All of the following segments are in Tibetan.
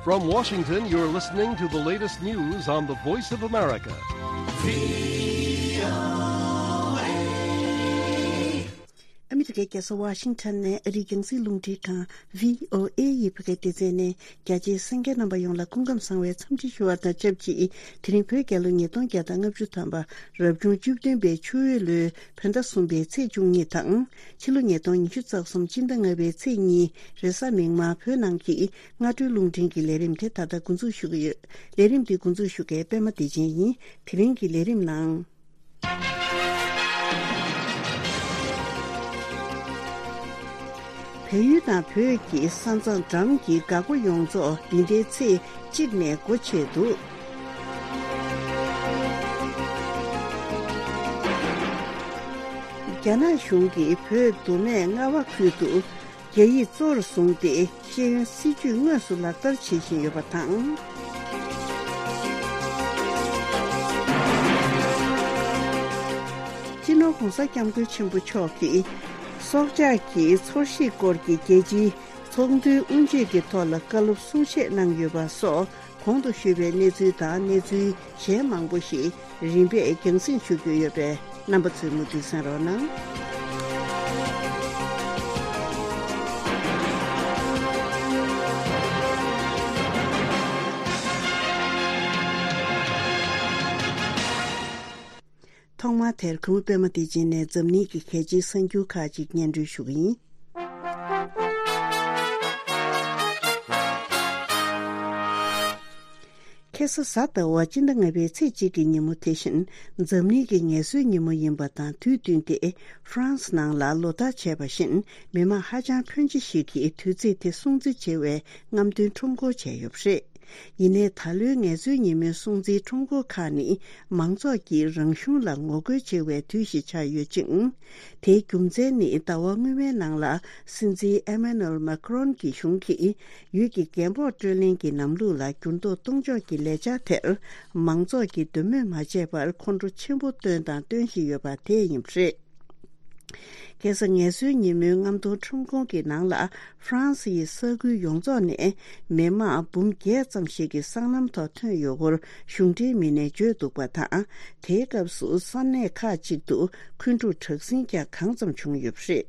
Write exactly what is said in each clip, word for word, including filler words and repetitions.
From Washington, you're listening to the latest news on the Voice of America. ཨ་མི་རི་ཀའི་རྒྱལ་ས་ཝ་ཤིང་ཊོན་ནས་ཨ་རིའི་རྒྱང་སྲིང་རླུང་འཕྲིན་ཁང་བྷི་ཨོ་ཨེ་ཡི་བོད་སྐད་སྡེ་ཚན་ནས་རྒྱ་ཆེའི་གསན་མཁན་རྣམ་པ་ཡོངས་ལ་སྐུ་ཁམས་བཟང་བའི་འཚམས་འདྲི་ཞུ་བ་དང་ཆབས་ཅིག་དེ་རིང་བོད་རྒྱལ་ལོ་ཉིས་སྟོང་བརྒྱ་དང་ལྔ་བཅུ་ཐམ་པ་རབ་བྱུང་བཅུ་བདུན་པའི་ཆུ་འོད་ལོའི་བོད་ཟླ་གསུམ་པའི་ཚེས་བཅུ་གཉིས་དང་། ཕྱི་ལོ་ཉིས་སྟོང་ཉི་ཤུ་རྩ་གསུམ་སྤྱི་ཟླ་ལྔ་པའི་ཚེས་གཉིས་རེས་གཟའ་མིག་དམར་བོད་ནང་གི་སྔ་དྲོའི་རླུང་འཕྲིན་གྱི་ལས་རིམ་དེ་ད་ལྟ་འགོ་འཛུགས་ཞུ་གི་ཡོད། ལས་རིམ་འདི་འགོ་འཛུགས་ཞུ་མཁན་པད་མ་བདེ་ཆེན་ཡིན། དེ་རིང་གི་ལས་རིམ་ནང་། བལ་ཡུལ་དང་བོད་ཀྱི་ས་མཚམས་འགྲམ་གྱི་འགག་སྒོ་ཡོངས་རྫོགས་འདི་ཟླའི་ཚེས་གཅིག་ནས་སྒོ་ཕྱེ་འདུག་རྒྱ་ནག་གཞུང་གིས་བོད་མདོ་སྨད་རྔ་བ་ཁུལ་དུ་རྒྱ་ཡིག་གཙོ་བོར་བཟུང་སྟེ་ཤེས་ཡོན་སྲིད་ཇུས་དངོས་སུ་ལག་བསྟར་བྱེད་བཞིན་ཡོད་པ་དང་། སྤྱི་ནོར་༸གོང་ས་༸སྐྱབས་མགོན་ཆེན་པོ་མཆོག་གིས་སྲོག་ཆགས་ཀྱི་འཚོ་གཞིས་སྐོར་གྱི་རྒྱལ་སྤྱིའི་ཚོགས་འདུའི་དབུ་འབྱེད་ཀྱི་ཐོག་ལ་བཀའ་སློབ་གསུང་བཤད་གནང་ཡོད་པ་སོགས། གོང་དུ་ཞུས་པའི་གནས་ཚུལ་དང་གནས་ཚུལ་གཞན་མང་པོ་ཞིག་རིམ་པས་རྒྱང་སྲིང་ཞུ་རྒྱུ་ཡོད་པས། རྣམ་པ་ཚོས་མུ་མཐུད་གསན་རོགས་གནང་། ཐོག་མར་དེར་གུས་པ་པད་མ་བདེ་ཆེན་ནས་འཛམ་གླིང་གི་གལ་ཆེའི་གསར་འགྱུར་ཁག་ཅིག་སྙན་སྒྲོན་ཞུ་གི་ཡིན། ཁ་སང་གཟའ་ཟླ་བ་སྤྱི་ཟླ་ལྔ་པའི་ཚེས་གཅིག་གི་ཉིན་མོ་དེ་བཞིན་འཛམ་གླིང་གི་ངལ་གསོའི་ཉིན་མོ་ཡིན་པ་དང་དུས་བསྟུན་ཏེ་ཧྥ་རན་སི་ནང་ལ་ལོ་ལྟར་བྱས་པ་བཞིན་མི་མང་ཧ་ཅང་ཕོན་ཆེ་ཞིག་གིས་དུས་ཚིགས་དེ་སྲུང་བརྩི་བྱེད་པའི་རྔམ་སྟོན་ཁྲོམ་སྐོར་བྱས་ཡོད་པ་རེད། ཡིན་ནའི་ད་ལོའི་ངལ་གསོའི་ཉིན་མོའི་སྲུང་བརྩིའི་ཁྲོམ་སྐོར་ཁག་ནི་མང་ཚོགས་ཀྱིས་རང་གཞུང་ལ་ངོ་རྒོལ་བྱེད་པའི་དུས་ཤིག་ཆགས་ཡོད་ཅིང་། དེའི་རྒྱུ་མཚན་ནི་ཟླ་བ་སྔོན་མའི་ནང་ལ་སྲིད་འཛིན་ཨེ་མ་ནུ་ཨེལ་མཱ་ཁི་རོན་གྱི་གཞུང་གིས་ཡུལ་གྱི་རྒན་པོ་སྤྲོད་ལེན་གྱི་ལམ་ལུགས་ལ་འགྱུར་ལྡོག་གཏོང་ཕྱོགས་ཀྱི་ལས་འཆར་དེར་མང་ཚོགས་ཀྱིས་འདོད་མོས་མ་བྱས་པར་ཁོང་ཁྲོ་ཆེན་པོ་བཏོན་དང་སྟོན་བཞིན་ཡོད་པ་དེ་ཡིན་པ་རེད། ཁ་སང་ངལ་གསོའི་ཉིན་མོའི་རྔམ་སྟོན་ཁྲོམ་སྐོར་གྱི་ནང་ལ་ཧྥ་རན་སི་ཡི་ས་ཁུལ་ཡོངས་རྫོགས་ནས་མི་མང་འབུམ་བརྒྱད་ཙམ་ཞིག་གི་སྲང་ལམ་ཐོག་ཐོན་ཡོད་སྐོར་གཞུང་འབྲེལ་མི་སྣས་བརྗོད་འདུག་པ་དང་། དེའི་སྐབས་སུ་ས་གནས་ཁག་ཅིག་ཏུ་འཁོན་འཁྲུག་དྲག་ཟིང་ཀྱང་གང་ཙམ་བྱུང་ཡོད་པ་རེད།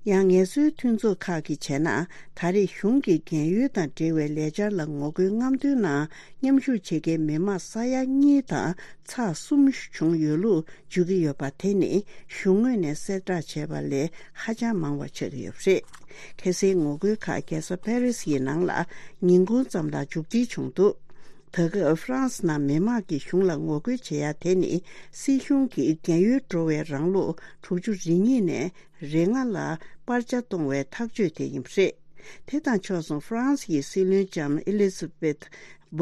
ཡང་ངལ་གསོའི་མཐུན་ཚོགས་ཁག་གིས་བྱས་ན་ད་རེས་གཞུང་གི་རྒན་ཡོལ་དང་འབྲེལ་བའི་ལས་འཆར་ལ་ངོ་རྒོལ་རྔམ་སྟོན་ནང་མཉམ་ཞུགས་བྱེད་མཁན་མི་མང་ས་ཡ་གཉིས་དང་ཚེག་གསུམ་བྱུང་ཡོད་ལུགས་བརྗོད་ཀྱི་ཡོད་པ་དེ་ནི་གཞུང་ངོས་ནས་གསལ་བསྒྲགས་བྱས་པ་ལས་ཧ་ཅང་མང་བ་ཆགས་ཀྱི་ཡོད་པ་རེད། ཁ་སའི་ངོ་རྒོལ་ཁག་རྒྱལ་ས་ཕ་རི་སི་ཡི་ནང་ལ་ཉིན་གུང་ཙམ་ལ་མཇུག་སྒྲིལ་བྱུང་འདུག་ད་སྐབས་ཧྥ་རན་སི་ནང་མི་མང་གིས་གཞུང་ལ་ངོ་རྒོལ་བྱེད་ཡ་དེ་ནི་སྲིད་གཞུང་གིས་རྒན་ཡོལ་འགྲོ་བའི་རང་ལོ་དྲུག་ཅུ་རེ་གཉིས་ནས་རེ་ལྔ་ལ་སྤར་ཆ་གཏོང་བའི་ཐག་གཅོད་དེ་ཡིན་པ་རེད། དེ་དང་ཕྱོགས་མཚུངས་ཧྥ་རན་སི་ཡི་སྲིད་བློན་ལྕམ་ཨེ་ལི་ཛ་བེཐ་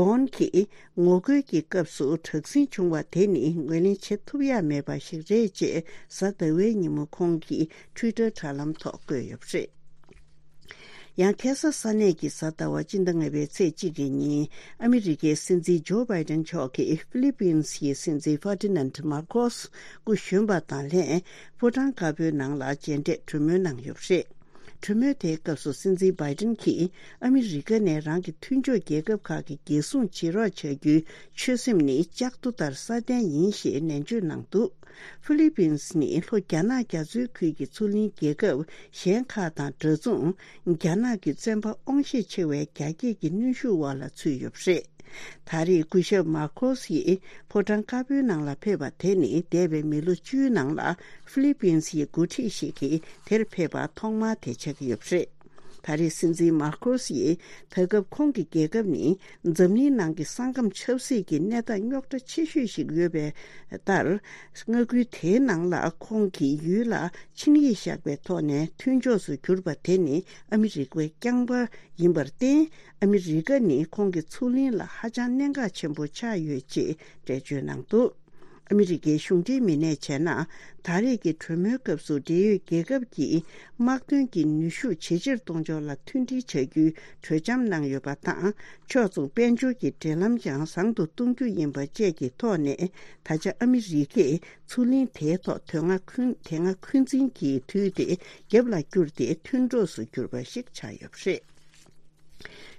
བོན་གྱིས་ངོ་རྒོལ་གྱི་སྐབས་སུ་དྲག་ཟིང་བྱུང་བ་དེ་ནི་ངོས་ལེན་བྱེད་ཐུབ་ཡ་མེད་པ་ཞིག་རེད་ཅེས་གཟའ་ཟླ་བའི་ཉིན་མོ་ཁོང་གིས་ཊུའི་ཊར་དྲ་ལམ་ཐོག་བཀོད་ཡོད་པ་རེད། ཡང་ཁ་སང་ས་གནས་ཀྱི་གཟའ་ཟླ་བ་སྤྱི་ཟླ་ལྔ་པའི་ཚེས་གཅིག་གི་ཉིན་ཨ་མི་རི་ཀའི་སྲིད་འཛིན་ཇོ་བྷའི་ཌེན་མཆོག་གིས་ཧྥི་ལི་པིན་སི་ཡི་སྲིད་འཛིན་ཧྥར་ཏི་ནན་མར་ཀོས་སྐུ་གཞོན་པ་དང་ལྷན་ཕོ་བྲང་དཀར་པོའི་ནང་ལ་མཇལ་འཕྲད་གྲོས་མོལ་གནང་ཡོད་པ་རེད། གྲོས་མོལ་དེའི་སྐབས་སུ་སྲིད་འཛིན་བྷའི་ཏིན་གྱིས་ཨ་མི་རི་ཀ་ནས་རང་གི་མཐུན་ཕྱོགས་རྒྱལ་ཁབ་ཁག་གི་རྒྱལ་སྲུང་བྱེད་རོགས་བྱ་རྒྱུའི་ཆོད་སེམས་ནི་ལྕགས་རྡོ་ལྟར་སྲ་བརྟན་ཡིན་ཞེས་ནན་བརྗོད་གནང་འདུག་ཧྥི་ལི་པིན་སི་ནི་ལྷོ་རྒྱ་ནག་རྒྱ་མཚོའི་ཁུལ་གྱི་མཚོ་གླིང་རྒྱལ་ཁབ་གཞན་ཁག་དང་འདྲ་མཚུངས་རྒྱ་ནག་གི་བཙན་པ་དབང་ཤེད་ཆེ་བའི་རྒྱ་སྐྱེད་ཀྱི་གནོན་ཤུགས་འོག་ལ་ཚུད་ཡོད་པ་རེད། ད་རེས་སྐུ་ཞབས་མར་ཁོ་སི་ཡིས་ཕོ་བྲང་དཀར་པོའི་ནང་ལ་ཕེབས་པ་དེ་ནི་འདས་པའི་མི་ལོ་བཅུའི་ནང་ལ་ཧྥི་ལི་པིན་སིའི་འགོ་ཁྲིད་ཞིག་གིས་དེར་ཕེབས་པ་ཐོག་མ་དེ་ཆགས་ཀྱི་ཡོད་པ་རེད། ད་རེས་སྲིད་འཛིན་མར་ཁོ་སི་ཡིས་ད་སྐབས་ཁོང་གི་རྒྱལ་ཁབ་ནི་འཛམ་གླིང་ནང་གི་ས་ཁམས་ཆབ་སྲིད་ཀྱི་གནས་སྟངས་རྙོག་དྲ་ཆེ་ཤོས་ཤིག་ཡོད་པའི་ལྟར། མངའ་ཁུལ་དེའི་ནང་ལ་ཁོང་གིས་ཡུལ་ལ་ཆིངས་ཡིག་བཞག་པའི་ཐོག་ནས་མཐུན་ཕྱོགས་སུ་གྱུར་པ་དེ་ནི་ཨ་མི་རི་ཀའི་རྐྱང་པ་ཡིན་པར་བརྟེན། ཨ་མི་རི་ཀ་ནི་ཁོང་གི་མཚོ་གླིང་ལ་ཧ་ཅང་གནད་འགག་ཆེན་པོ་ཆགས་ཡོད་ཅེས་འགྲེལ་བརྗོད་གནང་འདུག་ཨ་མི་རི་ཀའི་གཞུང་འབྲེལ་མི་སྣས་བྱས་ན། ད་རེས་ཀྱི་གྲོས་མོལ་སྐབས་སུ་འབྲེལ་ཡོད་རྒྱལ་ཁབ་ཀྱིས་དམག་དོན་གྱི་ནུས་ཤུགས་ཇེ་ཆེར་གཏོང་ཕྱོགས་ལ་མཐུན་སྒྲིལ་བྱ་རྒྱུའི་གྲོས་འཆམ་གནང་ཡོད་པ་དང་། ཕྱོགས་མཚུངས་དཔལ་འབྱོར་གྱི་འབྲེལ་ལམ་ཀྱང་བཟང་དུ་གཏོང་རྒྱུ་ཡིན་པ་བཅས་ཀྱི་ཐོག་ནས། ད་ཆ་ཨ་མི་རི་ཀས་ཚུར་ལན་དེའི་ཐོག་དེ་སྔ་འཁོན་དེ་སྔ་འཁོན་འཛིན་གྱི་དུས་དེ་རྒྱབ་ལ་བསྐྱུར་ཏེ་མཐུན་གྲོགས་སུ་གྱུར་པ་ཞིག་ཆགས་ཡོད་པ་རེད།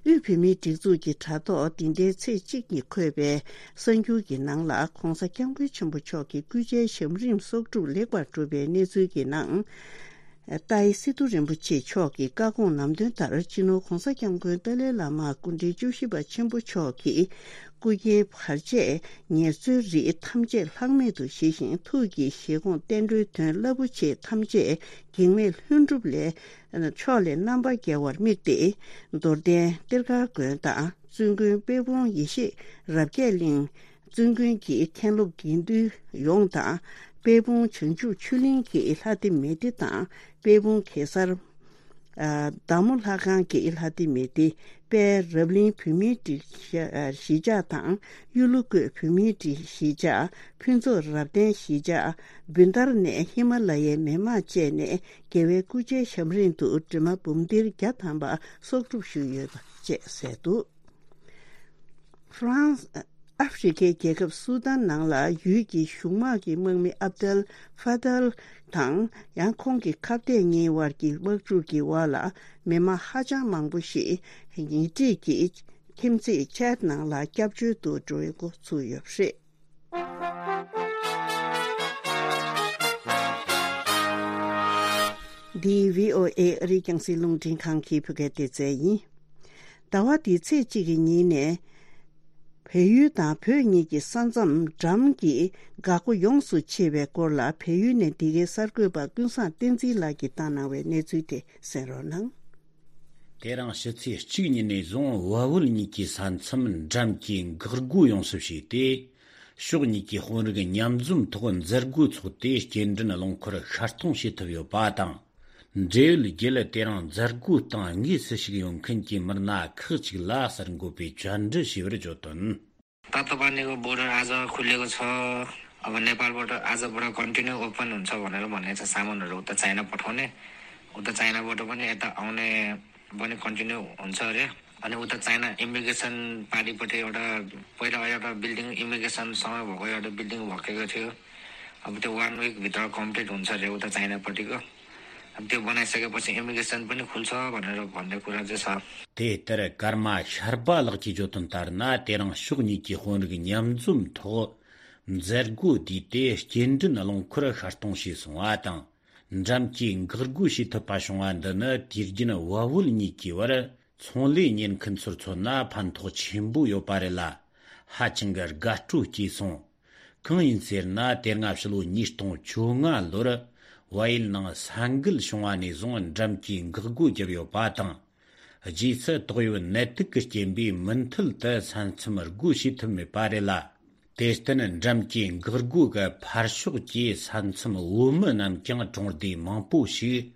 དབུས་བོད་མིའི་སྒྲིག་འཛུགས་ཀྱི་དྲ་ཐོག་འདི་ཟླའི་ཚེས་གཅིག་ཉིན་འཁོད་པའི་གསར་འགྱུར་གྱི་ནང་ལ། ྋགོང་ས་ྋསྐྱབས་མགོན་ཆེན་པོ་མཆོག་གི་སྐུ་ཕྱྭའི་ཞབས་རིམ་གསོག་སྒྲུབ་ལེགས་པར་གྲུབ་པའི་གནས་ཚུལ་གྱི་ནང་། ཏཱའི་སི་ཏུ་རིན་པོ་ཆེ་མཆོག་གི་བཀའ་དགོངས་ནམ་དོན་ལྟར། སྤྱི་ནོར་ྋགོང་ས་ྋསྐྱབས་མགོན་ཏཱ་ལའི་བླ་མ་སྐུ་ཕྲེང་བཅུ་བཞི་པ་ཆེན་པོ་མཆོག་གི་སྐུ་སྐྱེའི་བར་ཆད་ངལ་རྩོལ་རིགས་ཐམས་ཅད་ལྷག་མེད་དུ་ཞི་ཞིང་། ཐུགས་ཀྱི་བཞེད་དགོངས་བསྟན་འགྲོའི་དོན་རླབས་པོ་ཆེ་ཐམས་ཅད་གེགས་མེད་ལྷུན་གྲུབ་ལས་ཕྱོགས་ལས་རྣམ་པར་རྒྱལ་བར་དམིགས་ཏེ། རྡོར་གདན་གཏེར་སྒར་དགོན་དང་བཙུན་དགོན་དཔལ་སྤུངས་ཡེ་ཤེས་རབ་རྒྱས་གླིང་། བཙུན་དགོན་གྱི་མཁན་སློབ་དགེ་འདུན་ཡོངས་དང་། དཔལ་སྤུངས་བྱང་ཆུབ་ཆོས་གླིང་གི་ལྷ་སྡེ་མེ་སྡེ་དང་། དཔལ་སྤུངས་གེ་སར། ཨ། བདག་མོ་ལྷ་ཁང་གི་ལྷ་སྡེ་མེ་སྡེ། དཔལ་རབ་གླིང་བོད་མིའི་སྒྲིག་གཞི་གཞིས་ཆགས་དང་། གཡུ་ལོ་བཀོད་བོད་མིའི་སྒྲིག་གཞིས་ཆགས། ཕུན་ཚོགས་རབ་བརྟན་གཞིས་ཆགས། བུན་ཐར་ནས་ཧི་མ་ལ་ཡའི་མི་མང་བཅས་ནས་རྒྱལ་བའི་སྐུ་ཕྱྭའི་ཞབས་རིམ་དུ་གྲིབ་མ་འབུམ་སྡེར་བརྒྱ་ཐམ་པ་གསོག་སྒྲུབ་ཞུས་ཡོད་པ་བཅས་གསལ་འདུག་ཧྥ་རན་སི། ཨ་ཧྥེ་རི་ཁའི་རྒྱལ་ཁབ་སུ་དཱན་ནང་ལ་ཡུལ་གྱི་གཞུང་དམག་གི་དམག་མི་ཨབ་དལ་ཧྥ་དལ་དང་། ཡང་ཁོང་གི་ཁ་གཏད་གཉིས་དབར་གྱི་དམག་འཁྲུག་གི་འོག་ལ་མི་མང་ཧ་ཅང་མང་པོ་ཞིག་ཉེ་འཁྲིས་ཀྱི་ཁྱིམ་མཚེས་ཆད་ནང་ལ་སྐྱབས་བཅོལ་དུ་འགྲོ་བའི་འགོ་ཚུགས་ཡོད་པ་རེད། འདི་བྷི་ཨོ་ཨེ་ཨ་རིའི་རྒྱང་སྲིང་རླུང་འཕྲིན་ཁང་གི་བོད་སྐད་སྡེ་ཚན་ཡིན། ཟླ་བ་འདིའི་ཚེས་གཅིག་གི་ཉིན་ནས། བལ་ཡུལ་དང་བོད་གཉིས་ཀྱི་ས་མཚམས་འགྲམ་གྱི་འགག་སྒོ་ཡོངས་སུ་ཕྱེ་བའི་སྐོར་ལ། བལ་ཡུལ་ནས་འདི་གའི་གསར་འགོད་པ་ཀུན་བཟང་བསྟན་འཛིན་ལགས་ཀྱིས་བཏང་གནང་བའི་གནས་ཚུལ་དེ་གསན་རོགས་གནང་། དེ་རིང་ཕྱི་ཚེས་གཅིག་ཉིན་ནས་བཟུང་བལ་བོད་གཉིས་ཀྱི་ས་མཚམས་འགྲམ་གྱི་འགག་སྒོ་ཡོངས་སུ་ཕྱེས་ཏེ། ཕྱོགས་གཉིས་ཀྱི་དཔོན་རིགས་མཉམ་འཛོམས་ཐོག་མཛད་སྒོ་འཚོགས་ཏེ། སྐྱེལ་འདྲེན་རླངས་འཁོར་ཤར་གཏོང་བྱེད་ཐུབ་ཡོད་པ་དང་། འབྲེལ་ཡོད་བརྒྱུད་ལ་དེ་རིང་མཛད་སྒོའི་སྟེང་དངོས་སུ་ཞུགས་ཡོང་མཁན་གྱི་མི་སྣ་ཁག་ཅིག་ལ་གསར་འགོད་པས་བཅར་འདྲི་ཞུས་པར་བརྗོད་དོན། ད་ལྟ་བར་ནས་བོར་ཌར་ཨ་ཛ་ཁུ་ལེ་གི་ཚོ། अब नेपाल बोर्डर आज बाट continue open हुन्छ भनेर भनेको छ सामानहरू उता चाइना पठाउने। उता चाइनाबाट पनि यता आउने पनि कन्टिन्यू हुन्छ अरे। अनि उता चाइना इमिग्रेसन पारिपट्टि एउटा पहिला एउटा बिल्डिङ इमिग्रेसनसँग भएको एउटा बिल्डिङ भत्केको थियो। अब त्यो वान विकभित्र कम्प्लिट हुन्छ अरे उता चाइनापट्टिको। अब त्यो बनाइसकेपछि इमिग्रेसन पनि खुल्छ भनेर भन्ने कुरा चाहिँ छ। དེ་ལྟར་ཀརྨ་ཤར་པ་ལགས་ཀྱིས་བརྗོད་དོན་ལྟར་ན། དེ་རིང་ཕྱོགས་གཉིས་ཀྱི་དཔོན་རིགས་མཉམ་འཛོམས་ཐོག་མཛད་སྒོ་བསྡུས་ཏེ། སྐྱེལ་འདྲེན་རླངས་འཁོར་ཤར་གཏོང་བྱས་སོང་བ་དང་། འགྲམ་གྱི་འགག་སྒོ་ཕྱེ་ཐུབ་པ་བྱུང་བ་འདི་ནི། དུས་རྒྱུན་བལ་བོད་གཉིས་ཀྱི་བར་ཚོང་ལས་གཉེར་མཁན་ཚོར་མཚོན་ན་ཕན་ཐོགས་ཆེན་པོ་ཡོད་པ་རེད་ལ། ཧ་ཅང་གི་དགའ་སྤྲོ་སྐྱེས་སོང་། གང་ཡིན་ཟེར་ན། དེ་སྔ་ཕྱི་ལོ་ཉིས་སྟོང་བཅོ་ལྔ་ལོར་བལ་ཡུལ་ནང་ས་འགུལ་བྱུང་བ་ནས་བཟུང་འགྲམ་གྱི་འགག་སྒོ་བརྒྱབ་ཡོད་པ་དང་། རྗེས་སུ་ཏོག་དབྱིབས་ནད་དུག་གི་རྐྱེན་པས་མུ་མཐུད་དུ་ས་མཚམས་སྒོ་ཕྱེ་ཐུབ་མེད་པ་རེད་ལ། དེར་བརྟེན་འགྲམ་གྱི་འགག་སྒོ་གི་ཕར་ཕྱོགས་ཀྱི་ས་མཚམས་བོད་མི་རྣམས་ཀྱང་གྲོང་སྡེ་མང་པོ་ཞིག་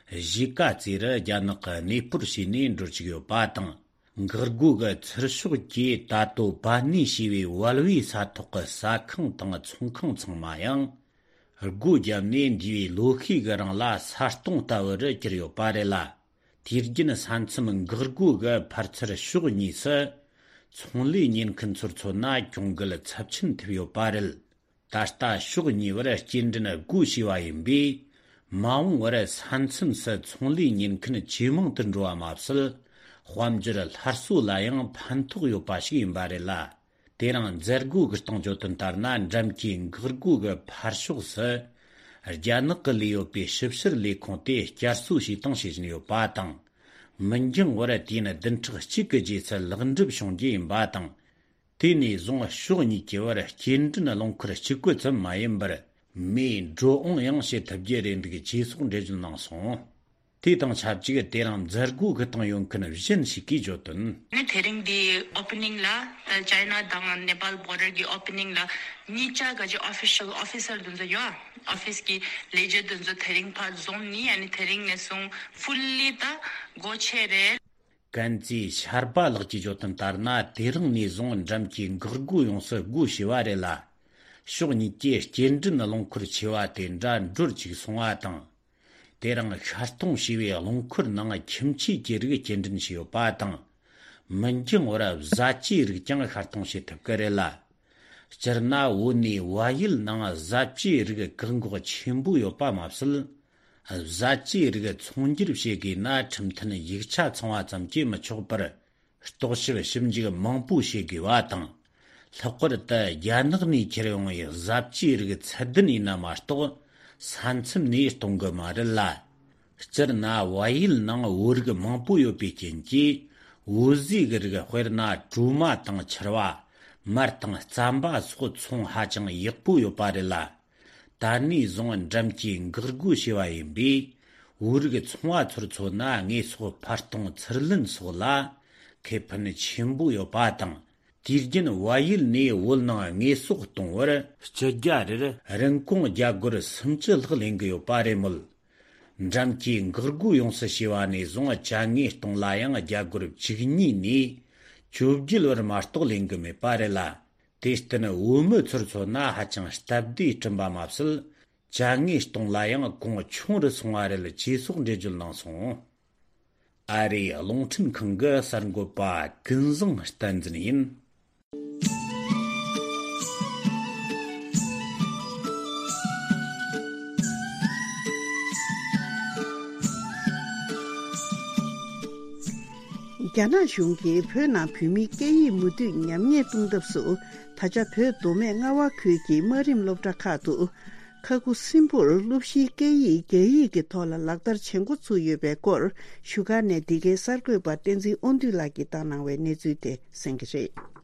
གཞིས་ཀ་རྩེ་རུ་རྒྱ་ནག་གི་གནས་སྤོར་བྱས་ནས་འགྲོ་བཅུག་ཡོད་པ་དང་། འགག་སྒོ་གི་ཚུར་ཕྱོགས་ཀྱི་ད་ལྟོ་པ་ནི་ཞེས་པའི་བལ་བོའི་ས་ཐོག་གི་ཟ་ཁང་དང་ཚོང་ཁང་ཚང་མ་ཡང་སྒོ་བརྒྱབ་ནས། འདས་པའི་ལོ་ཤས་ཀྱི་རིང་ལ་ས་སྟོང་ལྟ་བུ་རུ་གྱུར་ཡོད་པ་རེད་ལ། དུས་རྒྱུན་ས་མཚམས་འགག་སྒོ་གི་ཕར་ཚུར་ཕྱོགས་གཉིས་སུ་ཚོང་ལས་གཉེར་མཁན་ཚོར་མཚོན་ན་གྱོང་གུད་ཚབས་ཆེན་ཐེབས་ཡོད་པ་རེད། ད་ལྟ་ཕྱོགས་གཉིས་བར་སྐྱེལ་འདྲེན་སྒོ་ཕྱེ་བ་ཡིན་པས། མ་འོངས་པར་ས་མཚམས་སུ་ཚོང་ལས་གཉེར་མཁན་ཇེ་མང་དུ་འགྲོ་བ་མ་ཟད། དཔལ་འབྱོར་སླར་གསོ་ལ་ཡང་ཕན་ཐོགས་ཡོད་པ་ཞིག་ཡིན་པ་རེད་ལ། དེ་རིང་མཛད་སྒོ་གི་སྟེང་བརྗོད་དོན་ལྟར་ན། འགྲམ་གྱི་འགག་སྒོ་གི་ཕར་ཕྱོགས་སུ་རྒྱ་ནག་གི་ལས་ཡོད་པའི་ཞིབ་བཤེར་ལས་ཁུངས་དེ་བསྐྱར་གསོ་བྱས་དང་བྱེད་བཞིན་ཡོད་པ་དང་། མི་འགྱངས་བར་དུས་ཡུན་བདུན་ཕྲག་གཅིག་གི་རྗེས་སུ་ལེགས་འགྲུབ་བྱུང་རྒྱུ་ཡིན་པ་དང་། དེ་ནས་བཟུང་ཕྱོགས་གཉིས་ཀྱི་བར་སྐྱེལ་འདྲེན་རླངས་འཁོར་གཅིག་པུ་ཙམ་མ་ཡིན་པར། མིའི་འགྲོ་འོང་ཡང་བྱེད་ཐུབ་རྒྱུ་རེད་འདུག་ཅེས་སོགས་འགྲེལ་བརྗོད་གནང་སོང་། དེ་དང་ཆབས་ཅིག་དེ་རིང་མཛད་སྒོ་གི་སྟེང་ཡོད་མཁན་གཞན་ཞིག་གིས་བརྗོད་དོན། ནི་དེ་རིང་འདི་ཨོ་པ་ནིང་ལ་ད་ཅའི་ན་དང་ནེ་པཱལ་བོར་ཌར་གྱི་ཨོ་པ་ནིང་ལ་གཉིས་ཆ་ག་ཅི་ཨོ་ཕི་ཤལ་ཨོ་ཕི་སར་དེ་ཚོ་ཡོད། ཨོ་ཕི་སི་གི་ལས་བྱེད་དེ་ཚོ་དེ་རིང་ཕར་འཛོམས་ནི། ཨ་ནི་དེ་རིང་ནས་བཟུང་ཧྥུལ་ལི་ད་སྒོ་ཕྱེ་རེད། ཀན་ཙི་ཤར་པ་ལགས་ཀྱིས་བརྗོད་དོན་ལྟར་ན། དེ་རིང་ནས་བཟུང་འགྲམ་གྱི་འགག་སྒོ་ཡོངས་སུ་སྒོ་ཕྱེ་བ་རེད་ལ། ཕྱོགས་གཉིས་ཀྱི་སྐྱེལ་འདྲེན་རླངས་འཁོར་ཆེ་བ་དེ་འདྲ་འགྲུལ་བཅུག་སོང་བ་དང་། དེ་རིང་ཤར་གཏོང་བྱས་པའི་རླངས་འཁོར་ནང་ཁྱིམ་ཆས་ཀྱི་རིགས་སྐྱེལ་འདྲེན་བྱས་ཡོད་པ་དང་། མི་འགྱངས་བར་བཟའ་བཅའི་རིགས་ཀྱང་ཤར་གཏོང་བྱེད་ཐུབ་ཀྱི་རེད་ལ། སྤྱིར་ན་བོད་ནས་བལ་ཡུལ་ནང་བཟའ་བཅའི་རིགས་བཀག་འགོག་ཆེན་པོ་ཡོད་པ་མ་ཟད། བཟའ་བཅའི་རིགས་ཚོང་སྒྱུར་བྱེད་དགོས་ན་ཁྲིམས་མཐུན་ཡིག་ཆ་ཚང་བ་ཙམ་གྱིས་མི་ཆོག་པར། རྟོག་ཞིབ་ཞིབ་འཇུག་མང་པོ་བྱེད་དགོས་པ་དང་། ལྷག་པར་དུ་རྒྱ་ནག་ནས་ཁྱེར་ཡོང་བའི་བཟའ་བཅའི་རིགས་ཚད་ལྡན་ཡིན་ན་མ་གཏོགས་ས་མཚམས་ནས་གཏོང་གི་མ་རེད་ལ། སྤྱིར་ན་བལ་ཡུལ་ནང་བོད་རིགས་མང་པོ་ཡོད་པའི་རྐྱེན་གྱིས། བོད་ཟས་ཀྱི་རིགས་དཔེར་ན་གྲོ་མ་དང་ཕྱུར་བ། མར་དང་རྩམ་པ་སོགས་ཚོང་ཧ་ཅང་ཡག་པོ་ཡོད་པ་རེད་ལ། ད་ནས་བཟུང་འགྲམ་གྱིས་འགག་སྒོ་ཕྱེ་བ་ཡིན་པས། བོད་རིགས་ཚོང་བ་ཚོར་མཚོན་ན་དངོས་ཟོག་ཕར་གཏོང་ཚུར་ལེན་སོགས་ལ་ཁེ་ཕན་ཆེན་པོ་ཡོད་པ་དང་། དུས་རྒྱུན་བལ་ཡུལ་ནས་བོད་ནང་དངོས་ཟོག་གཏོང་བར་སྤྱི་རྒྱ་རེར་རིན་གོང་བརྒྱ་སྒོར་སུམ་ཅུ་ལྷག་ལེན་གྱི་ཡོད་པ་རེད་མོད། འགྲམ་གྱིས་འགག་སྒོ་ཡོངས་སུ་ཕྱེ་བ་ནས་བཟུང་ཅ་དངོས་གཏོང་ལ་ཡང་བརྒྱ་སྒོར་བཅུ་གཉིས་ནས་བཅོ་བརྒྱད་བར་མ་གཏོགས་ལེན་གྱི་མེད་པ་རེད་ལ། དེར་བརྟེན་བོད་མི་ཚོར་མཚོན་ན་ཧ་ཅང་སྟབས་བདེ་བསྐྲུན་པ་མ་ཟད། ཅ་དངོས་གཏོང་ལ་ཡང་གོང་ཆུང་རུ་སོང་བ་རེད། ཅེས་སོགས་འགྲེལ་བརྗོད་གནང་སོང་། ཨ་རིའི་རླུང་འཕྲིན་ཁང་གི་གསར་འགོད་པ་ཀུན་བཟང་བསྟན་འཛིན་ཡིན། རྒྱ་ནག་གཞུང་གིས་བོད་ནང་བོད་མིའི་སྐད་ཡིག་མུ་མཐུད་ཉམས་ཉེས་གཏོང་ཐབས་སུ། ད་ཆ་བོད་མདོ་སྨད་རྔ་བ་ཁུལ་གྱི་དམའ་རིམ་སློབ་གྲྭ་ཁག་ཏུ། ཁ་ཁུ་སིམ་པུར་སློབ་གཞིའི་སྐད་ཡིག་རྒྱ་ཡིག་གི་ཐོག་ལ་ལག་བསྟར་བྱེད་འགོ་ཚུགས་ཡོད་པའི་སྐོར། བཞུགས་སྒར་ནས་འདི་གའི་གསར་འགོད་པ་བསྟན་འཛིན་དབང་འདུས་ལགས་ཀྱིས་བཏང་གནང་བའི་གནས་ཚུལ་དེ་གསན་གྱི་རེད།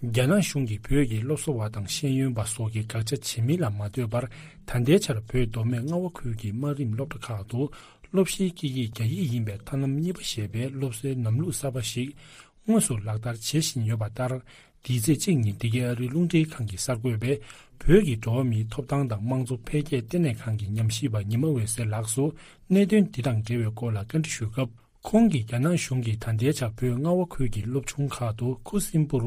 རྒྱ་ནག་གཞུང་གིས་བོད་ཀྱི་སློབ་གསོ་བ་དང་ཤེས་ཡོན་པ་སོགས་ཀྱི་དགག་བྱ་བྱེད་མིན་ལ་མ་ལྟོས་པར། ད་ལྟའི་ཆར་བོད་མདོ་སྨད་རྔ་བ་ཁུལ་གྱི་དམའ་རིམ་སློབ་གྲྭ་ཁག་ཏུ་སློབ་གཞིའི་སྐད་ཡིག་རྒྱ་ཡིག་ཡིན་པའི་ཐབས་ལམ་གཉིས་པ་ཞེས་པའི་སློབ་གསོའི་ལམ་ལུགས་གསར་པ་ཞིག་དངོས་སུ་ལག་བསྟར་བྱེད་བཞིན་ཡོད་པ་ལྟར། འདིའི་ཚེས་གཅིག་ཉིན་འདི་གའི་ཨ་རིའི་རླུང་འཕྲིན་ཁང་གི་གསར་འགོད་པས་བོད་ཀྱི་འགྲོ་བ་མིའི་ཐོབ་ཐང་དང་དམངས་གཙོ་འཕེལ་རྒྱས་ལྟེ་གནས་ཁང་གི་ཉམས་ཞིབ་པ་ཉི་མ་འོད་ཟེར་ལགས་སུ་གནད་དོན་འདི་དང་འབྲེལ་བའི་སྐོར་ལ་བཀའ་འདྲི་ཞུས་སྐབས། ཁོང་གིས་རྒྱ་ནག་གཞུང་གིས་ད་ལྟའི་ཆར་བོད་རྔ་བ་ཁུལ་གྱི་སློབ་ཆུང་ཁག་ཏུ་ཁུ་སིམ་པུར་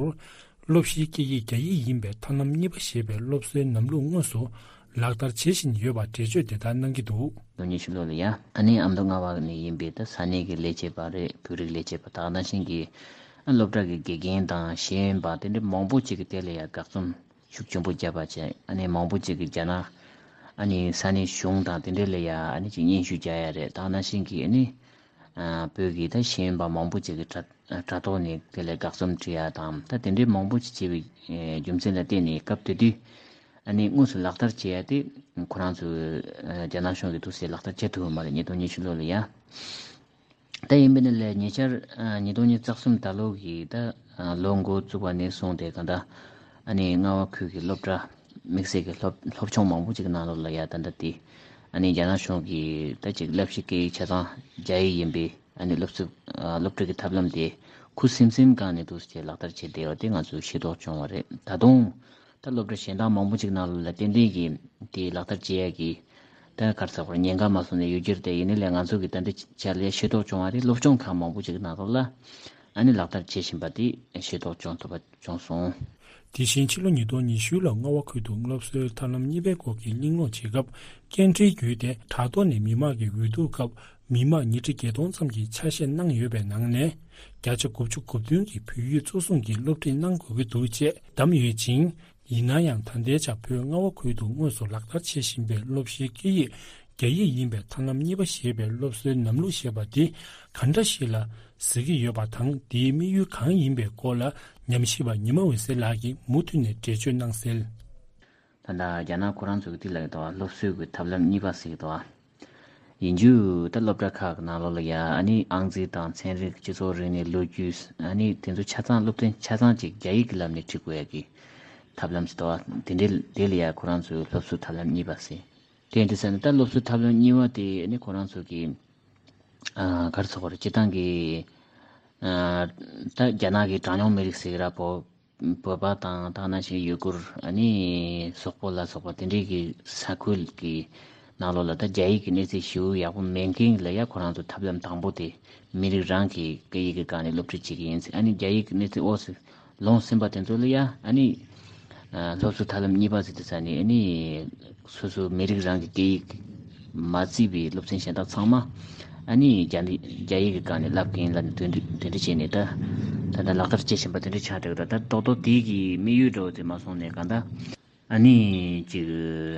སློབ་གཞིའི་སྐད་ཡིག་རྒྱ་ཡིག་ཡིན་པའི་ཐབས་ལམ་གཉིས་པ་ཞེས་པའི་སློབ་གསོའི་ལམ་ལུགས་དངོས་སུ་ལག་བསྟར་བྱེད་བཞིན་ཡོད་པར་འགྲེལ་བརྗོད་དེ་ལྟར་གནང་གི་འདུག། དོན་གཉིས་ཤུ་ལོ་ལ་ཡ། ཨ་ནི་ཨ་མདོ་རྔ་བ་ནས་ཡིན་པའི་ད་ས་གནས་ཀྱི་ལས་བྱེད་པ་རེད། བོད་རིགས་ལས་བྱེད་པ་དག་ནང་བཞིན་གྱི་ཨ་སློབ་གྲྭ་གི་དགེ་རྒན་དང་ཤེས་ཡོན་པ་དེ་འདྲ་མང་པོ་ཅིག་གི་དེ་ལ་ཡ་དགག་རྩོམ་ཤུགས་ཆེན་པོ་བརྒྱབ་པ་བྱས། ཨ་ནི་མང་པོ་ཅིག་གིས་རྒྱ་ནག་ཨ་ནི་ས་གནས་གཞུང་དང་དེ་འདྲ་ལ་ཡ་ཨ་ནི་ཅིག་སྙན་ཞུ་རྒྱག་ཡ་རེད། དེ་ནང་བཞིན་གྱི་ཨ་ནི་ཨ་བོད་ཀྱི་ད་ཤེས་ཡོན་པ་མང་པོ་ཅིག་གིས་དྲ་དྲ་ཐོག་ནས་དེ་ལ་དགག་རྩོམ་བྲིས་ཡ་དང་། ད་དེ་འདྲའི་མང་པོ་ཅིག་བྱས་པའི་ཨེ་རྒྱུ་མཚན་ལ་བརྟེན་ནས་སྐབས་དེ་དུས་ཨ་ནི་དངོས་སུ་ལག་བསྟར་བྱེད་ཡ་དེ་ཁོ་རང་ཚོས་ཨ་རྒྱ་ནག་གཞུང་གིས་འདུག་སེ་ལག་བསྟར་བྱེད་ཐུབ་ཡོད་མ་རེད། ཉིས་སྟོང་ཉི་ཤུ་ལོ་ལ་ཡ། ད་ཡིན་པ་ཡིན་ནའི་ལས་ཉེ་ཆར་ཨ་ཉིས་སྟོང་ཉི་ཤུ་རྩ་གསུམ་ཟླ་ལོ་གི་ད་ཨ་ལོ་འགོ་བཙུགས་པ་ནས་བཟུང་སྟེ་གང་ལྟར་ཨ་ནི་རྔ་བ་ཁུལ་གྱི་སློབ་གྲྭ་དམིགས་བསལ་གྱི་སློབ་སློབ་ཆུང་མང་པོ་ཅིག་གི་ནང་ལོགས་ལ་ཡ་ད་ལྟ་དེ་ཨ་ནི་རྒྱ་ནག་གཞུང་གིས་ད་ཅིག་བསླབ་གཞི་སྐད་ཡིག་ཆ་ཚང་རྒྱ་ཡིག་ཡིན་པའི་ཨ་ནི་སློབ་གསོ་ཨ་སློབ་ཁྲིད་ཀྱི་ཐབས་ལམ་དེ་ཁུ་སིམ་སིམ་སྒང་ནས་འདུག་སེ་ལག་བསྟར་བྱས་བསྡད་པ་དེ་ང་ཚོས་ཤེས་རྟོགས་བྱུང་བ་རེད། ད་དུང་ད་སློབ་གྲྭ་གཞན་དག་མང་པོ་ཅིག་ནང་ལ་ཏན་ཏན་གྱིས་དེ་ལག་བསྟར་བྱེད་ཡ་གི་ད་ག་རེ་ཟེར་དགོས་རེད། ཉེན་ཁ་མ་སོང་ནས་ཡོད་ཀྱི་རེད་དེ། ཡིན་ནའི་ལས་ང་ཚོ་གིས་ད་ལྟའི་ཆར་ལ་ཤེས་རྟོགས་བྱུང་བ་རེད། སློབ་སྦྱོང་ཁག་མང་པོ་ཅིག་ནང་ལོགས་ལ་ཨ་ནི་ལག་བསྟར་བྱེད་བཞིན་པ་དེ་ཤེས་རྟོགས་བྱུང་ཐུབ་པ་བྱུང་སོང་། དེ་བཞིན་ཕྱི་ལོ་ཉིས་སྟོང་ཉི་ཤུ་ལོར་རྔ་བ་ཁུལ་དུ་སློབ་གསོའི་ཐབས་ལམ་གཉིས་པའི་སྐོར་གྱི་གླེང་སློང་བྱེད་སྐབས། སྐད་འཕྲིན་བརྒྱུད་དེ་དྲ་ཐོག་ནས་མི་མང་གི་འོས་བསྡུ་སྐབས་མི་མང་ཉིས་ཁྲི་བརྒྱད་སྟོང་ཙམ་གྱིས་ཆ་ཤས་གནང་ཡོད་པའི་ནང་ནས། བརྒྱ་ཆ་དགུ་བཅུ་གོ་བདུན་གྱིས་བོད་ཡིག་གཙོ་བཟུང་གིས་སློབ་ཁྲིད་གནང་དགོས་ཀྱི་འདུག་ཅེས་བདམས་ཡོད་ཅིང་། ཡིན་ན་ཡང་ད་ལྟའི་ཆར་བོད་རྔ་བ་ཁུལ་དུ་དངོས་སུ་ལག་བསྟར་བྱེད་བཞིན་པའི་སློབ་གཞིའི་སྐད་ཡིག་རྒྱ་ཡིག་ཡིན་པའི་ཐབས་ལམ་གཉིས་པ་ཞེས་པའི་སློབ་གསོའི་ལམ་ལུགས་ཞེས་པ་འདི་ག་འདྲ་ཞིག་ལ་གཟིགས་ཀྱི་ཡོད་པ་དང་། འདིའི་དམིགས་ཡུལ་གང་ཡིན་པའི་སྐོར་ལ་ཉམས་ཞིབ་པ་ཉི་མ་འོད་ཟེར་ལགས་ཀྱིས་མུ་མཐུད་ནས་འགྲེལ་བརྗོད་གནང་གསལ། ད་ལྟ་རྒྱ་ནག་ཁོ་རང་ཚོ་གིས་དེ་ལ་ཡོད་དོ། སློབ་གསོའི་གི་ཐབས་ལམ་གཉིས་པ་ཟེར་གི་འདུག་བ། ཡིན་རྒྱུ་ད་སློབ་གྲྭ་ཁག་གི་ནང་ལོགས་ལ་ཡ་ཨ་ནི་ཨང་རྩིས་དང་ཚན་རིག་སྤྱི་ཚོགས་རིག་གནས་ལོ་རྒྱུས་ཨ་ནི་དེ་ཚོ་ཆ་ཚང་སློབ་ཚན་ཆ་ཚང་ཅིག་རྒྱ་ཡིག་གི་ལམ་ནས་ཁྲིད་དགོས་ཡ་གི་ཐབས་ལམ་ཟེར་འདུག་བ། དེ་འདྲའི་དེ་ལ་ཡ་ཁོ་རང་ཚོའི་སློབ་གསོའི་ཐབས་ལམ་གཉིས་པ་ཟེར། དེ་འདྲ་ཟེར་ན་ད་སློབ་གསོའི་ཐབས་ལམ་གཉིས་པ་དེ་ཨ་ནི་ཁོ་རང་ཚོ་གི་ཨ་ག་རེ་ཟེར་དགོས་རེད། སྤྱིར་བཏང་གི་ཨ་ད་རྒྱ་ནག་གི་གྲངས་ཉུང་མི་རིགས་ཟེར་གི་ར་བོད། བོད་པ་དང་དེ་ནང་བཞིན་ཡུ་གུར་ཨ་ནི་སོག་པོ་ལ་སོགས་པ་དེ་འདྲའི་གི་ས་ཁུལ་གི་ནང་ལོགས་ལ་ད་རྒྱ་ཡིག་གི་གནས་ཚད་ཞེ་པོ་ཡག་པོ་མེད་མཁན་ལ་ཡ་ཁོ་རང་ཚོ་ཐབས་ལམ་དང་པོ་དེ་མི་རིགས་རང་གི་སྐད་ཡིག་གི་སྒང་ནས་སློབ་ཁྲིད་བྱེད་ཀྱི་ཡིན་ཟེར། ཨ་ནི་རྒྱ་ཡིག་གི་གནས་ཚད་འོག་སུ་ལོངས་ཟིན་པ་དེ་ཚོ་ལ་ཡ་ཨ་ནི་ སློབ་གསོ་ཐབས་ལམ་གཉིས་པ་ཟེར་དུས་ཙ་ནས་ཨ་ནི་སོ་སོ་མི་རིགས་རང་གི་སྐད་ཡིག་མ་བརྩིས་པའི་སློབ་ཚན་གཞན་དག་ཚང་མ་ཨ་ནི་རྒྱ་ནི་རྒྱ་ཡིག་གི་སྒང་ནས་བསླབ་མཁན་ལབ་ནས་དོན་འགྲེལ་དོན་འགྲེལ་བྱས་ནས་ད་ད་ལྟ་ལག་བསྟར་བྱེད་བཞིན་པ་དེ་འདྲ་ཆགས་འདུག་ད་ད་རྡོག་རྡོག་དེ་གི་དམིགས་ཡུལ་འདྲ་བོ་དེ་མ་སོང་ནས་གང་ལྟར་ཨ་ནི་ཅིག་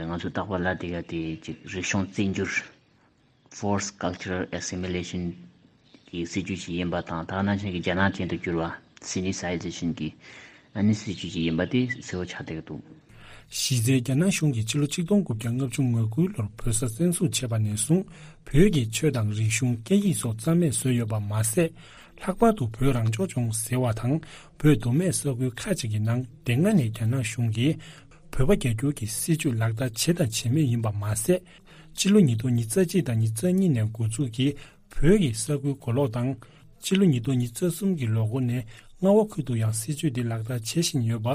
ང་ཚོ་རྟག་པར་ལབ་བསྡད་ཡ་དེ་ཅིག་རིག་གཞུང་བཙན་འགྱུར། Forced Cultural Assimilation གྱི་སྲིད་ཇུས་ཤིག་ཡིན་པ་དང་། ད་ནང་བཞིན་གྱི་རྒྱ་ནག་ཅན་དུ་བསྒྱུར་བ། Sinicization གྱི་ཨ་ནི་སྲིད་ཇུས་ཤིག་ཡིན་པ་དེ་གསལ་བོ་ཆགས་བསྡད་ཀྱི་འདུག་གཞི་རྩའི་རྒྱ་ནག་གཞུང་གིས་ཕྱི་ལོ་ཆིག་སྟོང་དགུ་བརྒྱ་ལྔ་བཅུ་ང་དགུ་ལོར་བོད་ས་བཙན་བཟུང་བྱས་པ་ནས་བཟུང་བོད་ཀྱི་ཆོས་དང་རིག་གཞུང་སྐད་ཡིག་སོགས་རྩ་མེད་བཟོས་ཡོད་པ་མ་ཟད། ལྷག་པར་དུ་བོད་རང་སྐྱོང་ལྗོངས་ཟེར་བ་དང་བོད་མདོ་སྨད་ས་ཁུལ་ཁག་ཅིག་གི་ནང་དེ་སྔ་ནས་རྒྱ་ནག་གཞུང་གིས་བོད་པ་རྒྱ་སྒྱུར་གྱི་སྲིད་ཇུས་ལག་བསྟར་བྱས་དང་བྱེད་མུས་ཡིན་པ་མ་ཟད། སྤྱི་ལོ་ཉིས་སྟོང་ཉི་ཤུ་རྩ་གཅིག་དང་ཉི་ཤུ་རྩ་གཉིས་ནས་འགོ་འཛུགས་ཀྱིས་བོད་ཀྱི་ས་ཁུལ་གོ་ལོག་དང་། སྤྱི་ལོ་ཉིས་སྟོང་ཉི་ཤུ་རྩ་གསུམ་གྱི་ལོ་འགོ་ནས་རྔ་བ་ཁུལ་དུ་ཡང་སྲིད་ཇུས་འདི་ལག་བསྟར་བྱེད་བཞིན་ཡོད་པ་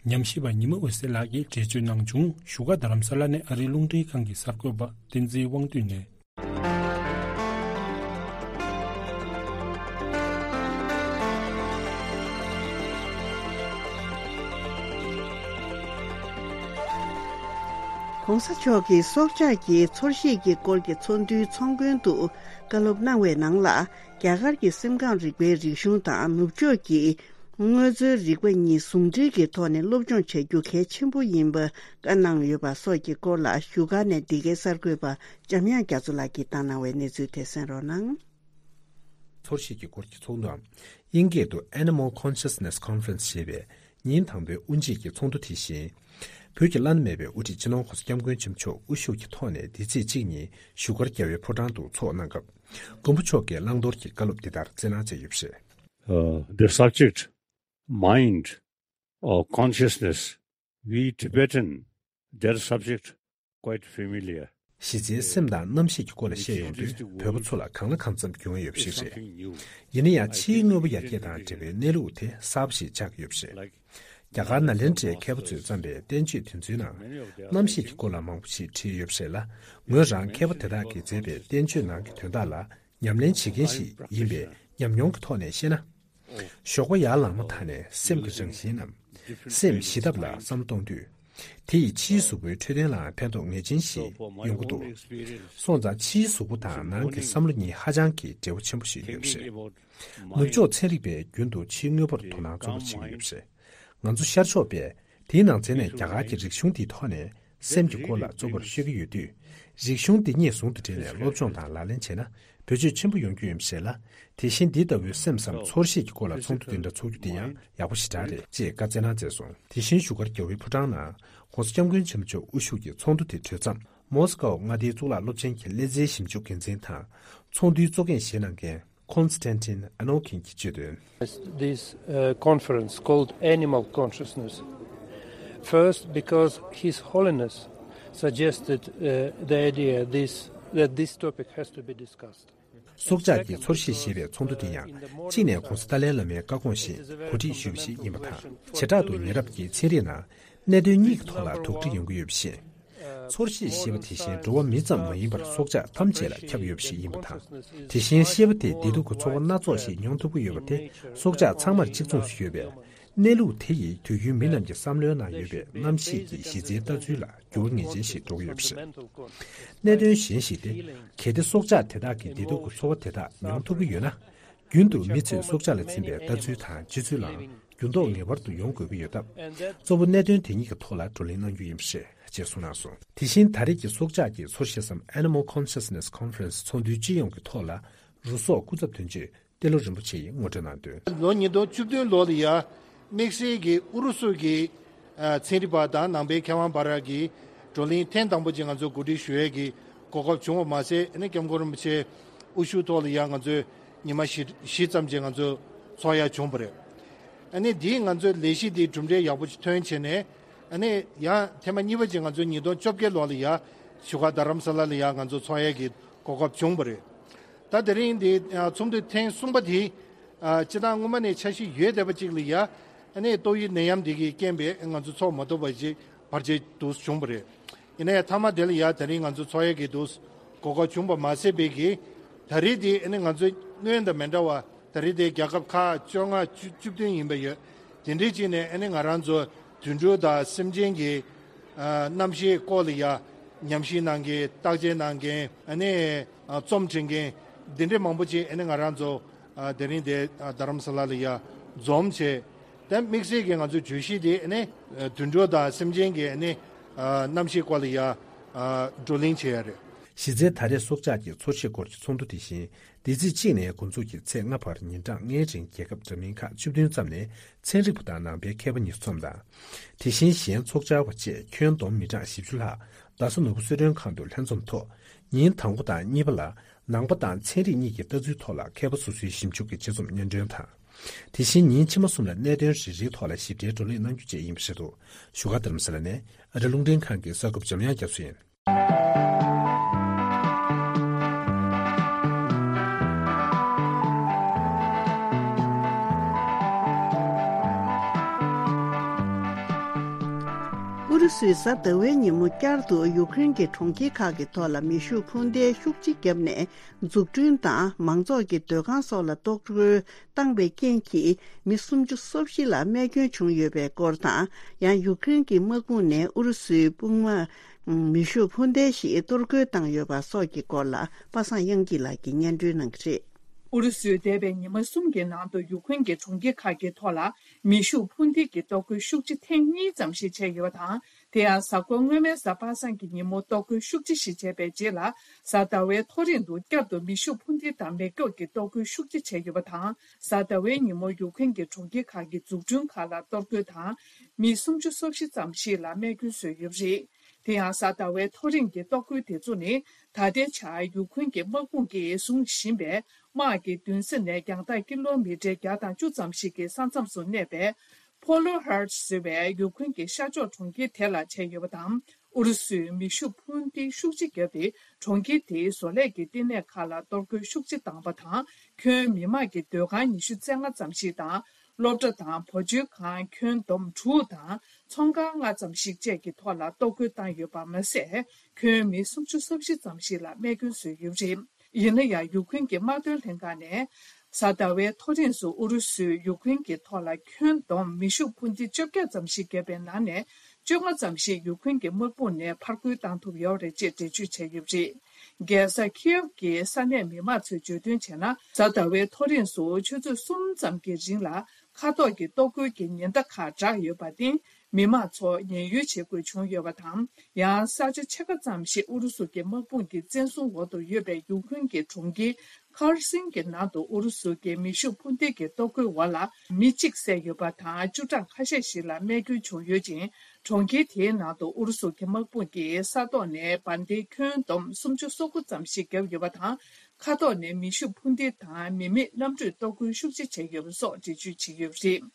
ཉམས་ཞིབ་པ་ཉི་མ་འོད་ཟེར་ལགས་ཀྱིས་འགྲེལ་བརྗོད་གནང་བྱུང་། བཞུགས་སྒར་རྡ་རམ་ས་ལ་ནས་ཨ་རིའི་རླུང་འཕྲིན་ཁང་གི་གསར་འགོད་པ་བསྟན་འཛིན་དབང་འདུས་ནས། ༸གོང་ས་མཆོག་གིས་སྲོག་ཆགས་ཀྱི་ཚོར་ཤེས་ཀྱི་སྐོར་གྱི་ཚོགས་འདུའི་ཚོགས་མགོན་དུ་བཀའ་སློབ་གནང་བའི་ནང་ལ། རྒྱ་གར་གྱི་སེམས་ཁམས་རིག་པའི་རིག་གཞུང་དང་ནུབ་ཕྱོགས་ཀྱི་དངོས་རྫས་རིག་པ་གཉིས་ཟུང་འབྲེལ་གྱི་ཐོག་ནས་སློབ་སྦྱོང་བྱ་རྒྱུ་གལ་ཆེན་པོ་ཡིན་པ་བཀའ་གནང་ཡོད་པ་སོགས་ཀྱི་སྐོར་ལ་བཞུགས་སྒར་ནས་འདི་གའི་གསར་འགོད་པ་འཇམ་དབྱངས་རྒྱ་མཚོ་ལགས་ཀྱིས་བཏང་གནང་བའི་གནས་ཚུལ་དེ་གསན་རོགས་གནང་། ཚོར་ཤེས་ཀྱི་སྐོར་གྱི་ཚོགས་འདུའམ། དབྱིན་སྐད་དུ་Animal Consciousness Conference ཞེས་པའི་ཉིན་དང་པོའི་དབུ་འབྱེད་ཀྱི་ཚོགས་འདུ་དེ་བཞིན། བོད་ཀྱི་བླ་ན་མེད་པའི་དབུ་ཁྲིད་སྤྱི་ནོར་༸གོང་ས་༸སྐྱབས་མགོན་ཆེན་པོ་མཆོག་དབུ་བཞུགས་ཀྱི་ཐོག་ནས་འདི་ཚེས་གཅིག་ཉིན་བཞུགས་སྒར་རྒྱལ་བའི་ཕོ་བྲང་དུ་ཚོགས་གནང་སྐབས། མགོན་པོ་མཆོག་གིས་བླང་དོར་གྱི་བཀའ་སློབ་འདི་ལྟར་སྩལ་གནང་མཛད་ཡོད་པ་རེད། Uh, the subject, mind or consciousness, we Tibetan, that subject quite familiar. གཞི་རྩའི་སེམས་དང་རྣམ་ཤེས་ཀྱི་སྐོར་ལ་བཤད་ཡོང་དུས་བོད་པ་ཚོ་ལ་གང་ལ་གང་འཚམ་འགྱུར་བ་ཡོད་པ་ཞིག་རེད། ཡིན་ན་ཡང་ཕྱིའི་དངོས་པོ་ཡར་རྒྱས་དང་འབྲེལ་བའི་གནས་ལུགས་དེ་གསར་པ་ཞིག་ཆགས་ཀྱི་ཡོད་པ་རེད། རྒྱ་གར་ནཱ་ལེནྡྲའི་མཁས་པ་ཚོས་བརྩམས་པའི་བསྟན་བཅོས་དེ་ཚོའི་ནང་རྣམ་ཤེས་ཀྱི་སྐོར་ལ་མང་པོ་ཞིག་བྲིས་ཡོད་པ་རེད་ལ། ངོས་རང་མཁས་པ་དེ་དག་གིས་མཛད་པའི་བསྟན་བཅོས་ནང་གི་དོན་དག་ལ་ཉམས་ལེན་བྱེད་མཁན་ཞིག་ཡིན་པའི་ཉམས་མྱོང་གི་ཐོག་ནས་བཤད་ན། ཞོགས་པ་ཡར་ལངས་མ་ཐག་ནས་སེམས་ཀྱི་རང་བཞིན་ནམ། སེམས་ཞི་ཐབས་ལ་བསམ་བློ་གཏོང་དུས། དེ་ཡིས་ཕྱིའི་གཟུགས་པོའི་འཕྲོད་བསྟེན་ལའང་ཕན་ཐོགས་ངེས་ཅན་ཞིག་ཡོང་གི་འདུག་སོང་ཙང་ཕྱིའི་གཟུགས་པོ་དང་ནང་གི་བསམ་བློ་གཉིས་ཧ་ཅང་གི་འབྲེལ་བ་ཆེན་པོ་ཞིག་ཡོད་པ་རེད། ནུབ་ཕྱོགས་ཚན་རིག་པས་རྒྱུན་དུ་ཕྱིའི་དངོས་པོར་དོ་སྣང་གཙོ་བོར་བྱེད་ཀྱི་ཡོད་པ་རེད། ང་ཚོ་ཤར་ཕྱོགས་པས་དེའི་ནང་ཚན་ནས་རྒྱ་གར་གྱི་རིག་གཞུང་དེའི་ཐོག་ནས་སེམས་ཀྱི་སྐོར་ལ་གཙོ་བོར་ཤོད་ཀྱི་ཡོད་དུས། རིག་གཞུང་འདི་གཉིས་ཟུང་དུ་འབྲེལ་ནས་སློབ་སྦྱོང་དང་ལག་ལེན་བྱས་ན་བེད་སྤྱོད་ཆེན་པོ་ཡོང་རྒྱུ་ཡིན་པ་ཞིག་ལ། དེ་བཞིན་འདི་ལྟ་བུའི་སེམས་སམ་ཚོར་ཤེས་ཀྱི་སྐོར་ལ་ཚོགས་འདུ་འདི་འདྲ་ཚོགས་རྒྱུ་དེ་ཡང་ཡག་པོ་ཞེ་དྲག་རེད་ཅེས་བཀའ་སྩལ་གནང་མཛད་སོང་། དེ་བཞིན་བཞུགས་སྒར་རྒྱལ་བའི་ཕོ་བྲང་ནང་༸གོང་ས་༸སྐྱབས་མགོན་ཆེན་པོ་མཆོག་དབུ་བཞུགས་ཀྱི་ཚོགས་འདུ་དེ་གྲོལ་མཚམས། མོ་སི་ཀའོ་མངའ་སྡེའི་གཙུག་ལག་སློབ་ཆེན་གྱི་ཀླད་རྩའི་ཞིབ་འཇུག་འགན་འཛིན་དང་། ཚོགས་འདུའི་གཙོ་འགན་བཞེས་གནང་མཁན་Konstantin Anokhin གྱིས་བརྗོད་དོན། This uh, conference called Animal Consciousness. First, because His Holiness suggested uh, the idea this, that this topic has to be discussed. སྲོག་ཆགས་ཀྱི་ཚོར་ཤེས་ཞེས་པའི་ཚོགས་འདུ་དེ་ཡང་གཅིག་ནས་༸གོང་ས་ཏཱ་ལའི་བླ་མའི་བཀའ་དགོངས་བཞིན་གོ་སྒྲིག་ཞུས་པ་ཞིག་ཡིན་པ་དང་། བྱེ་བྲག་ཏུ་ཉེ་རབས་ཀྱི་ཚན་རིག་ནང་གནད་དོན་གཉིས་ཀྱི་ཐོག་ལ་དོགས་འདྲི་ཡོང་གི་ཡོད་པ་བཞིན། ཚོར་ཤེས་ཞེས་པ་དེ་བཞིན་འགྲོ་བ་མི་ཙམ་མ་ཡིན་པར་སྲོག་ཆགས་ཐམས་ཅད་ལ་ཁྱབ་ཡོད་པ་ཞིག་ཡིན་པ་དང་། དེ་བཞིན་ཤེས་པ་དེས་བདེ་སྡུག་གི་ཚོར་བ་སྣ་ཚོགས་ཤིག་མྱོང་ཐུབ་ཀྱི་ཡོད་པ་དེ་སྲོག་ཆགས་ཚང་མར་གཅིག་མཚུངས་སུ་ཡོད་པས། གནས་ལུགས་དེ་ཡིས་དུས་རྒྱུན་མི་རྣམས་ཀྱི་བསམ་བློའི་ནང་ཡོད་པའི་རྣམ་ཤེས་ཀྱི་གཞི་རྩའི་ལྟ་ཚུལ་ལ་འགྱུར་བ་ངེས་ཅན་ཞིག་འགྲོ་གི་ཡོད་པ་རེད། གནད་དོན་གཞན་ཞིག་སྟེ། གལ་ཏེ་སྲོག་ཆགས་དེ་དག་གིས་བདེ་སྡུག་གི་ཚོར་བ་དེ་དག་མྱོང་ཐུབ་ཀྱི་ཡོད་ན། རྒྱུན་དུ་མི་ཚོས་སྲོག་ཆགས་ལ་འཛིན་པའི་ལྟ་ཚུལ་དང་སྤྱོད་ཚུལ་ལའང་འགྱུར་ལྡོག་ངེས་པར་དུ་ཡོང་དགོས་ཀྱི་ཡོད་སྟབས། གཙོ་བོ་གནད་དོན་དེ་གཉིས་ཀྱི་ཐོག་ལ་བགྲོ་གླེང་གནང་རྒྱུ་ཡིན་པ་རེད་ཅེས་གསུངས་གནང་སོང་། དེ་བཞིན་ད་རེས་ཀྱི་སྲོག་ཆགས་ཀྱི་ཚོར་ཤེས་སམ་Animal Consciousness Conference ཚོགས་འདུའི་སྤྱི་ཡོངས་ཀྱི་ཐོག་ལ་རུ་སོག་སྐུ་ཚབ་དོན་གཅོད་ཏེ་ལོ་རིན་པོ་ཆེ་ཡིས་ངོ་སྤྲོད་གནང་དོན། ལོ་ཉིས་སྟོང་བཅུ་བདུན་ལོ་ལ་ཡ་དམིགས་བསལ་གྱི་ཨུ་རུ་སུ་གི་ཨ་ཚན་རིག་པ་དང་ནང་པའི་མཁས་དབང་བར་གྱི་བགྲོ་གླེང་ཐེངས་དང་པོ་ཅིག་ང་ཚོ་གོ་སྒྲིག་ཞུ་ཡས་ཀྱི་གོ་སྐབས་བྱུང་བ་མ་ཟད། ཨ་ནི་སྐྱབས་མགོན་རིན་པོ་ཆེ་དབུ་བཞུགས་ཐོག་ལ་ཡ་ང་ཚོས་ཉི་མ་བཞི་བཞི་ཙམ་ཅིག་ང་ཚོ་ཚོགས་ཡ་བྱུང་བ་རེད། ཨ་ནི་འདིས་ང་ཚོའི་ལས་གཞི་འདི་གྲུབ་འབྲས་ཡག་པོ་ཅིག་ཐོན་བྱས་ནས། ཨ་ནི་ཡང་ཐེངས་མ་གཉིས་པ་ཅིག་ང་ཚོ་ཉིས་སྟོང་བཅོ་བརྒྱད་ལོ་ལ་ཡ་བཞུགས་སྒར་རྡ་རམ་ས་ལ་ལ་ཡ་ང་ཚོ་ཚོགས་ཡ་གི་གོ་སྐབས་བྱུང་བ་རེད། ད་དེ་རིང་འདི་ཚོགས་འདུ་ཐེངས་གསུམ་པ་དེ་སྤྱིར་བཏང་སྔོན་མ་ནས་འཆར་གཞི་ཡོད་བསྡད་པ་ཅིག་ལ་ཡ། ཨ་ནི་ཏོག་དབྱིབས་ནད་ཡམས་འདི་གི་རྐྱེན་པས་ང་ཚོ་ཚོགས་མ་ཐུབ་པ་ཅིག་བར་ཆད་དུ་བྱུང་བ་རེད། ཡིན་ན་ཡང་མཐའ་མ་དེ་ལ་ཡ་དེ་རིང་ང་ཚོ་ཚོགས་ཡ་གི་དུ་གོ་སྐབས་བྱུང་བ་མ་ཟད་པའི་གི། ད་རེས་དེ་ཨ་ནི་ང་ཚོ་སྔོན་དང་མི་འདྲ་བ། ད་རེས་དེ་རྒྱལ་ཁབ་ཁག་བཅོ་ལྔ་བཅུ་བཅུ་བདུན་ཡིན་པ་ཡོད། དེ་འདྲའི་ཅིག་ནས་ཨ་ནི་ང་རང་ཚོ་ དུད་འགྲོ་དང་སེམས་ཅན་གྱི་ཨ་རྣམ་ཤེས་སྐོར་ལ་ཡ་ཉམས་ཞིབ་གནང་མཁན། བརྟག་དཔྱད་གནང་མཁན། ཨ་ནི་ཨ་རྩོམ་འབྲི་མཁན་འདི་འདྲའི་མང་པོ་ཅིག་ཨ་ནི་ང་རང་ཚོ་ཨ་དེ་རིང་དེ་ཨ་རྡ་རམ་ས་ལ་ལ་ཡ་འཛོམས་བྱས། དེ་དམིགས་བསལ་གྱི་ང་ཚོའི་བརྗོད་གཞི་དེ་ཨ་ནི་ཨ་དུད་འགྲོ་དང་སེམས་ཅན་གྱི་ཨ་ནི་ཨ་རྣམ་ཤེས་སྐོར་ལ་ཡ་ཨ་བགྲོ་གླེང་བྱས་ཡ་རེད། གཞི་རྩའི་ད་རེས་སྲོག་ཆགས་ཀྱི་འཚོ་བྱེད་སྐོར་གྱི་ཚོགས་འདུ་དེ་བཞིན། འདི་ཚེས་གཅིག་ནས་འགོ་འཛུགས་ཀྱིས་ཚེས་ལྔ་བར་ཉིན་གྲངས་ལྔའི་རིང་རྒྱལ་ཁབ་འདྲ་མིན་ཁག་བཅུ་བདུན་ཙམ་ནས་ཚན་རིག་པ་དང་ནང་པའི་མཁས་པ་ཉེར་གསུམ་དང་། དེ་བཞིན་གཞན་ཚོགས་བཅར་བ་བཅས་ཁྱོན་བསྡོམས་མི་གྲངས་བཞི་བཅུ་ལྷག་རྡ་ས་ནོར་བུ་གསོལ་མགྲོན་ཁང་དུ་ལྷན་འཛོམས་ཐོག་ཉིན་དང་པོ་དང་གཉིས་པ་ལ་ནང་པ་དང་ཚན་རིག་གཉིས་ཀྱི་ལྟ་ཚུལ་ཐོག་ལ་མཁས་པ་སོ་སོའི་ཞིབ་འཇུག་གི་དཔྱད་རྩོམ་སྙན་སྒྲོན་དང་། དེ་བཞིན་ཉིན་ཕྱི་མ་གསུམ་ལ་གནད་དོན་རེ་རེའི་ཐོག་ལ་ཞིབ་ཕྲའི་བགྲོ་གླེང་གནང་རྒྱུ་བཅས་ཡིན་པ་རེད་འདུག་བཞུགས་སྒར་རྡ་རམ་ས་ལ་ནས་ཨ་རི་རླུང་འཕྲིན་ཁང་གི་གསར་འགོད་འཇམ་དབྱངས་རྒྱ་མཚོ་ཡིན། ཨུ་རུ་སུས་གཟའ་ཟླ་བའི་ཉིན་མོ་བསྐྱར་དུ་ཡུཀ་རེན་གྱི་གྲོང་ཁྱེར་ཁག་གི་ཐོག་ལ་མེ་ཤུགས་འཕུར་མདེལ་ཤུགས་ཆེ་བརྒྱབ་ནས། འཛུགས་སྐྲུན་དང་མང་ཚོགས་ཀྱི་སྡོད་ཁང་སོགས་ལ་གཏོར་རྒོལ་བཏང་བའི་རྐྱེན་གྱིས་མི་སུམ་ཅུ་སོ་བཞི་ལ་རྨས་སྐྱོན་བྱུང་ཡོད་པའི་སྐོར་དང་། ཡང་ཡུཀ་རེན་གྱི་དམག་དཔུང་ནས་ཨུ་རུ་སུའི་དཔུང་དམག་མེ་ཤུགས་འཕུར་མདེལ་ཞིག་གཏོར་རྒོལ་བཏང་ཡོད་པ་སོགས་ཀྱི་སྐོར་ལ་པ་སངས་དབྱངས་སྐྱིད་ལགས་ཀྱིས་སྙན་སྒྲོན་གནང་གི་རེད། ཨུ་རུ་སུས་འདས་པའི་ཉི་མ་གསུམ་གྱི་ནང་དུ་ཡུཀ་རེན་གྱི་གྲོང་ཁྱེར་ཁག་གི་ཐོག་ལ་མེ་ཤུགས་འཕུར་མདེལ་གྱི་གཏོར་རྒོལ་ཤུགས་ཆེ་ཐེངས་གཉིས་ཙམ་ཞིག་བྱས་ཡོད་པ་དང་། དེ་ཡང་གཟའ་འཁོར་སྔོན་མའི་གཟའ་པ་སངས་ཀྱི་ཉིན་མོ་གཏོར་རྒོལ་ཤུགས་ཆེ་ཞིག་བྱས་པའི་རྗེས་ལ། གཟའ་ཟླ་བའི་ཐོ་རེངས་དུ་བསྐྱར་དུ་མེ་ཤུགས་འཕུར་མདེལ་དང་མེ་སྒྱོགས་ཀྱི་གཏོར་རྒོལ་ཤུགས་ཆེ་བྱས་ཡོད་པ་དང་། གཟའ་ཟླ་བའི་ཉིན་མོ་ཡུཀ་རེན་གྱི་གྲོང་ཁྱེར་ཁག་གི་འཛུགས་སྐྲུན་ཁག་ལ་གཏོར་རྒོལ་དང་། མི་སུམ་ཅུ་སོ་བཞི་ཙམ་ཞིག་ལ་རྨས་སྐྱོན་བཟོས་ཡོད་པ་རེད། དེ་ཡང་གཟའ་ཟླ་བའི་ཐོ་རེངས་ཀྱི་གཏོར་རྒོལ་དེ་ཚོ་ནི། ད་ལྟའི་ཆར་ཡུཀ་རེན་གྱི་དམག་དཔུང་གིས་བཟུང་བཞིན་པའི་དམག་གི་མདུན་ས་ནས་རྒྱང་ཐག་ཀི་ལོ་མི་ཊར་བརྒྱ་དང་བཅུ་ཙམ་ཞིག་གི་ས་མཚམས་སུ་གནས་པའི། Polo Heart ཟེར་བའི་ཡུཀ་རེན་གྱི་ཤར་ཕྱོགས་གྲོང་ཁྱེར་དེ་ལ་བྱས་ཡོད་པ་དང་། ཨུ་རུ་སུས་མེ་ཤུགས་འཕུར་མདེལ་ཤུགས་ཆེ་བརྒྱབ་སྟེ། གྲོང་ཁྱེར་དེའི་བཟོ་ལས་ཀྱི་བསྟི་གནས་ཁག་ལ་གཏོར་རྒོལ་ཤུགས་ཆེ་བཏང་བ་དང་། ཁྱོན་མི་དམངས་ཀྱི་སྡོད་ཁང་ཉི་ཤུ་རྩ་ལྔ་ཙམ་ཞིག་དང་། སློབ་གྲྭ་དང་། བུ་བཅོལ་ཁང་ཁྱོན་བསྡོམས་དྲུག་དང་། ཚོང་ཁང་ལྔ་ཙམ་ཞིག་བཅས་ཀྱི་ཐོག་ལ་གཏོར་རྒོལ་བཏང་ཡོད་པ་མ་ཟད། ཁྱོན་མི་སུམ་ཅུ་སོ་བཞི་ཙམ་ཞིག་ལ་རྨས་སྐྱོན་བཟོས་ཡོད་པ་རེད། ཡིན་ན་ཡང་། ཡུཀ་རེན་གྱི་དམག་དོན་ལྷན་ཁང་ནས། གཟའ་ཟླ་བའི་ཐོ་རེངས་སུ་ཨུ་རུ་སུས་ཡུཀ་རེན་གྱི་ཐོག་ལ་ཁྱོན་བསྡོམས་མེ་ཤུགས་འཕུར་མདེལ་བཅོ་བརྒྱད་ཙམ་ཞིག་བརྒྱབ་པའི་ནང་ནས། བཅོ་ལྔ་ཙམ་ཞིག་ཡུཀ་རེན་གྱི་དམག་དཔུང་ནས་ཕར་རྒོལ་བཏང་ཐུབ་ཡོད་རེད་ཅེས་འགྲེལ་བརྗོད་བྱས་ཡོད་པ་རེད། རྒྱལ་ས་ཁིའེབ་ཀྱི་ས་གནས་མི་མང་ཚོས་བརྗོད་དོན་བྱས་ན། གཟའ་ཟླ་བའི་ཐོ་རེངས་སུ་ཆུ་ཚོད་གསུམ་ཙམ་གྱི་རིང་ལ་མཁའ་ཐོག་གི་གཏོར་རྒོལ་གྱི་ཉེན་བརྡ་ཁག་བསྒྲགས་ཡོད་པར་བརྟེན། མི་མང་ཚོ་ཉེན་གཡོལ་བྱེད་དགོས་བྱུང་ཡོད་པ་དང་། ཡང་ས་ཆ་ཕྱེད་ཀ་ཙམ་ཞིག་ཨུ་རུ་སུ་གྱི་དམག་དཔུང་གི་བཙན་བཟུང་འོག་ཏུ་ཡོད་པའི་ཡུཀ་རེན་གྱི་གྲོང་ཁྱེར་ཁར་སིན་གྱི་ནང་དུ་ཨུ་རུ་སུ་གྱི་མེ་ཤུགས་འཕུར་མདེལ་གྱི་གཏོར་རྒོལ་འོག་ལ་མི་གཅིག་བསད་ཡོད་པ་དང་། བཅུ་གྲངས་ཁ་ཤས་ཤིག་ལ་རྨས་སྐྱོན་བྱུང་ཡོད་ཅིང་། གྲོང་ཁྱེར་དེའི་ནང་དུ་ཨུ་རུ་སུ་གྱི་དམག་དཔུང་གིས་ས་ཐོག་ནས་འབར་མདེལ་ཁྱོན་བསྡོམས་སུམ་ཅུ་སོ་དགུ་ཙམ་ཞིག་བརྒྱབ་ཡོད་པ་དང་། མཁའ་ཐོག་ནས་མེ་ཤུགས་འཕུར་མདེལ་དང་མི་མེད་གནམ་གྲུས་གཏོར་རྒོལ་ཤུགས་ཆེ་བྱས་ཡོད་པ་སོགས་འགྲེལ་བརྗོད་བྱས་ཡོད་པ་རེད།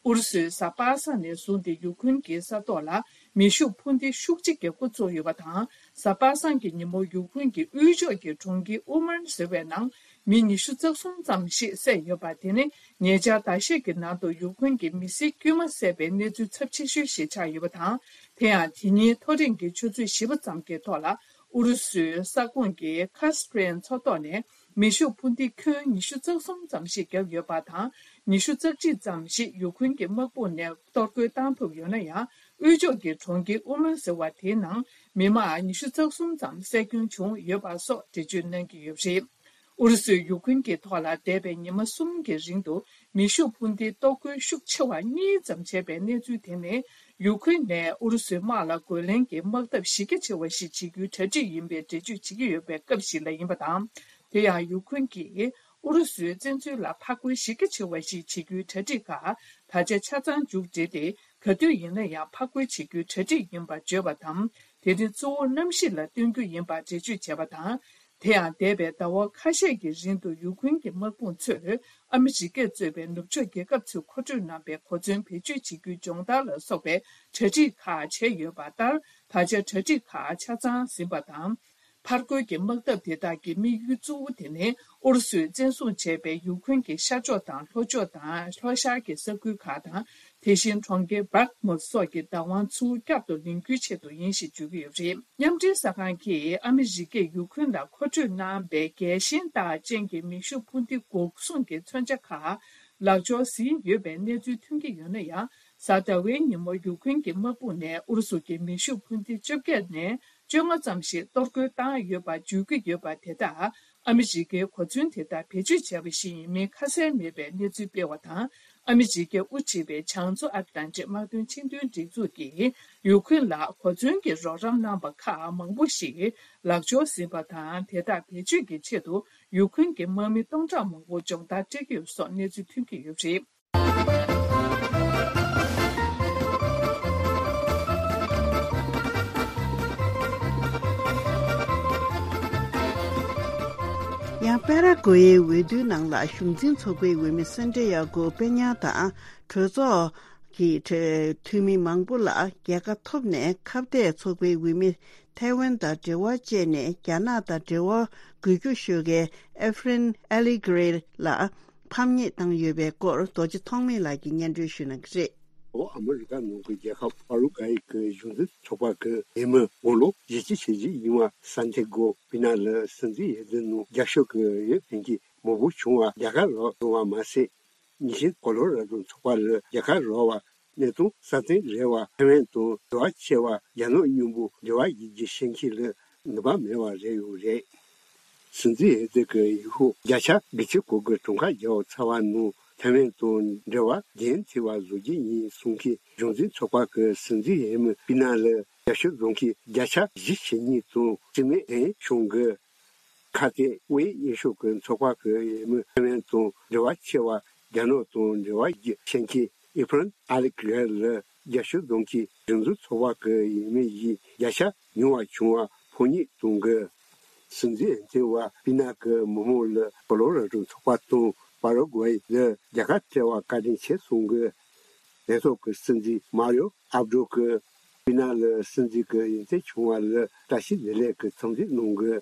ཨུ་རུ་སུས་གཟའ་པ་སངས་ནས་བཟུང་སྟེ་ཡུཀ་རེན་གྱི་ས་ཐོག་ལ་མེ་ཤུགས་འཕུར་མདེལ་ཤུགས་ཆེ་བརྒྱབ་འགོ་བཙུགས་ཡོད་པ་དང་། གཟའ་པ་སངས་ཀྱི་ཉིན་མོ་ཡུཀ་རེན་གྱི་དབུས་ཕྱོགས་ཀྱི་གྲོང་ཁྱེར་ཨུ་མན་ཟེར་བའི་ནང་མི་ཉི་ཤུ་རྩ་གསུམ་ཙམ་ཞིག་བསད་ཡོད་པ། དེ་ནི་ཉེ་ཆར་ཟླ་ཤས་ཀྱི་ནང་དུ་ཡུཀ་རེན་གྱི་མི་སེར་དཀྱུས་མ་བསད་པའི་གནས་ཚུལ་ཚབས་ཆེ་ཤོས་ཤིག་ཆགས་ཡོད་པ་དང་། དེ་ཡང་དེ་ཉིན་ཐོ་རེངས་ཀྱི་ཆུ་ཚོད་བཞི་པ་ཙམ་གྱི་ཐོག་ལ། ཨུ་རུ་སུའི་ས་ཁོངས་ཀྱི་ཁ་སི་པི་རན་མཚོ་ཐོག་ནས་མེ་ཤུགས་འཕུར་མདེལ་ཁྱོན་ཉི་ཤུ་རྩ་གསུམ་ཙམ་ཞིག་བརྒྱབ་ཡོད་པ་དང་། ཉི་ཤུ་རྩ་གཅིག་ཙམ་ཞིག་ཡུཀ་རེན་གྱི་དམག་དཔུང་ནས་གཏོར་རྒོལ་བཏང་ཐུབ་ཡོད་ན་ཡང་། དབུས་ཕྱོགས་ཀྱི་གྲོང་ཁྱེར་ཨུ་མན་ཟེར་བ་དེའི་ནང་མི་མང་ཉི་ཤུ་རྩ་གསུམ་ཙམ་བསད་སྐྱོན་བྱུང་ཡོད་པ་སོགས་འགྲེལ་བརྗོད་གནང་གི་ཡོད་པ་རེད། ཨུ་རུ་སུས་ཡུཀ་རེན་གྱི་ཐོག་ལ་འདས་པའི་ཉི་མ་གསུམ་གྱི་རིང་དུ་མེ་ཤུགས་འཕུར་མདེལ་གཏོར་རྒོལ་ཤུགས་ཆེ་བ་གཉིས་ཙམ་བྱས་པའི་གནས་ཚུལ་དེ་ནི། ཡུཀ་རེན་ནས་ཨུ་རུ་སུའི་དམག་ལ་རྒོལ་ལན་གྱི་དམག་འཐབ་གཞི་རྒྱ་ཆེ་བ་ཞིག་བྱེད་རྒྱུའི་གྲ་སྒྲིག་ཡིན་པའི་འགྲེལ་བརྗོད་བྱེད་ཀྱི་ཡོད་པའི་སྐབས་ཤིག་ལ་ཡིན་པ་དང་། དེ་ཡང་ཡུཀ་རེན་གྱིས་ཨུ་རུ་སུའི་བཙན་འཛུལ་ལ་ཕར་རྒོལ་གཞི་རྒྱ་ཆེ་བ་ཞིག་བྱེད་རྒྱུའི་གྲ་སྒྲིག་ཁག་ད་ཆ་ཆ་ཚང་མཇུག་བསྒྲིལ་ཏེ། ག་དུས་ཡིན་ན་ཡང་ཕར་རྒོལ་བྱེད་རྒྱུའི་གྲ་སྒྲིག་ཡིན་པར་བརྗོད་པ་དང་། དེ་ནི་གཙོ་བོ་གནམ་གཤིས་ལ་བསྟུན་རྒྱུ་ཡིན་པར་འགྲེལ་བརྗོད་བྱས་པ་དང་། དེ་ཡང་འདས་པའི་ཟླ་བ་ཁ་ཤས་ཀྱི་རིང་དུ་ཡུཀ་རེན་གྱི་དམག་དཔུང་ཚོས་ཨ་མི་རི་ཀས་གཙོས་པའི་ནུབ་ཕྱོགས་རྒྱལ་ཁབ་ཚོས་མཁོ་སྤྲོད་གནང་པའི་གོ་མཚོན་བེད་སྤྱོད་བྱེད་རྒྱུའི་སྦྱོང་བརྡར་ལ་སོགས་པའི་གྲ་སྒྲིག་ཁག་བྱས་ཡོད་པ་ལྟར། ད་ཆ་གྲ་སྒྲིག་ཁག་ཆ་ཚང་ཟིན་པ་དང་། ཕར་རྒོལ་གྱི་དམག་འཐབ་དེ་དག་གི་དམིགས་ཡུལ་གཙོ་བོ་དེ་ནི་ཨུ་རུ་སུས་བཙན་བཟུང་བྱས་པའི་ཡུཀ་རེན་གྱི་ཤར་ཕྱོགས་དང་ལྷོ་ཕྱོགས་དང་ལྷོ་ཤར་གྱི་ས་ཁུལ་ཁག་དང་། དེ་བཞིན་གྲོང་ཁྱེར་བྷག་མུད་སོགས་ཀྱི་བདག་དབང་ཚུར་བསྐྱར་དུ་ལེན་རྒྱུའི་ཆེད་དུ་ཡིན་ཞེས་བརྗོད་ཀྱི་ཡོད་པ་རེད། མཉམ་འབྲེལ་གསར་ཁང་གིས་ཨ་མི་རི་ཀས་ཡུཀ་རེན་ལ་མཁོ་སྤྲོད་གནང་པའི་རྒྱལ་ཞེན་རྟགས་ཅན་གྱི་མེ་ཤུགས་འཕུར་མདེལ་འགོག་སྲུང་གི་མཚོན་ཆ་ཁག་ལག་འབྱོར་ཟིན་ཡོད་པའི་གནས་ཚུལ་ཐོན་གྱི་ཡོད་ན་ཡང་། གཟའ་ཟླ་བའི་ཉིན་མོ་ཡུ་ཁུན་གྱི་དམག་དཔུང་ནས་ཨུ་རུ་སུ་གྱི་མེ་ཤུགས་འཕུར་མདེལ་བཅོ་བརྒྱད་ནས་བཅོ་ལྔ་ཙམ་ཞིག་གཏོར་རྒོལ་བཏང་ཡོད་པ་བརྗོད་ཀྱི་ཡོད་པ་དེ་དག་ཨ་མི་རི་ཀའི་གོ་མཚོན་དེ་དག་བེད་སྤྱོད་བྱས་པ་ཞིག་ཡིན་མིན་ཁ་གསལ་མེད་པའི་གནས་ཚུལ་སྤེལ་བ་དང་། ཨ་མི་རི་ཀས་དབུ་ཁྲིད་པའི་བྱང་མཚོ་ཨ་ཏི་ལན་ཏི་དམག་དོན་ཆེས་མཐོའི་སྒྲིག་འཛུགས་ཀྱིས་ཡུ་ཁུན་ལ་གོ་མཚོན་གྱི་རོགས་རམ་གནང་པ་ཁག་མང་པོ་ཞིག་ལག་འབྱོར་ཟིན་པ་དང་། དེ་དག་བེད་སྤྱོད་ཀྱི་ཆེད་དུ་ཡུ་ཁུན་གྱི་དམག་མི་སྟོང་ཕྲག་མང་པོ་སྦྱོང་བརྡར་སྤྲད་ཀྱི་ཡོད་སོགས་གནས་ཚུལ་ཐོན་གྱི་ཡོད་པ་རེད། ཡང་པེ་ར་ཀོ་ཡའི་འོས་བསྡུའི་ནང་ལ་གཞུང་འཛིན་ཚོགས་པའི་འོས་མི་སན་ཏྲེ་ཡ་གོ་པེ་ཉ་དང་གྲོས་ཚོགས་ཀྱི་འཐུས་མི་མང་པོ་ལ་རྒྱལ་ཁ་ཐོབ་ནས་ཁ་གཏད་ཚོགས་པའི་འོས་མི་ཐའེ་ཝན་དང་འབྲེལ་བ་བཅད་ནས་རྒྱ་ནག་དང་འབྲེལ་བ་དགོས་རྒྱུ་ཤོད་མཁན་ཨེ་ཧྥེ་རན་ཨེ་ལི་ཀེ་རེ་ལ་ཕམ་ཉེས་བཏང་ཡོད་པའི་སྐོར་རྡོ་རྗེ་ཐོགས་མེད་ལགས་ཀྱིས་སྙན་སྒྲོན་ཞུ་གནང་གི་རེད། འོ་ཨ་མི་རི་ཀ་ནང་གི་རྒྱལ་ཁབ་པ་རུ་གྷའི་གི་གཞུང་འཛིན་ཚོགས་པ་གི་འོས་མི་དགུང་ལོ་བཞི་བཅུ་ཞེ་བཞི་ཡིན་པ་སན་ཏེ་གོ་པི་ན་ལ་སྲིད་འཛིན་འོས་བསྡུ་ནང་རྒྱབ་སྐྱོར་གི་འོས་འཕེན་གྱི་མང་པོ་བྱུང་བ་རྒྱལ་ཁ་རག་སོང་བ་མ་ཟད། ཉི་ཤུ་ཀོ་ལོ་ར་ཌོ་ཚོགས་པ་ལ་རྒྱལ་ཁ་རག་པ་གནས་སྟངས་སྲ་བརྟན་རེད་པ། ཐའེ་ཝན་དང་འབྲེལ་བ་ཆེ་བ་རྒྱ་ནག་མཉམ་པོ་འབྲེལ་བ་ཡོད་རྒྱུ་ཤེས་མཁན་ལ་ནུས་པ་མེད་པ་རེད་ཡོད་རེད། སྲིད་འཛིན་འོས་བསྡུ་གི་ཡུལ་ཤུལ་བརྒྱ་ཆ་དགུ་བཅུ་གོ་དགུ་གྲངས་ཀ་བརྒྱབ་ཚར་བ་ནང་ཐའེ་ཝན་དང་འབྲེལ་བ་འགན་འཁྱེར་བ་བཟོ་རྒྱུ་ཡིན་གསུང་མཁན་གཞུང་འཛིན་ཚོགས་པ་གི་སྲིད་འཛིན་འོས་མི་པི་ན་ལ་རྒྱབ་སྐྱོར་བཟོ་མཁན་བརྒྱ་ཆ་བཞི་ཞེ་གཉིས་དང་རྩིས་མེད་ལན་བྱུང་གི་ཁ་གཏད་དབུས་གཡས་ཕྱོགས་ཀྱི་ཚོགས་པ་གི་འོས་མི་ཐའེ་ཝན་དང་འབྲེལ་བ་ཆེ་བ་རྒྱ་ནག་དང་འབྲེལ་བ་ཡོད་རྒྱུ་ཤེས་མཁན་ཨི་ཕ་རན་ཨ་ལེག་རེ་ལ་རྒྱབ་སྐྱོར་གཏོང་མཁན་གཞུང་འཛིན་ཚོགས་པ་གི་འོས་མི་ཡིས་བརྒྱ་ཆ་ཉུང་བ་བྱུང་བ་ཕམ་ཉེས་གཏོང་གི། སྲིད་འཛིན་འོས་ཐོན་པ་པི་ན་གི་མི་མང་ལ་ཀོ་ལོ་ར་ཌོ་ཚོགས་པ་དང་པ་ར་གུ་ཝེ་ལ་རྒྱལ་ཁ་སྤྲད་པ་བཀའ་དྲིན་ཆེ་གསུང་གི། ལས་ཐོག་གི་སྲིད་འཛིན་མ་རིའོ་ཨབ་ཌོ་གིས་པི་ན་ལ་སྲིད་འཛིན་གྱི་འོས་ཐོན་བྱུང་བ་ལ་བཀྲ་ཤིས་བདེ་ལེགས་ཀྱི་འཚམས་འདྲི་གནང་གི།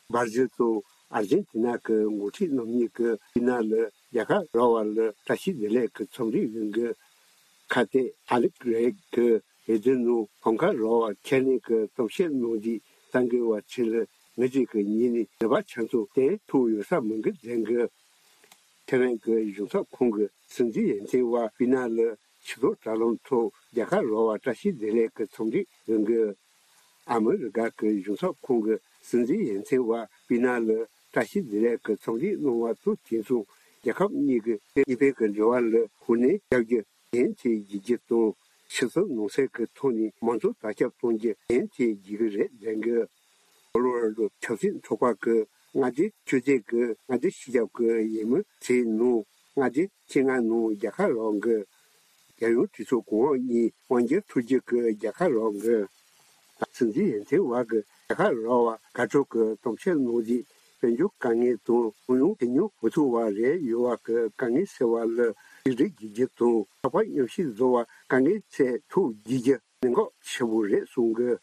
སྦར་ཟིལ་དང་ཨར་ཇེན་ཏི་ན་གི་འགོ་ཁྲིད་རྣམ་གཉིས་ཀྱིས་པི་ན་ལ་རྒྱལ་ཁ་རག་པ་ལ་བཀྲ་ཤིས་བདེ་ལེགས་ཀྱི་འཚམས་འདྲི་ཡོང་གི། ཁ་གཏད་ཨ་ལེག་རེ་གིས་འོས་བསྡུ་ནང་ཕམ་ཁ་རག་པར་ཁས་ལེན་གྱི་གཏམ་བཤད་གནང་རྗེས་གསར་འགོད་པ་ཚོ་ལ་ངེད་ཀྱིས་ངེད་ནས་ནུས་པ་ཆ་ཚང་བསྟན་ཐུབ་ཡོད་ས་མིན་གྱི་ཟེར་གི། ཐའེ་ཝན་གྱི་གཞུང་ཚབ་ཁང་གི་སྲིད་འཛིན་འོས་ཐོན་པ་པི་ན་ལ་ཕྱི་ལོགས་དྲ་ལམ་ཐོག་རྒྱལ་ཁ་རག་པར་བཀྲ་ཤིས་བདེ་ལེགས་ཀྱི་འཚམས་འདྲི་ཡོང་གི། ཨ་མི་རི་ཀ་གི་གཞུང་ཚབ་ཁང་གི་སྲིད་འཛིན་འོས་ཐོན་པ་པི་ན་ལ་བཀྲ་ཤིས་བདེ་ལེགས་ཀྱི་འཚམས་འདྲི་གནང་བ་དང་དུས་མཚུངས་རྒྱལ་ཁབ་གཉིས་ཀྱི་དབུས་པའི་གི་འབྲེལ་བ་ལ་ཤུགས་སྣོན་རྒྱག་རྒྱུ་འགན་འཁྱེར་བཞེས་རྒྱུ་དང་། ཕྱི་སྲིད་ནང་སྲིད་ཀྱི་ཐོག་ནས་མང་གཙོ་དར་ཁྱབ་གཏོང་རྒྱུ་འགན་འཁྱེར་བཞེས་ཀྱི་རེད་ཟེར་གི། ཀོ་ལོ་ར་ཌོ་ཆབ་སྲིད་ཚོགས་པ་གི་མངའ་སྡེ་བཅོ་བརྒྱད་ཀྱི་མངའ་སྡེ་སྤྱི་ཁྱབ་ཀྱི་འོས་མི་ཚོའི་ནང་མངའ་སྡེ་བཅོ་ལྔ་ནང་རྒྱལ་ཁ་རག་གི། རྒྱལ་ཡོངས་གྲོས་ཚོགས་གོང་འོག་གཉིས་དབང་སྒྱུར་ཐུབ་རྒྱུ་གི་རྒྱལ་ཁ་རག་གི། སྲིད་འཛིན་འོས་ཐོན་པ་གི་རྒྱལ་ཁ་རག་པ་དགའ་སྤྲོ་གི་གཏམ་བཤད་གནང་རྗེས་དཔལ་འབྱོར་དཀའ་ངལ་དང་ཁོར་ཡུག་དོ་མཉམ་མི་ཐུབ་པ་རེད་ཡོད་པ་གི་དཀའ་ངལ་སེལ་བ་ལ་གཅིག་སྒྲིལ་བྱེད་རྒྱུ་དང་། ཚོགས་པ་མཉམ་གཤིབ་བཟོ་བར་དཀའ་ངལ་སེལ་ཐུབ་བྱེད་རྒྱུ་གནད་འགག་ཆེ་པོ་རེད་གསུང་གི།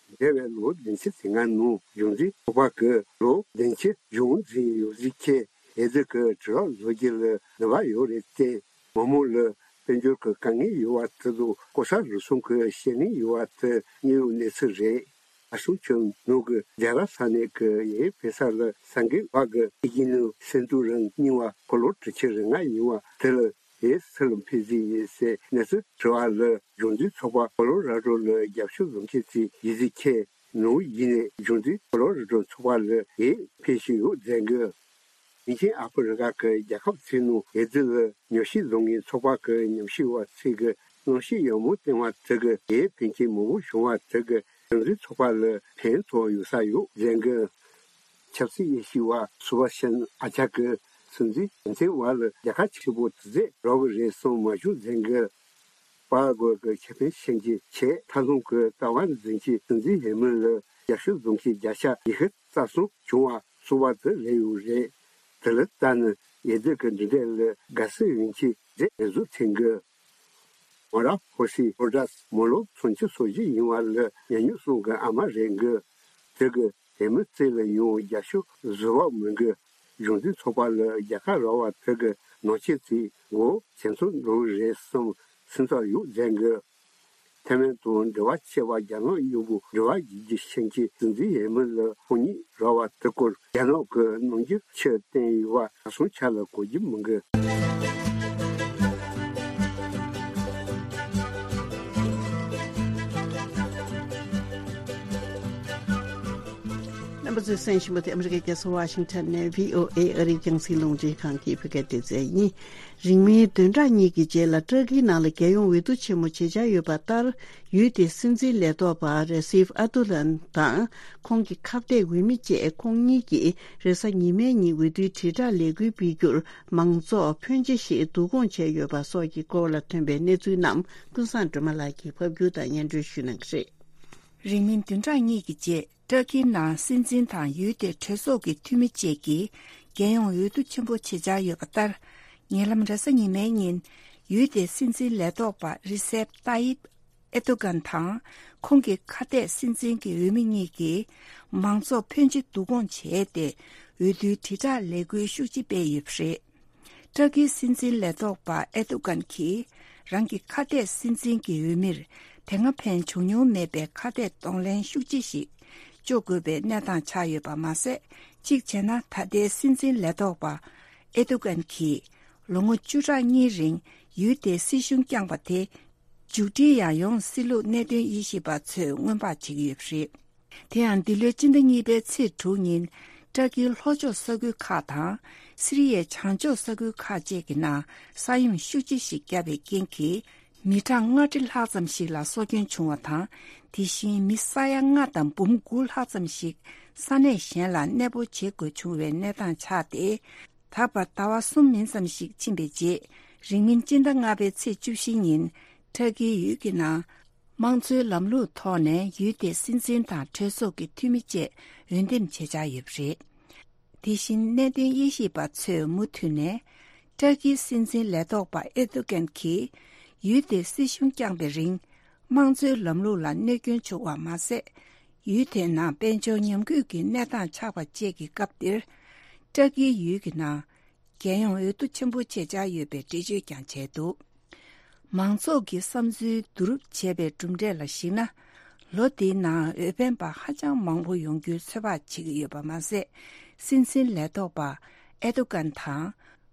འདས་པའི་ལོ་བདུན་ཅུ་དེ་སྔ་ནང་གཞུང་འཛིན་ཚོགས་པ་གི་ལོ་བདུན་ཅུ་གཞུང་འཛིན་ཡོད་ཟེར་མཁན་འོས་བསྡུ་གི་དྲི་རབས་བཟོ་རྒྱུ་ལ་ནུས་པ་ཡོད་རེད་དེ། མི་མང་ལ་དཔལ་འབྱོར་གྱི་དཀའ་ངལ་ཡོད་པ་དེ་དང་ལྐོག་ཟ་རུལ་སུངས་ཀྱི་བཤད་ལན་ཡོད་པ་དེ་དངོས་ཡོད་གནས་ཚུལ་རེད། ཨ་སུང་ཆོས་ནོར་གྱིས་རྒྱ་གར་ས་གནས་ཀྱི་ཡུལ་ཕེ་ས་ལ་གསར་འགོད་པ་གི་ཨི་ཇི་ནུ་སེ་འབྲུ་རིང་རྙིང་བ་འཁོར་ལོ་དྲུག་ཅུ་རེ་ལྔ་ཡིན་པ་དེ་ལ་ཡུལ་སུ་ལ་ཕེབས་ཀྱི་ཡིན་ཟེར་གནས་ཚུལ་དྲི་བ་ལ། གཞུང་འཛིན་ཚོགས་པ་ཀོ་ལོ་ར་ཌོ་ལ་རྒྱབ་སྐྱོར་བཟོ་མཁན་ཚོས་ཡི་ཟི་ཁེ་ནང་ཡིན་ནས་གཞུང་འཛིན་ཀོ་ལོ་ར་ཌོ་ཚོགས་པ་ལ་ཡིད་ཕེབས་བཞིན་ཡོད་ཟེར་གི། ལིང་ཆེན་ཨ་ཧྥེ་རི་ཁ་གི་རྒྱལ་ཁབ་ཚོའི་ནང་འོས་བསྡུ་ལ་ཉམས་ཞིབ་བཟོ་མཁན་ཚོགས་པ་གི་ཉམས་ཞིབ་པ་ཚོས་གི་གནམ་གཤིས་ཡག་མོ་བསྟན་པ་དེ་གི་ཡིད་ཕན་ཆེན་མང་པོ་བྱུང་བ་དེ་གི་གཞུང་འཛིན་ཚོགས་པ་ལ་ཕན་ཐོགས་ཡོད་ས་ཡོད་ཟེར་གི། ཆབ་སྲིད་དབྱེ་ཞིབ་པ་སུ་བ་ཤན་ཨ་ཅག་གིས་སྲིད་འཛིན་འོས་ཐོན་པ་ལ་རྒྱལ་ཁ་ཆེ་པོ་དེ་ཚོ་རག་གི་རེད་བསམ་མ་བྱུང་ཟེར་གི། པ་ར་གོ་གི་ཁེ་ཕན་ཤན་གྱི་ཆེད་མཐའ་ལྷུང་གི་ལྟ་བ་འཛིན་གྱི་སྲིད་འཛིན་འོས་མི་ལ་རྒྱབ་སྐྱོར་བཟོ་མཁན་བརྒྱ་ཆ་ཉི་ཤུ་རྩ་གསུམ་བྱུང་བ་སོང་བ་དེ་རེད་ཡོད་རེད། དེ་ལ་ལྟ་ན་འོས་བསྡུ་གི་འདི་འདྲ་ལ་དགའ་བསུ་ཡོང་གི་རེད་ངས་བཟོ་ཚན་གི། མོ་ར་ཧོ་སི་ཧོ་ཌ་སི་མོ་ལོ་ཚོན་ཆུ་སོ་བཞི་ཡིན་བ་ལ་ཉ་ཉུང་གསུམ་གི་ཨ་མ་རེད་གི། དེ་གི་དེ་མི་ཚེ་ལ་ཡོང་རྒྱ་ཤུག་བཟོ་བ་མི་འགི། གཞུང་འཛིན་ཚོགས་པ་ལ་རྒྱལ་ཁ་རག་པ་དེ་གི་ནང་ཆེན་ཚོས་མགོ་ཇེ་མཐོར་འགྲོ་གི་རེད་བསམ་སེམས་ཚོར་ཡོད་ཟེར་གི། ཐའེ་ཝན་དང་འབྲེལ་བ་ཆེ་བ་རྒྱ་ནག་གཡོག་པོ་འབྲེལ་བ་བརྒྱུད་རྒྱུ་ཤན་གྱི་སྲིད་འཛིན་འོས་མི་ལ་ཕམ་ཉེས་རག་པ་དེ་སྐོར་རྒྱ་ནག་གི་ནང་རྒྱུ་ཆེ་བསྟན་ཡོད་པ་ད་སོང་ཆ་ལ་གོ་རྒྱུ་མི་འགི། གསན་བཞིན་པ་དེ་ཨ་མི་རི་ཀའི་རྒྱལ་ས་ཝ་ཤིང་ཊོན་ནས་བྷི་ཨོ་ཨེ་ཨ་རིའི་རྒྱང་སྲིང་རླུང་འཕྲིན་ཁང་གི་བོད་སྐད་སྡེ་ཚན་ཡིན། རིང་མིན་བདུན་ཕྲག་གཉིས་ཀྱི་རྗེས་ལ་ཏུར་ཀིའི་ནང་ལ་རྒྱལ་ཡོངས་འོས་བསྡུ་ཆེན་མོ་བྱེད་འཆར་ཡོད་པ་ལྟར། ཡུལ་དེའི་སྲིད་འཛིན་ལས་ཐོག་པ་རེ་སིབ་ཨར་ཏུ་རན་དང་ཁོང་གི་ཁ་གཏད་འོས་མི་བཅས་ཁོང་གཉིས་ཀྱིས་རེས་གཟའ་ཉི་མའི་ཉིན་འོས་བསྡུའི་དྲིལ་བསྒྲགས་ལས་འགུལ་སྤེལ་རྒྱུར་མང་ཚོགས་ཕོན་ཆེ་ཞིག་བསྡུ་སྐོང་བྱས་ཡོད་པ་སོགས་ཀྱི་སྐོར་ལ་ཐོན་པའི་གནས་ཚུལ་རྣམས་ཀུན་བཟང་སྒྲོལ་མ་ལགས་ཀྱིས་ཕབ་སྒྱུར་དང་སྙན་སྒྲོན་ཞུ་གནང་གི་རེད། རིང་མིན་བདུན་ཕྲག་གཉིས་ཀྱི་རྗེས། ཏུར་ཀིའི་ནང་སྲིད་འཛིན་དང་ཡུལ་དེའི་གྲོས་ཚོགས་ཀྱི་འཐུས་མི་བཅས་ཀྱིས་རྒྱལ་ཡོངས་འོས་བསྡུ་ཆེན་པོ་བྱེད་འཆར་ཡོད་པ་ལྟར། ཉེ་ལམ་རེས་གཟའ་ཉི་མའི་ཉིན། ཡུལ་དེའི་སྲིད་འཛིན་ལས་ཐོག་པ་རི་སེབ་ཏཱ་ཡིབ་ཨེ་ཏུ་གན་དང་། ཁོང་གི་ཁ་གཏད་སྲིད་འཛིན་གྱི་འོས་མི་གཉིས་ཀྱིས་མང་ཚོགས་ཕོན་ཆེ་བསྡུ་སྐོང་བྱས་ཏེ། འོས་བསྡུའི་དྲིལ་བསྒྲགས་ལས་འགུལ་ཤུགས་ཆེ་སྤེལ་ཡོད་པ་རེད། ཏུར་ཀིའི་སྲིད་འཛིན་ལས་ཐོག་པ་ཨེ་ཏུ་གན་གྱིས་རང་གི་ཁ་གཏད་སྲིད་འཛིན་གྱི་འོས་མིར་དེ་སྔ་ཕན་བྱུང་མྱོང་མེད་པའི་ཁ་གཏད་གདོང་ལེན་ཤུགས་ཆེ་ཞིག་གཅོག་དགོས་པའི་གནས་སྟངས་ཆགས་ཡོད་པ་མ་ཟད། གཅིག་བྱས་ན་ད་ལྟའི་སྲིད་འཛིན་ལས་ཐོག་པ་ཨེ་ཏུ་གན་གྱིས་ལོ་ངོ་བཅུ་ཕྲག་གཉིས་རིང་ཡུལ་དེའི་སྲིད་གཞུང་བསྐྱངས་པ་དེ་མཇུག་སྒྲིལ་ཡང་ཡོང་སྲིད་ལུགས་གནད་དོན་དབྱེ་ཞིབ་པ་ཚོས་སྔོན་དཔག་བྱེད་ཀྱི་ཡོད་པ་རེད། དེ་ཡང་འདི་ལོའི་སྤྱི་ཟླ་གཉིས་པའི་ཚེས་དྲུག་ཉིན། ཏུར་ཀིའི་ལྷོ་ཕྱོགས་ས་ཁུལ་ཁག་དང་། སི་རི་ཡའི་བྱང་ཕྱོགས་ས་ཁུལ་ཁག་བཅས་ཀྱི་ནང་ས་ཡོམ་ཤུགས་ཆེ་ཞིག་བརྒྱབ་པའི་རྐྱེན་གྱིས། མི་གྲངས་ལྔ་ཁྲི་ལྷག་ཙམ་ཞིག་ལ་སྲོག་སྐྱོན་བྱུང་བ་དང་། དེ་བཞིན་མི་ས་ཡ་ལྔ་དང་འབུམ་དགུ་ལྷག་ཙམ་ཞིག་ས་གནས་གཞན་ལ་གནས་སྤོ་བྱེད་དགོས་བྱུང་བའི་གནས་སྟངས་ཆགས་ཏེ། ད་བར་ཟླ་བ་གསུམ་མིན་ཙམ་ཞིག་ཕྱིན་པའི་རྗེས། རིང་མིན་སྤྱི་ཟླ་ལྔ་པའི་ཚེས་བཅུ་བཞི་ཉིན། ཏུར་ཀིའི་ཡུལ་གྱི་ནང་། དམངས་གཙོའི་ལམ་ལུགས་ཐོག་ནས་ཡུལ་དེའི་སྲིད་འཛིན་དང་གྲོས་ཚོགས་ཀྱི་འཐུས་མི་བཅས་འོས་འདེམས་བྱེད་འཆར་ཡོད་པ་རེད། དེ་བཞིན་གནད་དོན་དབྱེ་ཞིབ་པ་ཚོས་མུ་མཐུད་ནས། ཏུར་ཀིའི་སྲིད་འཛིན་ལས་ཐོག་པ་ཨེར་དོ་གྷན་གྱིས་ཡུལ་དེའི་སྲིད་གཞུང་བསྐྱངས་པའི་རིང་། དམངས་གཙོའི་ལམ་ལུགས་ལ་གནོད་སྐྱོན་བྱུང་བ་མ་ཟད། ཡུལ་དེའི་ནང་དཔལ་འབྱོར་ཉམས་རྒུད་ཀྱི་གནས་སྟངས་ཆགས་པ་བཅས་ཀྱི་སྐབས་འདིར། ཏུར་ཀིའི་ཡུལ་གྱི་ནང་། རྒྱལ་ཡོངས་འོས་བསྡུ་ཆེན་པོ་བྱེད་འཆར་ཡོད་པའི་འགྲེལ་བརྗོད་ཀྱང་བྱས་འདུག། མང་ཚོགས་ཀྱི་བསམ་ཚུལ་བསྡུ་རུབ་བྱས་པའི་གྲུབ་འབྲས་ལ་གཞིགས་ན། ལོ་འདིའི་ནང་འོས་འཕེན་པ་ཧ་ཅང་མང་པོ་ཡོང་རྒྱུའི་ཚོད་དཔག་བྱེད་ཀྱི་ཡོད་པ་མ་ཟད། སྲིད་འཛིན་ལས་ཐོག་པ་ཨེར་དོ་གྷན་དང་།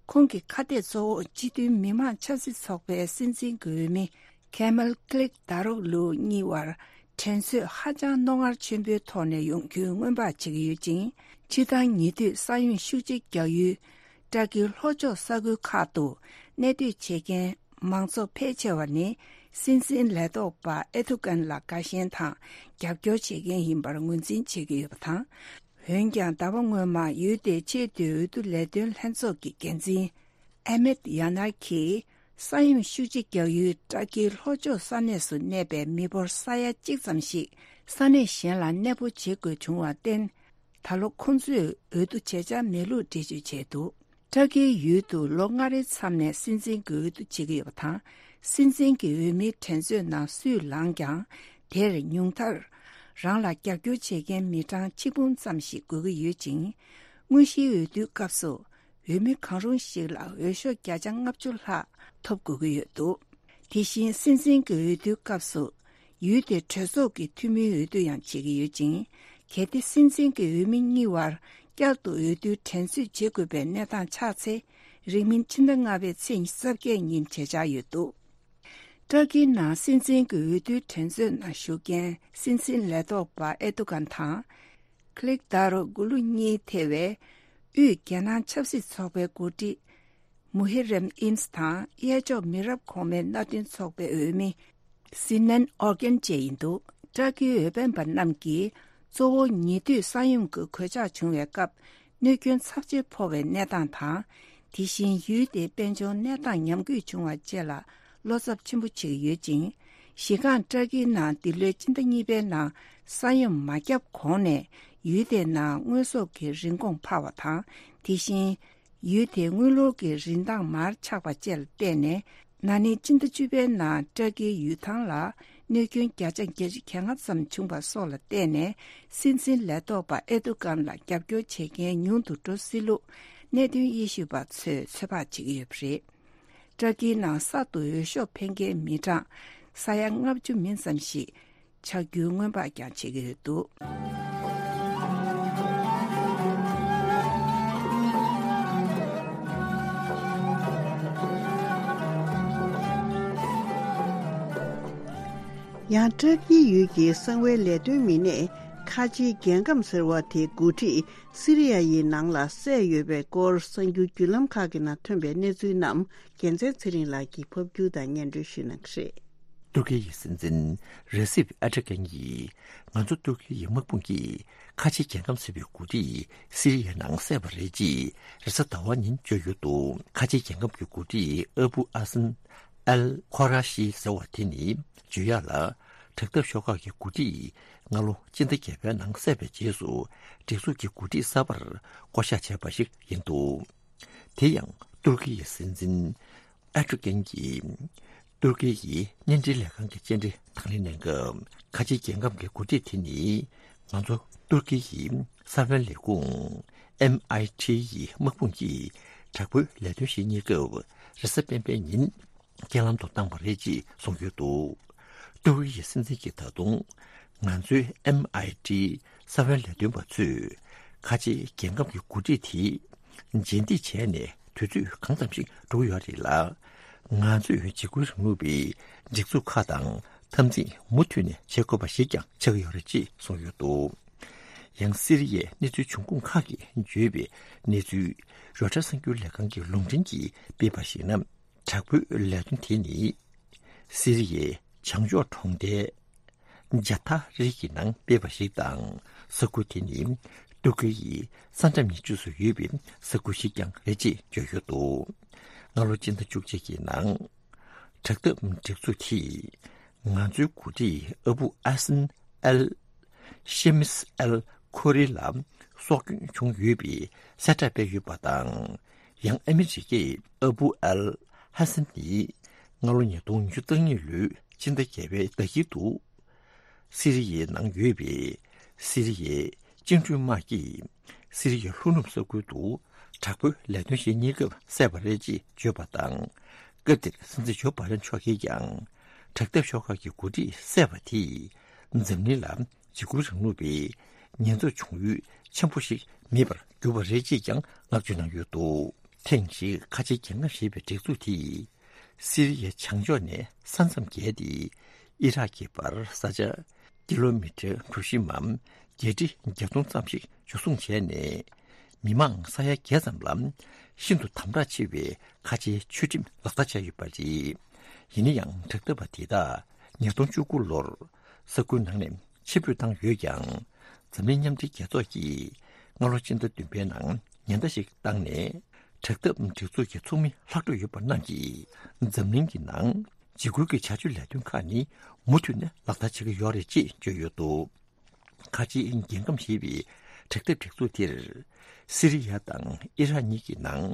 ཁོང་གི་ཁ་གཏད་གཙོ་བོ་སྤྱི་མཐུན་མི་དམངས་ཆབ་སྲིད་ཚོགས་པའི་སྲིད་འཛིན་གྱི་འོས་མི་ཁེ་མལ་ཀླིག་དཱ་རོག་ལུ་གཉིས་བར་འགྲན་རྩོད་ཧ་ཅང་རྣོ་ངར་ཆེན་པོའི་ཐོག་ནས་ཡོང་རྒྱུའི་སྔོན་དཔག་བྱེད་ཀྱི་ཡོད་ཅིང་། སྤྱིར་བཏང་ཉེ་དུས་ས་ཡོམ་ཤུགས་ཆེ་རྒྱག་ཡུལ། ཏུར་ཀིའི་ལྷོ་ཕྱོགས་ས་ཁུལ་ཁག་ཏུ་གནས་སྡོད་བྱེད་མཁན་མང་ཚོགས་ཕལ་ཆེ་བ་ནི། སྲིད་འཛིན་ལས་ཐོག་པ་ཨེར་དོ་གྷན་ལ་དགའ་ཞེན་དང་རྒྱབ་སྐྱོར་བྱེད་མཁན་ཡིན་པར་ངོས་འཛིན་བྱེད་ཀྱི་ཡོད་པ་དང་། འོན་ཀྱང་། ཟླ་བ་སྔོན་མ་ཡུལ་དེའི་ཆེས་མཐོའི་འོས་བསྡུ་ལས་དོན་ལྷན་ཚོགས་ཀྱི་འགན་འཛིན་ཨེ་མེད་ཡ་ནར་གྱིས། ས་ཡོམ་ཤུགས་ཆེ་རྒྱག་ཡུལ་ཏུར་ཀིའི་ལྷོ་ཕྱོགས་ས་གནས་སུ་གནས་པའི་མི་འབོར་ས་ཡ་གཅིག་ཙམ་ཞིག་ས་གནས་གཞན་ལ་གནས་སྤོ་བྱེད་དགོས་བྱུང་བར་བརྟེན། ད་ལོ་ཁོང་ཚོས་འོས་བསྡུ་བྱེད་འཆར་མེད་ལུགས་འགྲེལ་བརྗོད་བྱས་འདུག། ཏུར་ཀིའི་ཡུལ་དུ་ལོ་ལྔ་རེའི་མཚམས་ནས་སྲིད་འཛིན་གྱི་འོས་བསྡུ་བྱེད་ཀྱི་ཡོད་པ་དང་། སྲིད་འཛིན་གྱི་འོས་མིའི་འགྲན་རྩོད་ནང་སུས་ལངས་ཀྱང་། དེར་ཉུང་མཐར་རང་ལ་རྒྱབ་སྐྱོར་བྱེད་མཁན་མི་གྲངས་ཆིག་འབུམ་ཙམ་ཞིག་དགོས་ཀྱི་ཡོད་ཅིང་། དངོས་གཞིའི་འོས་བསྡུའི་སྐབས་སུ། འོས་མི་གང་རུང་ཞིག་ལ་འོས་ཤོག་བརྒྱ་ཆ་ལྔ་བཅུ་ལྷག་ཐོབ་དགོས་ཀྱི་ཡོད་འདུག། དེ་བཞིན་སྲིད་འཛིན་གྱི་འོས་བསྡུའི་སྐབས་སུ། ཡུལ་དེའི་གྲོས་ཚོགས་ཀྱི་འཐུས་མིའི་འོས་བསྡུ་ཡང་བྱེད་ཀྱི་ཡོད་ཅིང་། གལ་ཏེ་སྲིད་འཛིན་གྱི་འོས་མི་གཉིས་བར་བསྐྱར་དུ་འོས་བསྡུའི་འགྲན་རྩོད་བྱེད་དགོས་པའི་གནས་སྟངས་ཆགས་ཚེ། རིང་མིན་ཕྱི་ཟླ་ལྔ་པའི་ཚེས་ཉི་ཤུ་རྩ་བརྒྱད་ཉིན་བྱེད་འཆར་ཡོད་འདུག། ཏུར་ཀིའི་ནང་སྲིད་འཛིན་གྱི་འོས་བསྡུའི་འགྲན་རྩོད་ནང་ཞུགས་མཁན་སྲིད་འཛིན་ལས་ཐོག་པ་ཨེར་དོ་གྷན་དང་། ཀླིག་དཱ་རོ་གུ་ལུ་གཉིས་ཐེ་བའི་དབུས་རྒྱལ་ནང་ཆབ་སྲིད་ཚོགས་པའི་འགོ་ཁྲིད་མུ་ཧི་རེམ་ཨིན་དང་། གཡས་ཕྱོགས་མི་རབས་གོང་མའི་མནའ་མཐུན་ཚོགས་པའི་འོས་མི་སི་ནན་ཨོར་གྷན་བཅས་ཡིན་འདུག། ཏུར་ཀིའི་འོས་འཕེན་པ་རྣམས་ཀྱིས་གཙོ་བོ་ཉེ་དུས་ས་ཡོམ་གྱི་གོད་ཆག་བྱུང་བའི་སྐབས། གནོད་སྐྱོན་ཚབས་ཆེ་ཕོག་པའི་གནས་སྟངས་དང་། དེ་བཞིན་ཡུལ་དེའི་དཔལ་འབྱོར་གནས་སྟངས་ཉམས་རྒུད་བྱུང་བ་བཅས་ལ་བློ་འཚབ་ཆེན་པོ་བྱེད་ཀྱི་ཡོད་ཅིང་། གཞི་རྐང་ཏུར་ཀིའི་ནང་འདི་ལོའི་སྤྱི་ཟླ་གཉིས་པའི་ནང་ས་ཡོམ་མ་བརྒྱབ་གོང་ནས་ཡུལ་དེའི་ནང་དངོས་ཟོག་གི་རིན་གོང་འཕར་བ་དང་། དེ་བཞིན་ཡུལ་དེའི་དངུལ་ལོར་གྱི་རིན་ཐང་མར་ཆག་པ་བཅས་ལ་བརྟེན་ནས། ན་ནིང་སྤྱི་ཟླ་བཅུ་པའི་ནང་ཏུར་ཀིའི་ཡུལ་ཐང་ལ་གནོད་སྐྱོན་བརྒྱ་ཆ་བརྒྱད་ཅུ་གྱ་ལྔ་ཙམ་བྱུང་བ་སོགས་ལ་བརྟེན་ནས། སྲིད་འཛིན་ལས་ཐོག་པ་ཨེར་དོ་གྷན་ལ་རྒྱབ་སྐྱོར་བྱེད་མཁན་ཉུང་དུ་འགྲོ་སྲིད་ལུགས་གནད་དོན་དབྱེ་ཞིབ་པ་ཚོས་ཚོད་དཔག་བྱེད་ཀྱི་ཡོད་པ་རེད། ཏུར་ཀིའི་ནང་གསར་དུ་འོས་ཤོག་འཕེན་མཁན་མི་གྲངས་ས་ཡ་ལྔ་བཅུ་མིན་ཙམ་ཞིག་ཆགས་རྒྱུའི་སྔོན་དཔག་ཀྱང་བྱེད་ཀྱི་ཡོད་འདུག། ཡང་ཏུར་ཀིའི་ཡུལ་གྱི་གསང་བའི་ལས་དོན་མི་སྣས་ ཁ་ཆེའི་རྒྱལ་ཁམས་ཟེར་བ་དེའི་འགོ་ཁྲིད་སི་རི་ཡ་ཡི་ནང་ལ་བསད་ཡོད་པའི་སྐོར་གསར་འགྱུར་བརྒྱུད་ལམ་ཁག་གི་ནང་ཐོན་པའི་གནས་ཚུལ་རྣམས་རྒྱལ་མཚན་ཚེ་རིང་ལགས་ཀྱིས་ཕབ་སྒྱུར་དང་སྙན་སྒྲོན་ཞུ་གནང་གི་རེད། ཏུར་ཀི་ཡི་སྲིད་འཛིན་རེ་སིབ་ཨེར་ཏོ་གྷན་གྱིས། ང་ཚོ་ཏུར་ཀི་ཡི་དམག་དཔུང་གིས་ཁ་ཆེ་རྒྱལ་ཁམས་ཟེར་བའི་འགོ་ཁྲིད་སི་རི་ཡའི་ནང་བསད་པ་རེད་ཅེས་རེས་གཟའ་ཟླ་བ་ཉིན་བརྗོད་ཡོད་འདུག་ཁ་ཆེ་རྒྱལ་ཁམས་ཀྱི་འགོ་ཁྲིད་ཨ་བུ་ཨ་སན་ཨལ་ཁོ་ར་ཤི་ཟེར་བ་དེ་ནི་བརྗོད་ཡག་ལ། དྲག་འཐབ་ཤོག་ཁག་གི་འགོ་ཁྲིད་སྔ་ལོ་སྤྱི་ཟླ་བརྒྱད་པའི་ནང་བསད་པའི་རྗེས་སུ་སྒྲིག་འཛུགས་ཀྱི་འགོ་ཁྲིད་གསར་པར་བསྐོ་གཞག་བྱས་པ་ཞིག་ཡིན་འདུག་དེ་ཡང་ཏུར་ཀི་ཡི་སྲིད་འཛིན་ཨེར་ཏོ་གྷན་གྱིས་ཏུར་ཀི་ཡི་བརྙན་འཕྲིན་ལས་ཁང་གི་བཅར་འདྲི་དང་ལེན་གནང་སྐབས། ཁ་ཆེ་རྒྱལ་ཁམས་ཀྱི་འགོ་ཁྲིད་དེ་ནི་ང་ཚོ་ཏུར་ཀི་ཡི་ས་བོན་ལས་ཁུངས་ཨེམ་ཨའི་ཊི་ཡི་དམག་དཔུང་གིས་དྲག་པོའི་ལས་དོན་བྱེད་སྙིང་སྐབས་རེས་གཟའ་སྤེན་པའི་ཉིན། རྐྱེན་ལམ་དུ་བཏང་བ་རེད་ཅེས་གསུངས་ཡོད་འདུག་ཏུར་ཀི་ཡི་སྲིད་འཛིན་གྱིས་ད་དུང་ང་ཚོའི་ཨེམ་ཨའི་ཊི་ས་བོན་ལས་དོན་པ་ཚོས་ཁ་ཆེའི་རྒྱལ་ཁམས་ཀྱི་འགོ་ཁྲིད་དེ་རྗེས་འདེད་བྱས་ནས་དུས་ཚོད་གང་ཙམ་ཞིག་འགྲོ་གི་ཡོད་རེད་ལ། ང་ཚོས་འཇིགས་སྐུལ་རིང་ལུགས་པའི་སྒྲིག་འཛུགས་ཁག་དང་འཐབ་འཛིང་མུ་མཐུད་ནས་བྱེད་དགོས་པ་ཞིག་ཀྱང་ཆགས་ཀྱི་ཡོད་རེད་ཅེས་གསུངས་ཡོད་འདུག་ཡང་སི་རི་ཡའི་གནས་ཚུལ་འབྱུང་ཁུངས་ཁག་གིས་བརྗོད་པའི་གནས་ཚུལ་རོའི་ཊར་གསར་འགྱུར་ལས་ཁང་གི་ལུང་འདྲེན་གྱིས་སྤེལ་བར་གཞིགས་ན། དྲག་པོའི་ལས་དོན་དེ་ནི། སི་རི་ཡའི་བྱང་ཕྱོགས་གྲོང་རྡལ་ཇ་ཐ་རི་གི་ནང་སྤེལ་བ་ཞིག་དང་། ས་ཁུལ་དེ་ནི་ཏུར་ཀི་ཡི་ས་མཚམས་ཉེ་ཕྱོགས་སུ་ཡོད་པའི་ས་ཁུལ་ཞིག་ཀྱང་རེད་ཅེས་བརྗོད་ཡོད་འདུག་སྔ་ལོ་སྤྱི་ཟླ་བཅུ་གཅིག་གི་ནང་། དྲག་འཐབ་སྒྲིག་འཛུགས་དེས་ང་ཚོའི་འགོ་ཁྲིད་ཨ་བུ་ཨ་སན་ཨལ་ཤེ་མིས་ཨལ་ཁོ་རི་ལ་སྲོག་སྐྱོན་བྱུང་ཡོད་པའི་གསལ་བསྒྲགས་སྤེལ་ཡོད་པ་དང་། ཡང་ཨ་མི་རི་ཀས་ཨ་བུ་ཨལ་ཧ་སན་ནི་སྔ་ལོ་ཉིས་སྟོང་ཉི་ཤུ་རྩ་གཉིས་ལོའི་སྤྱི་ཟླ་བརྒྱད་པའི་ཟླ་དཀྱིལ་དུ། སི་རི་ཡའི་ནང་ཡོད་པའི་སི་རི་ཡའི་བཅིངས་འགྲོལ་དམག་གིས་སི་རི་ཡའི་ལྷོ་ནུབ་ས་ཁུལ་དུ་དྲག་པོའི་ལས་དོན་བྱེད་སྙིང་སྐབས་བསད་པ་རེད་ཅེས་བརྗོད་པ་དང་། སྐབས་དེར་སྲིད་འཛིན་ཇོ་བྷ་དན་མཆོག་གིས་ཀྱང་དྲག་འཐབ་ཤོག་ཁག་གི་འགོ་ཁྲིད་བསད་པ་དེས་འཛམ་གླིང་ལ་འཇིགས་སྐུལ་རིང་ལུགས་པའི་ཉེན་ཚབས་བྱུང་ཡུལ་ཆེན་པོ་ཞིག་མེད་པར་གྱུར་པ་རེད་ཅེས་ཀྱང་བསྔགས་བརྗོད་གནང་ཡོད་འདུག་ཐེངས་ཤིག་ཁ་ཆེ་རྒྱལ་ཁམས་ཞེས་པའི་སྒྲིག་འཛུགས་དེས། སི་རི་ཡའི་བྱང་ཕྱོགས་ནས་ས་མཚམས་བརྒལ་ཏེ་ཨི་རག་གི་བར་ས་ཆ་ཀི་ལོ་མི་ཊར་གྲུ་བཞི་འམ་བརྒྱད་ཁྲི་བརྒྱད་སྟོང་ཙམ་ཞིག་འཇུ་བཟུང་བྱས་ནས། མི་མང་ས་ཡ་བརྒྱད་ཙམ་ལ་ཤིན་ཏུ་དམ་དྲག་ཆེ་བའི་ཁ་ཆེའི་ཆོས་ཁྲིམས་ལག་བསྟར་བྱས་ཡོད་པ་རེད། ཡིན་ན་ཡང་དྲག་འཐབ་པ་དེ་དག་ཉིས་སྟོང་བཅུ་དགུ་ལོར་ས་ཁུལ་ནང་ནས་ཕྱིར་འབུད་བཏང་ཡོད་ཀྱང་། འཛམ་གླིང་མཉམ་འབྲེལ་རྒྱལ་ཚོགས་ཀྱིས་སྔ་ལོ་སྤྱི་ཟླ་བདུན་པའི་ནང་ཉེན་བརྡ་ཞིག་བཏང་ནས། དྲག་འཐབ་སྒྲིག་འཛུགས་ཀྱི་ཚོགས་མི་ལྷག་འཕྲོ་ཡོད་པ་རྣམས་ཀྱིས་འཛམ་གླིང་གི་ནང་འཇིགས་སྐུལ་གྱི་བྱ་སྤྱོད་ལས་དོན་ཁག་ནི་མུ་མཐུད་ནས་ལག་བསྟར་བྱེད་ཀྱི་ཡོད་རེད་ཅེས་བརྗོད་ཡོད་འདུག་ཁ་ཆེའི་རྒྱལ་ཁམས་ཞེས་པའི་དྲག་འཐབ་སྒྲིག་འཛུགས་དེར། སི་རི་ཡ་དང་ཨི་རག་གཉིས་ཀྱི་ནང་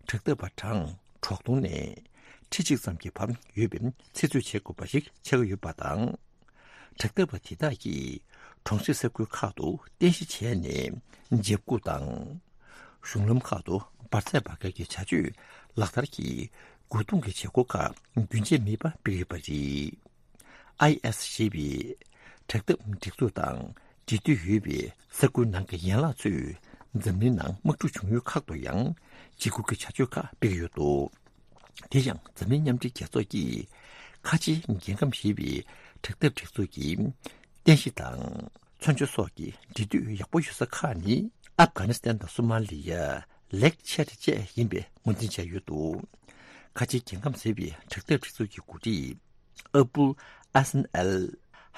དྲག་འཐབ་པ་གྲངས་དྲུག་སྟོང་ནས་ཁྲི་གཅིག་ཙམ་གྱི་བར་ཡོད་པའི་ཚེ་སྲོག་བྱེད་དགོས་པ་ཞིག་ཆགས་ཀྱི་ཡོད་པ་དང་། དྲག་འཐབ་པ་དེ་དག་གིས་གྲོང་གསེབ་ས་ཁུལ་ཁག་ཏུ་རྟེན་གཞི་བྱས་ནས་འཇབ་རྒོལ་དང་། གཞུང་ལམ་ཁག་ཏུ་འབར་རྫས་འབར་མཁན་གྱི་བྱ་སྤྱོད་ལག་བསྟར་གྱིས་རྒོལ་རྡུང་གི་བྱེད་སྒོ་ཁག་རྒྱུན་ཆད་མེད་པར་སྤེལ་ཡོད་པ་རེད། ཨའི་ཨེས་ཞེས་པའི་དྲག་འཐབ་སྒྲིག་འཛུགས་དང་འབྲེལ་མཐུད་ཡོད་པའི་ས་ཁུལ་ནང་གི་ཡན་ལག་ཚོས་འཛམ་གླིང་ནང་དམག་འཁྲུག་བྱུང་ཡུལ་ཁག་ཏུ་ཡང་འཇིགས་སྐུལ་གྱི་བྱ་སྤྱོད་ཁག་སྤེལ་གྱི་ཡོད་འདུག་དེ་ཡང་འཛམ་གླིང་མཉམ་འབྲེལ་རྒྱལ་ཚོགས་ཀྱིས་ཁ་ཆེའི་རྒྱལ་ཁམས་ཞེས་པའི་དྲག་འཐབ་སྒྲིག་འཛུགས་ཀྱི་རྟེན་གཞི་དང་། མཚོན་ཆ་སོགས་ཀྱི་འབྲེལ་མཐུད་ཡག་པོ་ཡོད་ས་ཁག་ནི་ཨབ་གྷ་ནི་སི་ཐན་དང་སོ་མ་ལི་ཡ། ལེག་ཆེ་ཏི་བཅས་ཡིན་པའི་ངོས་འཛིན་བྱས་ཡོད་འདུག་ཁ་ཆེའི་རྒྱལ་ཁམས་ཟེར་བའི་དྲག་འཐབ་སྒྲིག་འཛུགས་ཀྱི་འགོ་ཁྲིད་ཨ་བུལ་ཨ་སན་ཨལ་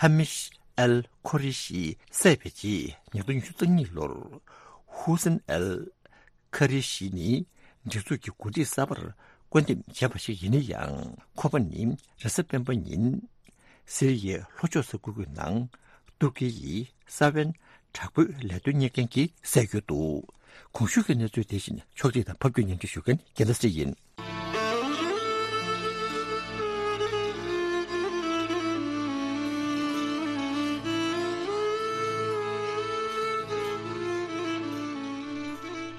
ཧ་མིཤ་ཨལ་ཁོ་རི་ཤི་བསད་པའི་རྗེས་ཉིས་སྟོང་ཉི་ཤུ་རྩ་གཉིས་ལོར་ཧུ་སན་ཨལ་ཁ་རི་ཤི་ནི་སྒྲིག་འཛུགས་ཀྱི་འགོ་ཁྲིད་གསར་པར་བསྐོ་འདེམས་བྱས་པ་ཞིག་ཡིན་ན་ཡང་། ཁོ་པ་ནི་རེས་གཟའ་སྤེན་པ་ཉིན་སི་རི་ཡའི་ལྷོ་ཕྱོགས་ས་ཁུལ་གྱི་ནང་ཏུར་ཀི་ཡི་ས་བོན་དྲག་པོའི་ལས་དོན་གཉེར་མཁན་གྱིས་བསད་ཡོད་འདུག་གོང་ཞུས་ཀྱི་གནས་ཚུལ་དེ་བཞིན་ཕྱོགས་སྒྲིག་དང་ཕབ་སྒྱུར་སྙན་སྒྲོན་ཞུ་མཁན་རྒྱལ་མཚན་ཡིན།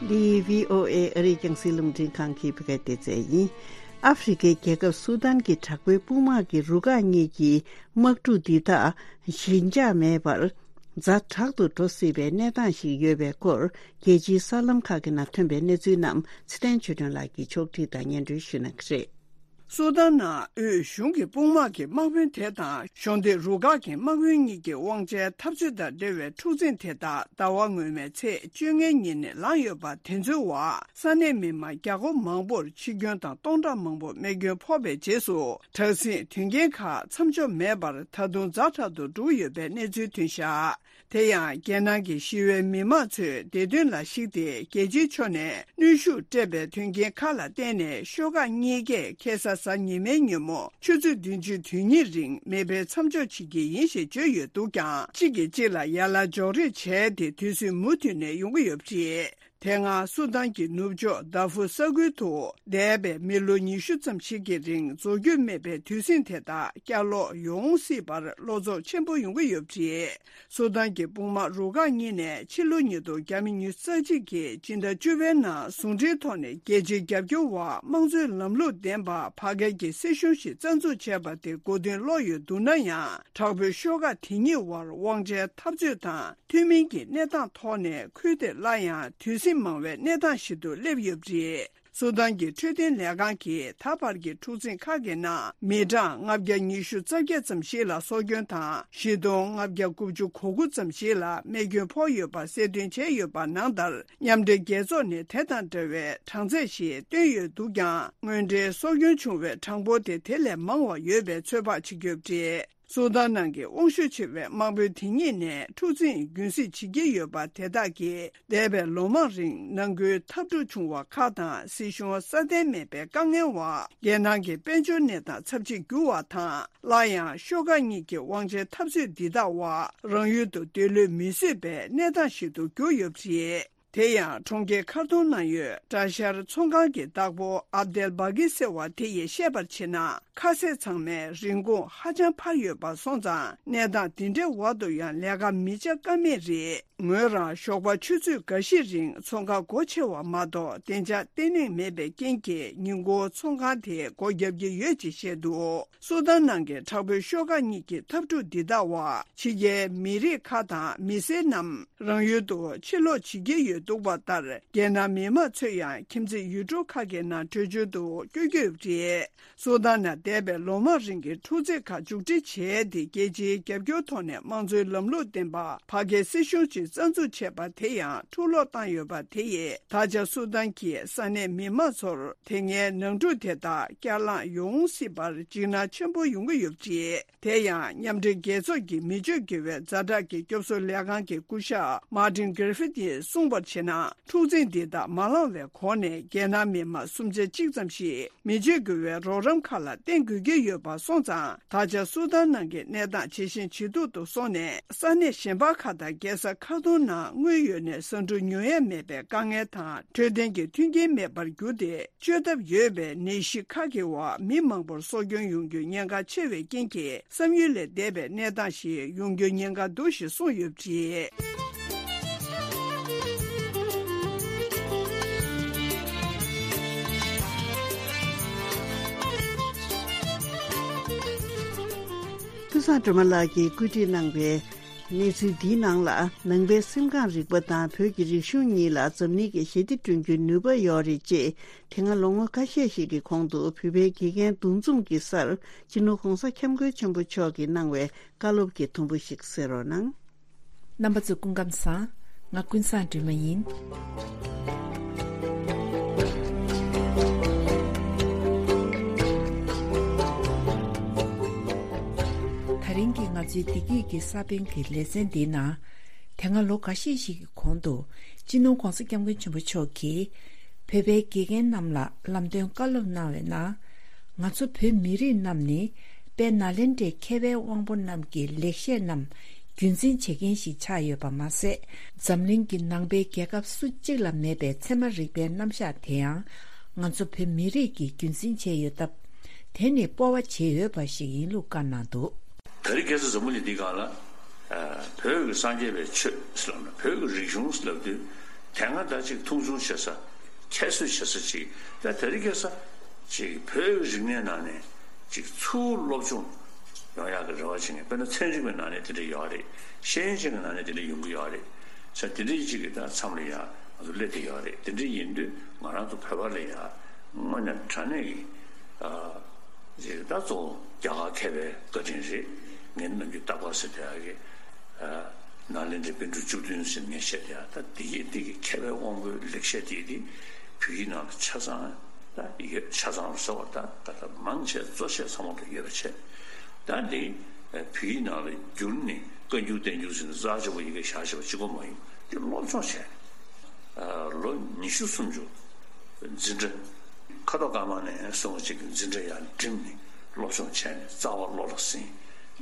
འདི་བྷི་ཨོ་ཨེ་ཨ་རིའི་རྒྱང་སྲིང་རླུང་འཕྲིན་ཁང་གི་བོད་སྐད་སྡེ་ཚན་ཡིན། ཨ་ཧྥེ་རི་ཁའི་རྒྱལ་ཁབ་སུ་དཱན་གྱི་དྲག་པོའི་དཔུང་དམག་གི་རུ་ཁག་གཉིས་ཀྱི་དམག་འཁྲུག་འདི་དག་ཞི་འཇགས་མེད་པར་ཛ་དྲག་ཏུ་འགྲོ་སྲིད་པའི་གནས་སྟངས་ཤིག་ཡོད་པའི་སྐོར། རྒྱལ་སྤྱིའི་གསར་ལམ་ཁག་གི་ནང་ཐོན་པའི་གནས་ཚུལ་རྣམས་ཚེ་བརྟན་ཆོས་སྒྲོན་ལགས་ཀྱིས་ཕྱོགས་སྒྲིག་དང་སྙན་སྒྲོན་ཞུ་གནང་གི་རེད། སུ་དཱན་ནང་དབུས་གཞུང་གི་དཔུང་དམག་གི་དམག་དཔོན་དེ་དང་གཞོན་དུས་རུ་ཁག་གི་དམག་དཔོན་གཉིས་ཀྱི་དབང་ཆའི་འཐབ་རྩོད་དང་འབྲེལ་བའི་འཁྲུག་འཛིང་དེ་དག་ཟླ་བ་སྔོན་མའི་ཚེས་བཅོ་ལྔའི་ཉིན་ནས་ལངས་ཡོད་པ་དེ་ཚོའི་འོག་ས་གནས་མི་མང་བརྒྱ་སྐོར་མང་པོར་འཆི་སྐྱོན་དང་སྟོང་ཕྲག་མང་པོ་རྨས་སྐྱོན་ཕོག་པའི་རྗེས་སུ། དྲག་ཟིང་དོན་རྐྱེན་ཁག་མཚམས་འཇོག་མེད་པར་ད་དུང་ཛ་དྲག་ཏུ་འགྲོ་གི་ཡོད་པའི་གནས་ཚུལ་ཐོན་བཞག་དེ་ཡང་རྒྱལ་ནང་གི་ཞི་བའི་མི་མང་ཚོས་བདེ་དོན་ལ་གཞིགས་ཏེ་རྒྱལ་སྤྱིའི་ཕྱོགས་ནས་གནོན་ཤུགས་སྤྲད་པའི་དོན་རྐྱེན་ཁག་ལ་བརྟེན་ནས་ཤོག་ཁག་གཉིས་ཀས་ཁ་སང་གཟའ་ཉི་མའི་ཉིན་མོ་ཆུ་ཚོད་བདུན་ཅུ་དོན་གཉིས་རིང་མེ་འཕེན་མཚམས་འཇོག་བྱེད་ཀྱི་ཡིན་ཞེས་བརྗོད་ཡོད་འདུག་ཀྱང་གཅིག་གིས་གཅིག་ལ་ཡ་ལ་འཇོག་རེས་བྱས་ཏེ་དུས་ཚོད་མུ་མཐུད་ནས་ཡོང་གི་ཡོད་པ་རེད། དེ་སྔ་སུ་དཱན་གྱི་ནུབ་ཕྱོགས་དཱ་ཧྥུར་ས་ཁུལ་དུ་འདས་པའི་མི་ལོ་ཉི་ཤུ་ཙམ་ཞིག་གི་རིང་རྫོགས་རྒྱུ་མེད་པའི་དུས་ཟིང་དེ་དག་བསྐྱར་ལོག་ཡོང་སྲིད་པར་བློ་འཚབ་ཆེན་པོ་ཡོང་གི་ཡོད་པ་རེད། སུ་དཱན་གྱི་དཔུང་དམག་རུ་ཁག་གཉིས་ནས་ཕྱི་ལོ་ཉིས་སྟོང་ཉི་ཤུ་རྩ་གཅིག་གི་སྤྱི་ཟླ་བཅུ་པའི་ནང་ཟུང་འབྲེལ་ཐོག་ནས་རྒྱལ་སྤྱིའི་རྒྱབ་སྐྱོར་འོག་དམངས་གཙོའི་ལམ་ལུགས་ལྡན་པ་ཕ་གིར་གྱི་སྲིད་གཞུང་ཞིག་རྩ་འཛུགས་བྱས་པ་དེ་གོ་དོན་ལོག་ཡོད་འདུག་ན་ཡང་། དྲག་པོའི་ཤོག་ཁག་དེ་གཉིས་དབར་དབང་ཆའི་འཐབ་རྩོད་དང་། མཐུན་མིན་གྱི་གནས་སྟངས་ཐོག་ནས་ཁུལ་དེ་སླར་ཡང་དུས་ཟིང་མང་བའི་གནས་སྟངས་ཤིག་ཏུ་སླེབས་ཡོད་པ་རེད། སུ་དཱན་གྱི་འཕྲོད་བསྟེན་ལས་ཁང་གིས་ད་བར་གྱི་འཁྲུག་འཛིང་ཁག་གི་ནང་མི་གྲངས་ལྔ་བརྒྱ་ཉི་ཤུ་རྩ་བརྒྱད་ཙམ་ཞིག་ལ་སྲོག་སྐྱོན་དང་བཞི་སྟོང་ལྔ་བརྒྱ་དགུ་བཅུ་གོ་དགུ་ཙམ་ཞིག་ལ་རྨས་སྐྱོན་ཕོག་ཡོད་པ་གསལ་སྟོན་བྱས་ཡོད་པ་ནང་ལྟར། མཉམ་འབྲེལ་རྒྱལ་ཚོགས་ནས་དེ་དང་འདྲ་བའི་གྲངས་ཚད་ཞིག་བཏོན་ཡོད་འདུག་ཀྱང་། དངོས་འབྲེལ་སྲོག་སྐྱོན་བྱུང་བའི་གྲངས་འབོར་དེ་དེ་ལས་མང་བ་ཡོད་པའི་ཚོད་དཔག་བྱེད་ཀྱི་ཡོད་པ་རེད། སུ་དཱན་ནང་གི་དབང་ཤུགས་ཆེ་བའི་དམག་དཔོན་དེ་གཉིས་ནས་འཁྲུག་འཛིང་རྒྱུན་སྲིང་བྱེད་ཀྱི་ཡོད་པ་དེ་དག་གིས་འདས་པའི་ལོ་མང་རིང་ནང་ཁུལ་འཐབ་འཁྲུག་བྱུང་བ་ཁག་དང་སྲིད་གཞུང་སྲ་བརྟན་མེད་པའི་དཀའ་ངལ་འོག་རྒྱལ་ནང་གི་དཔལ་འབྱོར་གནས་སྟངས་ཚབས་ཆེར་འགྱུར་བ་དང་། སླར་ཡང་ཤོག་ཁག་གཉིས་ཀྱི་དབང་ཆའི་འཐབ་རྩོད་འདི་དག་འོག་རང་ཡུལ་དུ་སྡོད་ལོས་མི་བཟོད་པའི་གནས་སྟངས་ཤིག་ཏུ་གྱུར་ཡོད་པ་རེད། དེ་ཡང་གྲོང་ཁྱེར་ཁར་ཏུམ་ནང་ཡོད་གྲྭ་ཤག་ཚོང་ཁང་གི་བདག་པོ་ཨབ་དེལ་བྷ་གི་ཟེར་བ་དེ་ཡིས་བཤད་པར་བྱས་ན། ཁ་ཟས་ཚང་མའི་རིན་གོང་ཧ་ཅང་འཕར་ཡོད་པ་སོང་ཙང་། གནས་སྟངས་འདི་འདྲའི་འོག་ཏུ་ཡང་ལས་ཀ་མི་བྱ་ཀ་མེད་རེད། ངོས་རང་ཞོགས་པ་ཆུ་ཚོད་འགའ་ཤས་རིང་ཚོང་ཁང་སྒོ་ཕྱེ་བ་མ་གཏོགས་བདེ་འཇགས་བརྟན་ལྷིང་མེད་པའི་རྐྱེན་གྱིས་ཉིན་གུང་ཚོང་ཁང་དེ་སྒོ་བརྒྱབ་ཀྱི་ཡོད་ཅེས་བཤད་འདུག་སུ་དཱན་ནང་གི་དྲག་པོའི་ཤོག་ཁག་གཉིས་ཀྱི་འཐབ་འཁྲུག་འདི་དག་འོག་ཕྱི་རྒྱལ་མི་རིགས་ཁག་དང་མི་སེར་རྣམས་རང་ཡུལ་དུ་ཕྱིར་ལོག་བྱེད་ཀྱི་ཡོད་འདུག་པ་ལྟར། རྒྱལ་ནང་མི་མང་ཚོ་ཡང་ཁྱིམ་མཚེས་ཡུལ་གྲུ་ཁག་གི་ནང་བྲོས་བྱོལ་དུ་བསྐྱོད་ཀྱི་ཡོད་པ་རེད། སུ་དཱན་ནང་འདས་པའི་ལོ་མང་རིང་གི་འཁྲུག་རྩོད་ཁག་མཇུག་སྒྲིལ་བྱས་ཏེ། རྒྱལ་སྤྱིའི་རྒྱབ་སྐྱོར་ཐོག་ནས་དམངས་གཙོའི་ལམ་ལུགས་ལྡན་པ་ཕ་གིའི་སྲིད་གཞུང་ཞིག་རྩ་འཛུགས་བྱས་པ་དེ་ཡང་འཁྲུག་ལོག་བཏང་ཡོད་པ་དེ་ཡིས་ད་ཆ་སུ་དཱན་གྱི་ས་གནས་མི་མང་ཚོར་དེ་སྔའི་ནང་འཁྲུག་དེ་དག་བསྐྱར་ལངས་ཡོང་སྲིད་པར་འཇིགས་སྣང་ཆེན་པོ་ཡོང་གི་ཡོད་པ་རེད། དེ་ཡང་མཉམ་འབྲེལ་རྒྱལ་ཚོགས་ཀྱི་མི་སྤྱོད་འགྱུར་བའི་ཛ་དྲག་གི་སྐྱོབ་གསོ་ལས་ཁང་གི་སྐུ་ཞབས་མཱ་ཏིན་གྷི་རི་ཕིད་ཡིས་གསུངས་པར་བྱས་ན། འཁྲུག་འཛིང་འདི་དག་མ་ལངས་བའི་གོང་ནས་རྒྱལ་ནང་མི་མང་སུམ་ཆ་གཅིག་ཙམ་ཞིག་མི་སྤྱོད་འགྱུར་བའི་རོགས་རམ་ཁག་ལ་བརྟེན་དགོས་ཀྱི་ཡོད་པ་སོང་ཙང་། ད་ཆ་སུ་དཱན་ནང་གི་གནས་སྟངས་ཇེ་ཞན་ཇེ་སྡུག་ཏུ་སོང་ནས། ས་གནས་གཞན་པ་ཁག་དང་རྒྱལ་ས་ཁར་ཏུམ་ནང་དངོས་ཡོད་ནས་ཟ་འབྲུ་ཉོ་ཡ་མེད་པའི་དཀའ་ངལ་དང་འཕྲོད་བསྟེན་གྱི་མཐུན་རྐྱེན་མེད་པར་གྱུར་ཏེ། བཅོས་ཐབས་ཡོད་པའི་ནད་གཞི་ཁག་གི་འོག་མི་མང་པོར་སྲོག་སྐྱོན་ཡོང་རྒྱུའི་ཉེན་ཁ་ཆེ་བའི་རྐྱེན་གྱིས། བསམ་ཡུལ་ལས་འདས་པའི་གནས་སྟངས་ཤིག་ཡོང་རྒྱུའི་ཉེན་ཁ་འདུག་ཞེས་གསུངས་ཡོད་པ་རེད། ཀུན་བཟང་སྒྲོལ་མ་ལགས་ཀྱིས་བཀོད་སྒྲིག་གནང་བའི་གནས་ཚུལ་འདིའི་ནང་ལ། ནང་པའི་སེམས་ཁམས་རིག་པ་དང་བོད་ཀྱི་རིག་གཞུང་གཉིས་ལ་འཛམ་གླིང་གི་ཞི་བདེ་བསྐྲུན་རྒྱུའི་ནུས་པ་ཡོད་རེད་ཅེས། དེ་སྔ་ལོ་ངོ་ཁ་ཤས་ཤིག་གི་གོང་དུ་བོད་པའི་དགེ་རྒན་འདུ་འཛོམས་ཀྱི་སར་སྤྱི་ནོར་༧གོང་ས་༧སྐྱབས་མགོན་ཆེན་པོ་མཆོག་གིས་གནང་བའི་བཀའ་སློབ་ཀྱི་དུམ་བུ་ཞིག་གསན་རོགས་གནང་། རྣམ་པ་ཚོ་སྐུ་ཁམས་བཟང་། ང་ཀུན་བཟང་སྒྲོལ་མ་ཡིན། ད་རིང་གི་ང་ཚོའི་བདེ་སྐྱིད་ཀྱི་ས་བོན་གྱི་ལེ་ཚན་འདིའི་ནང་། དེ་སྔ་ལོ་འགའ་ཤས་ཤིག་གི་གོང་དུ། སྤྱི་ནོར་༧གོང་ས་༧སྐྱབས་མགོན་ཆེན་པོ་མཆོག་གིས། བོད་པའི་དགེ་རྒན་རྣམས་ལ་ལམ་སྟོན་བཀའ་སློབ་གནང་བའི་ནང་། ང་ཚོ་བོད་མི་རིགས་རྣམས་ནི། དཔལ་ནཱ་ལེནྡྲའི་མཁས་པའི་དབང་པོ་རྣམས་ཀྱི་ལེགས་བཤད་རྣམས་རྒྱུན་འཛིན་བྱེད་མཁན་ཞིག་ཆགས་ཡོད་པ་མ་ཟད། འཛམ་གླིང་གི་ནང་པའི་རྒྱལ་ཁབ་སུ་གཅིག་ལ་མེད་པའི་ཚད་མ་རིག་པའི་རྣམ་གཞག་དེ་ཡང་། ང་ཚོ་བོད་མི་རིགས་ཀྱིས་རྒྱུན་འཛིན་བྱས་ཡོད་སྟབས། དེ་ནི་སྤོབས་པ་བྱེད་འོས་པ་ཞིག་ཡིན་ལུགས་བཀའ་གནང་འདུག། དེ་རིང་ཁ་སང་འཛམ་བུ་གླིང་འདིའི་སྒང་ལ། ཨ། བོད་ཀྱི་སངས་རྒྱས་པའི་ཆོས་ཟེར་ལབ་ན། བོད་ཀྱི་རིག་གཞུང་ཟེར་ལབ་དུས། དེ་སྔ་ད་ཅིག་མཐོང་ཆུང་བྱེད་ས། ཁྱད་གསོད་བྱེད་ས་ཅིག། ད་དེ་རིང་ཁ་སང་ཅིག་བོད་ཀྱི་རིག་གནས་ནང་ནས་ཅིག་ཚུར་སློབ་སྦྱོང་ཡོང་ཡག་གི་རེ་བ་བྱེད་མཁན། དཔེར་ན་ཚན་རིག་པའི་ནང་ནས་དེ་འདྲ་ཡོད་རེད། ཤེས་ཡོན་ཅན་གྱི་ནང་ནས་དེ་འདྲ་ཡོང་གི་ཡོད་རེད། ས་དེ་འདྲ་ཅིག་གི་ད་མཚམས་ལ་ཡ་ང་ཚོ་སླེབས་བསྡད་ཡོད་རེད། དེ་འདྲ་ཡིན་དུས་ང་རང་ཚོ་བོད་པ་ལ་ཡ་དངོས་གནས་དྲང་གནས་ཀྱི། ཨ། རེད། ད་གཙོ་བོ་རྒྱ་གར་མཁས་པའི་བཀའ་དྲིན་རེད། ངས་ནམ་རྒྱུན་རྟག་པར་ཟེར་བསྡད་ཡག་གི། ཨ། ནཱ་ལེནྡྲའི་པཎ་གྲུབ་བཅུ་བདུན་ཟེར་ངས་བཤད་བསྡད་ཡག་ད་འདི་ཡི་འདི་གི་མཁས་པའི་དབང་པོའི་ལེགས་བཤད་དེ་དེ་བོད་ཡིག་ནང་ལ་ཆ་ཚང་ད་ཡོད། ཆ་ཚང་རུ་ཟེར་བ་ད་ད་ལྟ་མང་ཆེ་གཙོ་ཆེ་ཚང་མ་ལ་ཡོད་པ་བྱས། ད་འདི་བོད་ཡིག་ནང་ལ་བསྒྱུར་ནས་བཀའ་འགྱུར་བསྟན་འགྱུར་ཟེར་ནས་རྩ་ཆེ་བོ་ཡི་གེ་བཞག་བྱས་པ་གཅིག་པོ་མ་ཡིན། འདི་སློབ་སྦྱོང་བྱས། ཨ། ལོ་ཉི་ཤུ་སུམ་ཅུ་འཛིན་གྲྭ་ཁ་དོག་དཀར་དམར་ནས་སོང་བ་ཅིག་གི་འཛིན་གྲྭ་ཡར་འགྲིམས་ནས་སློབ་སྦྱོང་བྱས་ནས་རྩ་བ་བློ་ལ་ཟིན།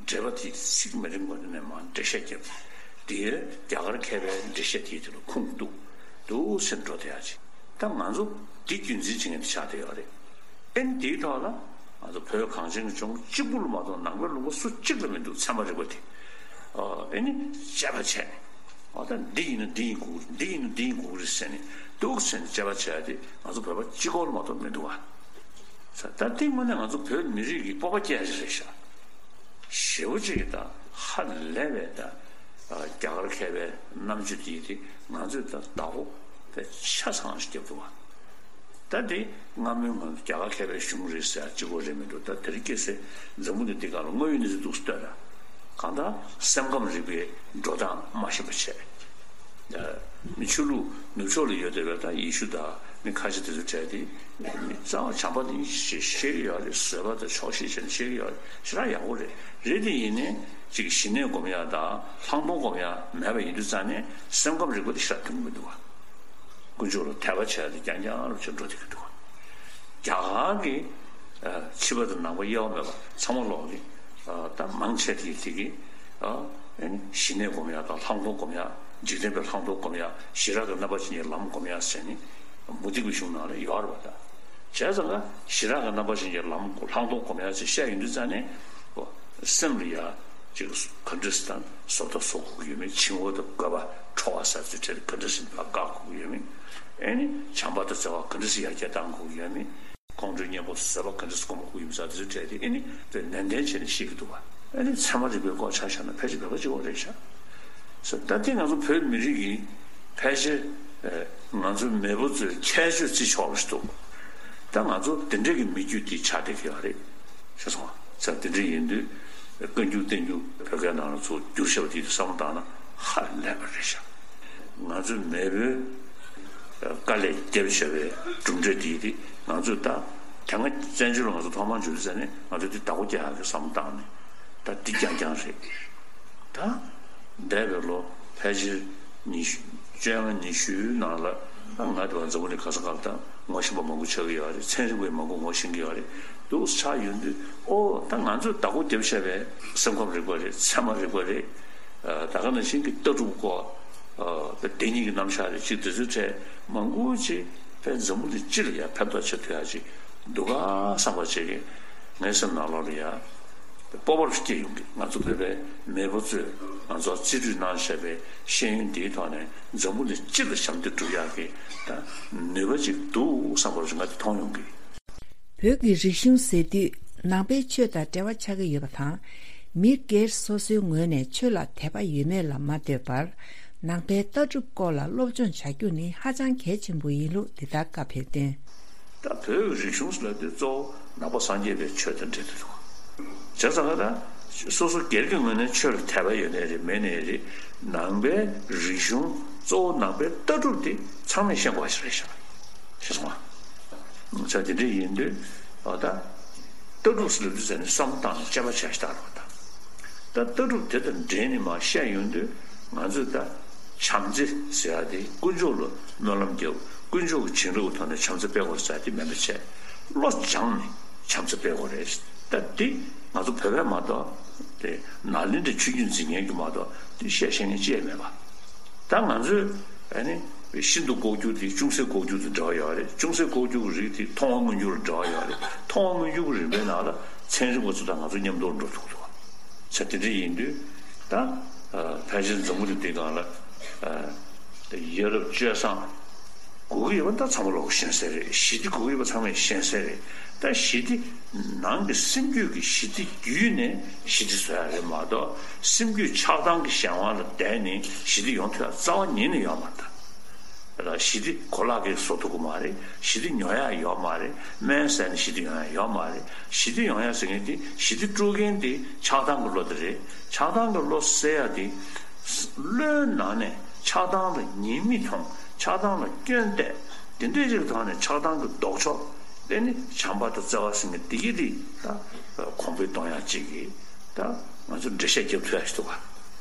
འགྲེལ་པ་དེ་ཚིག་མ་རིང་པོ་ནས་མར་འགྲེལ་བཤད་བརྒྱབ། དེ་རྒྱ་གར་མཁས་པའི་འགྲེལ་བཤད་དེའི་དེ་ལ་ཁུངས་གཏུགས། འདུག་སེ་འགྲོ་བསྡད་ཡག་ཅིག་ད་ང་ཚོ་འདི་རྒྱུན་འཛིན་བྱེད་མཁན་དེ་ཆགས་བསྡད་ཡོད་རེད། ཨེ་ནི་དེའི་ཐོག་ལ་ང་ཚོ་བོད་གངས་ཅན་གྱི་ལྗོངས་གཅིག་པུ་ལ་མ་གཏོགས་ནང་པའི་ལུང་པ་སུ་གཅིག་ལ་མི་འདུག་ཚད་མ་རིག་པ་དེ། ཨ། ཨེ་ནི་དཔྱད་པ་བྱས་ནས། ཨ། ད་འདི་ཡིན་ན་འདི་ཡིན་དགོས་རེད། འདི་ཡིན་ན་འདི་ཡིན་དགོས་རེད་ཟེར་ནས་འདུག་ཟེར་ནས་དཔྱད་པ་བྱས་ཏེ་ང་ཚོ་བོད་པ་གཅིག་པོ་ལ་མ་གཏོགས་མི་འདུག་བ། ད་དེ་དངོས་གནས་ང་ཚོ་བོད་མི་རིགས་ཀྱི་སྤོབས་པ་སྐྱེ་ཡག་ཅིག་རེད་ཤག་ཞེ་པོ་ཅིག་ད་ཧ་ལས་པའི་ད་རྒྱ་གར་མཁས་པའི་རྣམ་དཔྱོད་དེ་དེ་ང་ཚོས་ད་བདག་པོ་དཔེ་ཆ་ཚང་ཞིག་བརྒྱབ་འདུག་བ། ད་དེ་སྔ་མོའི་ང་ཚོ་རྒྱ་གར་མཁས་པའི་གཞུང་རེད་ཟེར་ཡག་གཅིག་པོ་རེད་མི་འདུག་ད་དེ་རིང་ཁ་སང་འཛམ་བུ་གླིང་འདི་སྒང་ལ་དངོས་ཡོད་གནས་ཚུལ་འདུག་སེ་ལྟོས་ན། གང་ལྟར་སེམས་ཁམས་རིག་པའི་འགྲོ་སྟངས་མ་ཤེས་པ་བྱས། མི་ཆོས་ལུགས་ནུབ་ཕྱོགས་ལ་ཡོད་བསྡད་པའི་ད་ཡེ་ཤུ་དང་མི་ཁ་ཤས་དེ་ཚོ་གྲས་དེ་མི་རྩ་བ་བྱམས་པ་ནི་ཞེས་བཤད་ཀྱི་ཡོད་རེད། བཟོད་པ་དང་ཆོག་ཤེས་བྱས་ནས་བཤད་ཀྱི་ཡོད་རེད། ཞེ་དྲག་ཡག་པོ་རེད། རེད་དེ་ཡིན་ནའི་ཅིག་ཞི་གནས་སྒོམ་ཡག་དང་ལྷག་མཐོང་སྒོམ་ཡག་མེད་པ་ཡིན་དུས་ཙང་ནས་སེམས་ཁམས་རིག་པ་དེ་ཞེ་དྲག་མཐུན་གྱི་མི་འདུག་བ། དཀོན་མཆོག་ལ་དད་པ་བྱས་ཏེ་རྐྱང་རྐྱང་རུ་བྱས་འགྲོ་བསྡད་ཀྱི་འདུག་རྒྱ་གར་གྱི་ཨ་ཕྱི་པ་དང་ནང་པ་དབྱེ་བ་མེད་པ་ཚང་མ་ལོག་གི་ཨ་ད་མང་ཆེ་དེ་དེ་གི་ཨ་ཨེ་ནི་ཞི་གནས་སྒོམ་ཡག་དང་ལྷག་མཐོང་སྒོམ་ཡག་འཇིག་རྟེན་པའི་ལྷག་མཐོང་སྒོམ་ཡག་ཞི་རགས་ཀྱི་རྣམ་པ་ཅན་གྱི་ལམ་སྒོམ་ཡག་ཟེར་ནི་མུ་སྟེགས་པའི་གཞུང་ནང་ལ་ཡོད་རེད་པ། ད་བྱས་ཙང་ཀ་ཞི་རགས་ཀྱི་རྣམ་པ་ཅན་གྱི་ལམ་ལྷག་མཐོང་སྒོམ་ཡག་ཅེས་བཤད་ཡོང་དུས་ཙང་ནས་སེམས་ལ་ཡ། ཅིག་ག་འདྲ་སེ་དང་བཟོ་ལྟ་བཟོ་དགོས་ཀྱི་ཡོད་མེད། བྱིང་བ་དང་རྒོད་པ་ཁྲོ་བ་ཟེར་ཚུལ་ཁྲིད་ག་འདྲ་སེ་ལ་བཀག་དགོས་ཀྱི་ཡོད་མེད། ཨེ་ནི་བྱམས་པ་དང་བརྩེ་བ་ག་འདྲ་སེ་ཡར་རྒྱས་གཏང་དགོས་ཀྱི་ཡོད་མེད། ཁོང་ཁྲོའི་གཉེན་པོ་བཟོད་པ་ག་འདྲ་སེ་སྒོམ་དགོས་ཀྱི་ཡོད་མེད་ཟེར་དེ་ཚོའི་གྲས་དེ་ཨེ་ནི་དཔེ་ནན་ཏན་བྱས་ནས་ཤེས་ཀྱི་འདུག་བ། ཨེ་ནི་ཚད་མ་རིག་པའི་སྐོར་ཆ་བཞག་ན་ཕལ་ཆེར་བོད་པ་གཅིག་པོ་རེད་ཤག་ད་དེ་ང་ཚོ་བོད་མི་རིགས་ཀྱི་ཕལ་ཆེར་ང་ཚོ་མེས་པོ་ཚོའི་ཁྱད་ཆོས་བརྩི་ཆོག་པ་ཞིག་འདུག་ད་ང་ཚོ་དེ་འདྲའི་གི་མི་རྒྱུད་དེ་ཆགས་བསྡད་ཀྱི་ཡོད་རེད། ཤེས་སོང་ང་། ཙང་དེ་འདྲ་ཡིན་དུས་བཀའ་འགྱུར་བསྟན་འགྱུར་བོད་སྐད་ནང་ལ་ཚུར་བསྒྱུར་བྱས་པ་དེ་བསམ་བློ་བཏང་ན་ཧ་ལས་པ་རེད་ཤག་ང་ཚོའི་མེས་པོའི་དཀའ་ལས་བརྒྱབ་བྱས་པའི་གྲུབ་འབྲས་དེ་དེ་ང་ཚོས་ད་དེ་སྔ་བཙན་བྱོལ་ལ་ང་ཚོ་ཐོག་མར་འབྱོར་དུས་ཙང་ནས་ང་ཚོས་དེ་བདག་པོ་རྒྱག་ཡག་གི་བསམ་བློ་བཏང་ནས་ད་འདི་རྐྱང་རྐྱང་རེད། ད་འདས་པའི་ལོ་ཕལ་ཆེར་ཉི་ཤུ་བཅོ་ལྔ་ཉི་ཤུའི་ནང་ལ་ང་དེ་བ་འཛམ་བུ་གླིང་ག་ས་ག་ལ་ད་ངོ་ཤེས་པ་མང་པོ་ཆགས་ཀྱི་ཡོད་རེད། ཚན་རིག་པས་མང་པོ་ངོ་ཤེས་ཀྱི་ཡོད་རེད། འདུག་ཆགས་ཡོང་དུས་ཨོ་ད་ང་ཚོས་བདག་པོ་རྒྱབ་བཞག་པའི་སེམས་ཁམས་རིག་པ་རེད། ཚད་མ་རིག་པ་རེད། ད་ག་ནང་བཞིན་གྱི་ལྟ་གྲུབ་སྐོར་བདེན་གཉིས་ཀྱི་རྣམ་གཞག་རེད། ཅིག་དེ་ཚོའི་གྲས་མང་པོ་ཅིག་ཕན་འཛམ་བུ་གླིང་སྤྱི་ལ་ཡང་ཕན་ཐོགས་ཆེ་ཐུབ་ཡག་ཅིག་འདུག་ག་བསམ་པ་བྱེད་ཀྱི་ངའི་སེམས་ནང་ལོགས་ལ་ཡ། སྤོབས་པ་སྐྱེ་ཡོང་གི། ང་ཚོ་བོད་པའི་མེས་པོ་ཚོས་ང་ཚོར་རྩིས་སྤྲོད་གནང་བཞག་པའི་ཤེས་ཡོན་འདིའི་ཐོག་ནས་འཛམ་བུ་གླིང་སྤྱི་ལ་ཞབས་འདེགས་སྒྲུབ་ཡག་གི་ད་ནུས་པ་ཅིག་འདུག་བསམ་པ་ང་དེ་མཐོང་ཡོང་གི། བོད་ཀྱི་རིག་གཞུང་ཟེར་དུས་ནང་པའི་ཆོས་དང་འབྲེལ་བ་ཆགས་ཀྱི་ཡོད་པ་དང་། མི་སྒེར་སོ་སོའི་ངོས་ནས་ཆོས་ལ་དད་པ་ཡོད་མེད་ལ་མ་ལྟོས་པར། ནང་པའི་ལྟ་གྲུབ་སྐོར་ལ་སློབ་སྦྱོང་བྱ་རྒྱུ་ནི་ཧ་ཅང་གལ་ཆེན་པོ་ཡིན་ལུགས་འདི་ལྟར་བཀའ་ཕེབས་དོན། ད་བོད་ཀྱི་རིག་གཞུང་ཟེར་ལབ་དུས་གཙོ་བོ་ནང་པ་སངས་རྒྱས་པའི་ཆོས་དང་འབྲེལ་དུ་འདུག་བྱས་ཙང་ད་སོ་སོ་སྒེར་གྱི་ངོས་ནས་ཆོས་ལ་དད་པ་ཡོད་ནའི་རེད། མེད་ནའི་རེད། ནང་པའི་རིག་གཞུང་གཙོ་བོ་ནང་པའི་ལྟ་གྲུབ་དེ་ཚང་མས་ཤེས་དགོས་པ་ཞིག་རེད་ཤག་ཤེས་སོང་ང་། བྱས་ཙང་དེ་འདྲ་ཡིན་དུས་ཨ་ད་ལྟ་གྲུབ་ཟེར་ལབ་དུས་ཙང་ནས་བསམ་བློ་བཏང་ནས་དཔྱད་པ་བྱ་ཞིག་བཏང་རོགས་ད། ད་ལྟ་གྲུབ་དེ་དང་འབྲེལ་ནས་མར་བཤད་ཡོང་དུས་ང་ཚོས་ད་བྱམས་བརྩེ་ཟེར་ཡག་དེ་དཀོན་མཆོག་ལ་སྨོན་ལམ་རྒྱབ། དཀོན་མཆོག་གི་བྱིན་རླབས་ཀྱི་ཐོག་ནས་བྱམས་བརྩེ་སྤེལ་དགོས་ཟེར་ཡག་དེ་མིན་པ་བྱས། བློ་སྦྱངས་ནས་བྱམས་བརྩེ་སྤེལ་དགོས་རེད། ད་དེ་ང་ཚོ་བོད་པས་མ་གཏོགས་དེ་ནཱ་ལེནྡྲའི་ཆོས་བརྒྱུད་འཛིན་མཁན་གྱིས་མ་གཏོགས་དེ་བཤད་ཤེས་མཁན་ཅི་ཡང་མེད་པ། ད་ང་ཚོས་ཨ་ནི་ཤིན་ཏུ་ལྐོག་གྱུར་དེ་ཅུང་ཟད་ལྐོག་གྱུར་དང་འབྲེལ་བ་ཡོད་རེད། ཅུང་ཟད་ལྐོག་གྱུར་གྱི་རིགས་དེ་མཐོང་བ་མངོན་གྱུར་ལ་འབྲེལ་བ་ཡོད་རེད། མཐོང་བ་མངོན་གྱུར་གྱི་རིམ་པའི་ནང་ལ་ཚན་རིག་པ་ཚོ་དང་ང་ཚོ་མཉམ་དུ་འགྲོ་ཐུབ་ཀྱི་འདུག་བ། ས་དེ་འདྲ་ཡིན་དུས་ད་ཕལ་ཆེར་འཛམ་བུ་གླིང་འདིའི་སྒང་ལ་ཡ་རབས་སྤྱོད་བཟང་དགོས་ཀྱི་ཡོད་པ་ད་ཚང་མ་ལོག་ཤེས་གསལ་རེད། ཞི་བདེ་དགོས་ཀྱི་ཡོད་པ་ཚང་མས་ཤེས་གསལ་རེད། ད་ཞི་བདེ་ནང་གི་སེམས་རྒྱུད་ཀྱི་ཞི་བདེ་བརྒྱུད་ནས་ཞི་བདེ་བཟོ་ཡ་རེད་མ་གཏོགས་སེམས་རྒྱུད་ཆགས་སྡང་གི་གཞན་དབང་ལ་བརྟེན་ནས་ཞི་བདེ་ཡོང་ཐུབ་ཡ་རྩ་བ་ཉིད་ནས་ཡོད་མ་རེད། ལ་ཞི་བདེ་གོ་ལག་གིས་བཟོ་ཐུབ་ཀྱི་མ་རེད། ཞི་བདེ་ཉོ་ཡག་ཡོད་མ་རེད། སྨན་ཟས་ནས་ཞི་བདེ་ཡོང་ཡག་ཡོད་མ་རེད། ཞི་བདེ་ཡོང་ཡག་ཟེར་མཁན་དེ་ཞི་བདེ་དཀྲུག་མཁན་དེ་ཆགས་སྡང་གི་བློ་དེ་རེད། ཆགས་སྡང་གི་བློ་སེལ་ཡག་དེ། བློའི་ནང་ནས་ཆགས་སྡང་ལ་ཉེས་དམིགས་མཐོང་། ཆགས་སྡང་ལ་སྐྱོན་བལྟས། དེ་འདྲའི་ཅིག་ཐོག་ནས་ཆགས་སྡང་གི་ལྡོག་ཕྱོགས་དེ་ནི་བྱམས་པ་དང་བརྩེ་བ་ཟེར་མཁན་དེ་གི་དེ་ད་གོང་འཕེལ་གཏོང་ཡག་ཅིག་གི་ད་ང་ཚོ་འགྲེལ་བཤད་རྒྱབ་ཐུབ་ཡག་ཞིག་འདུག་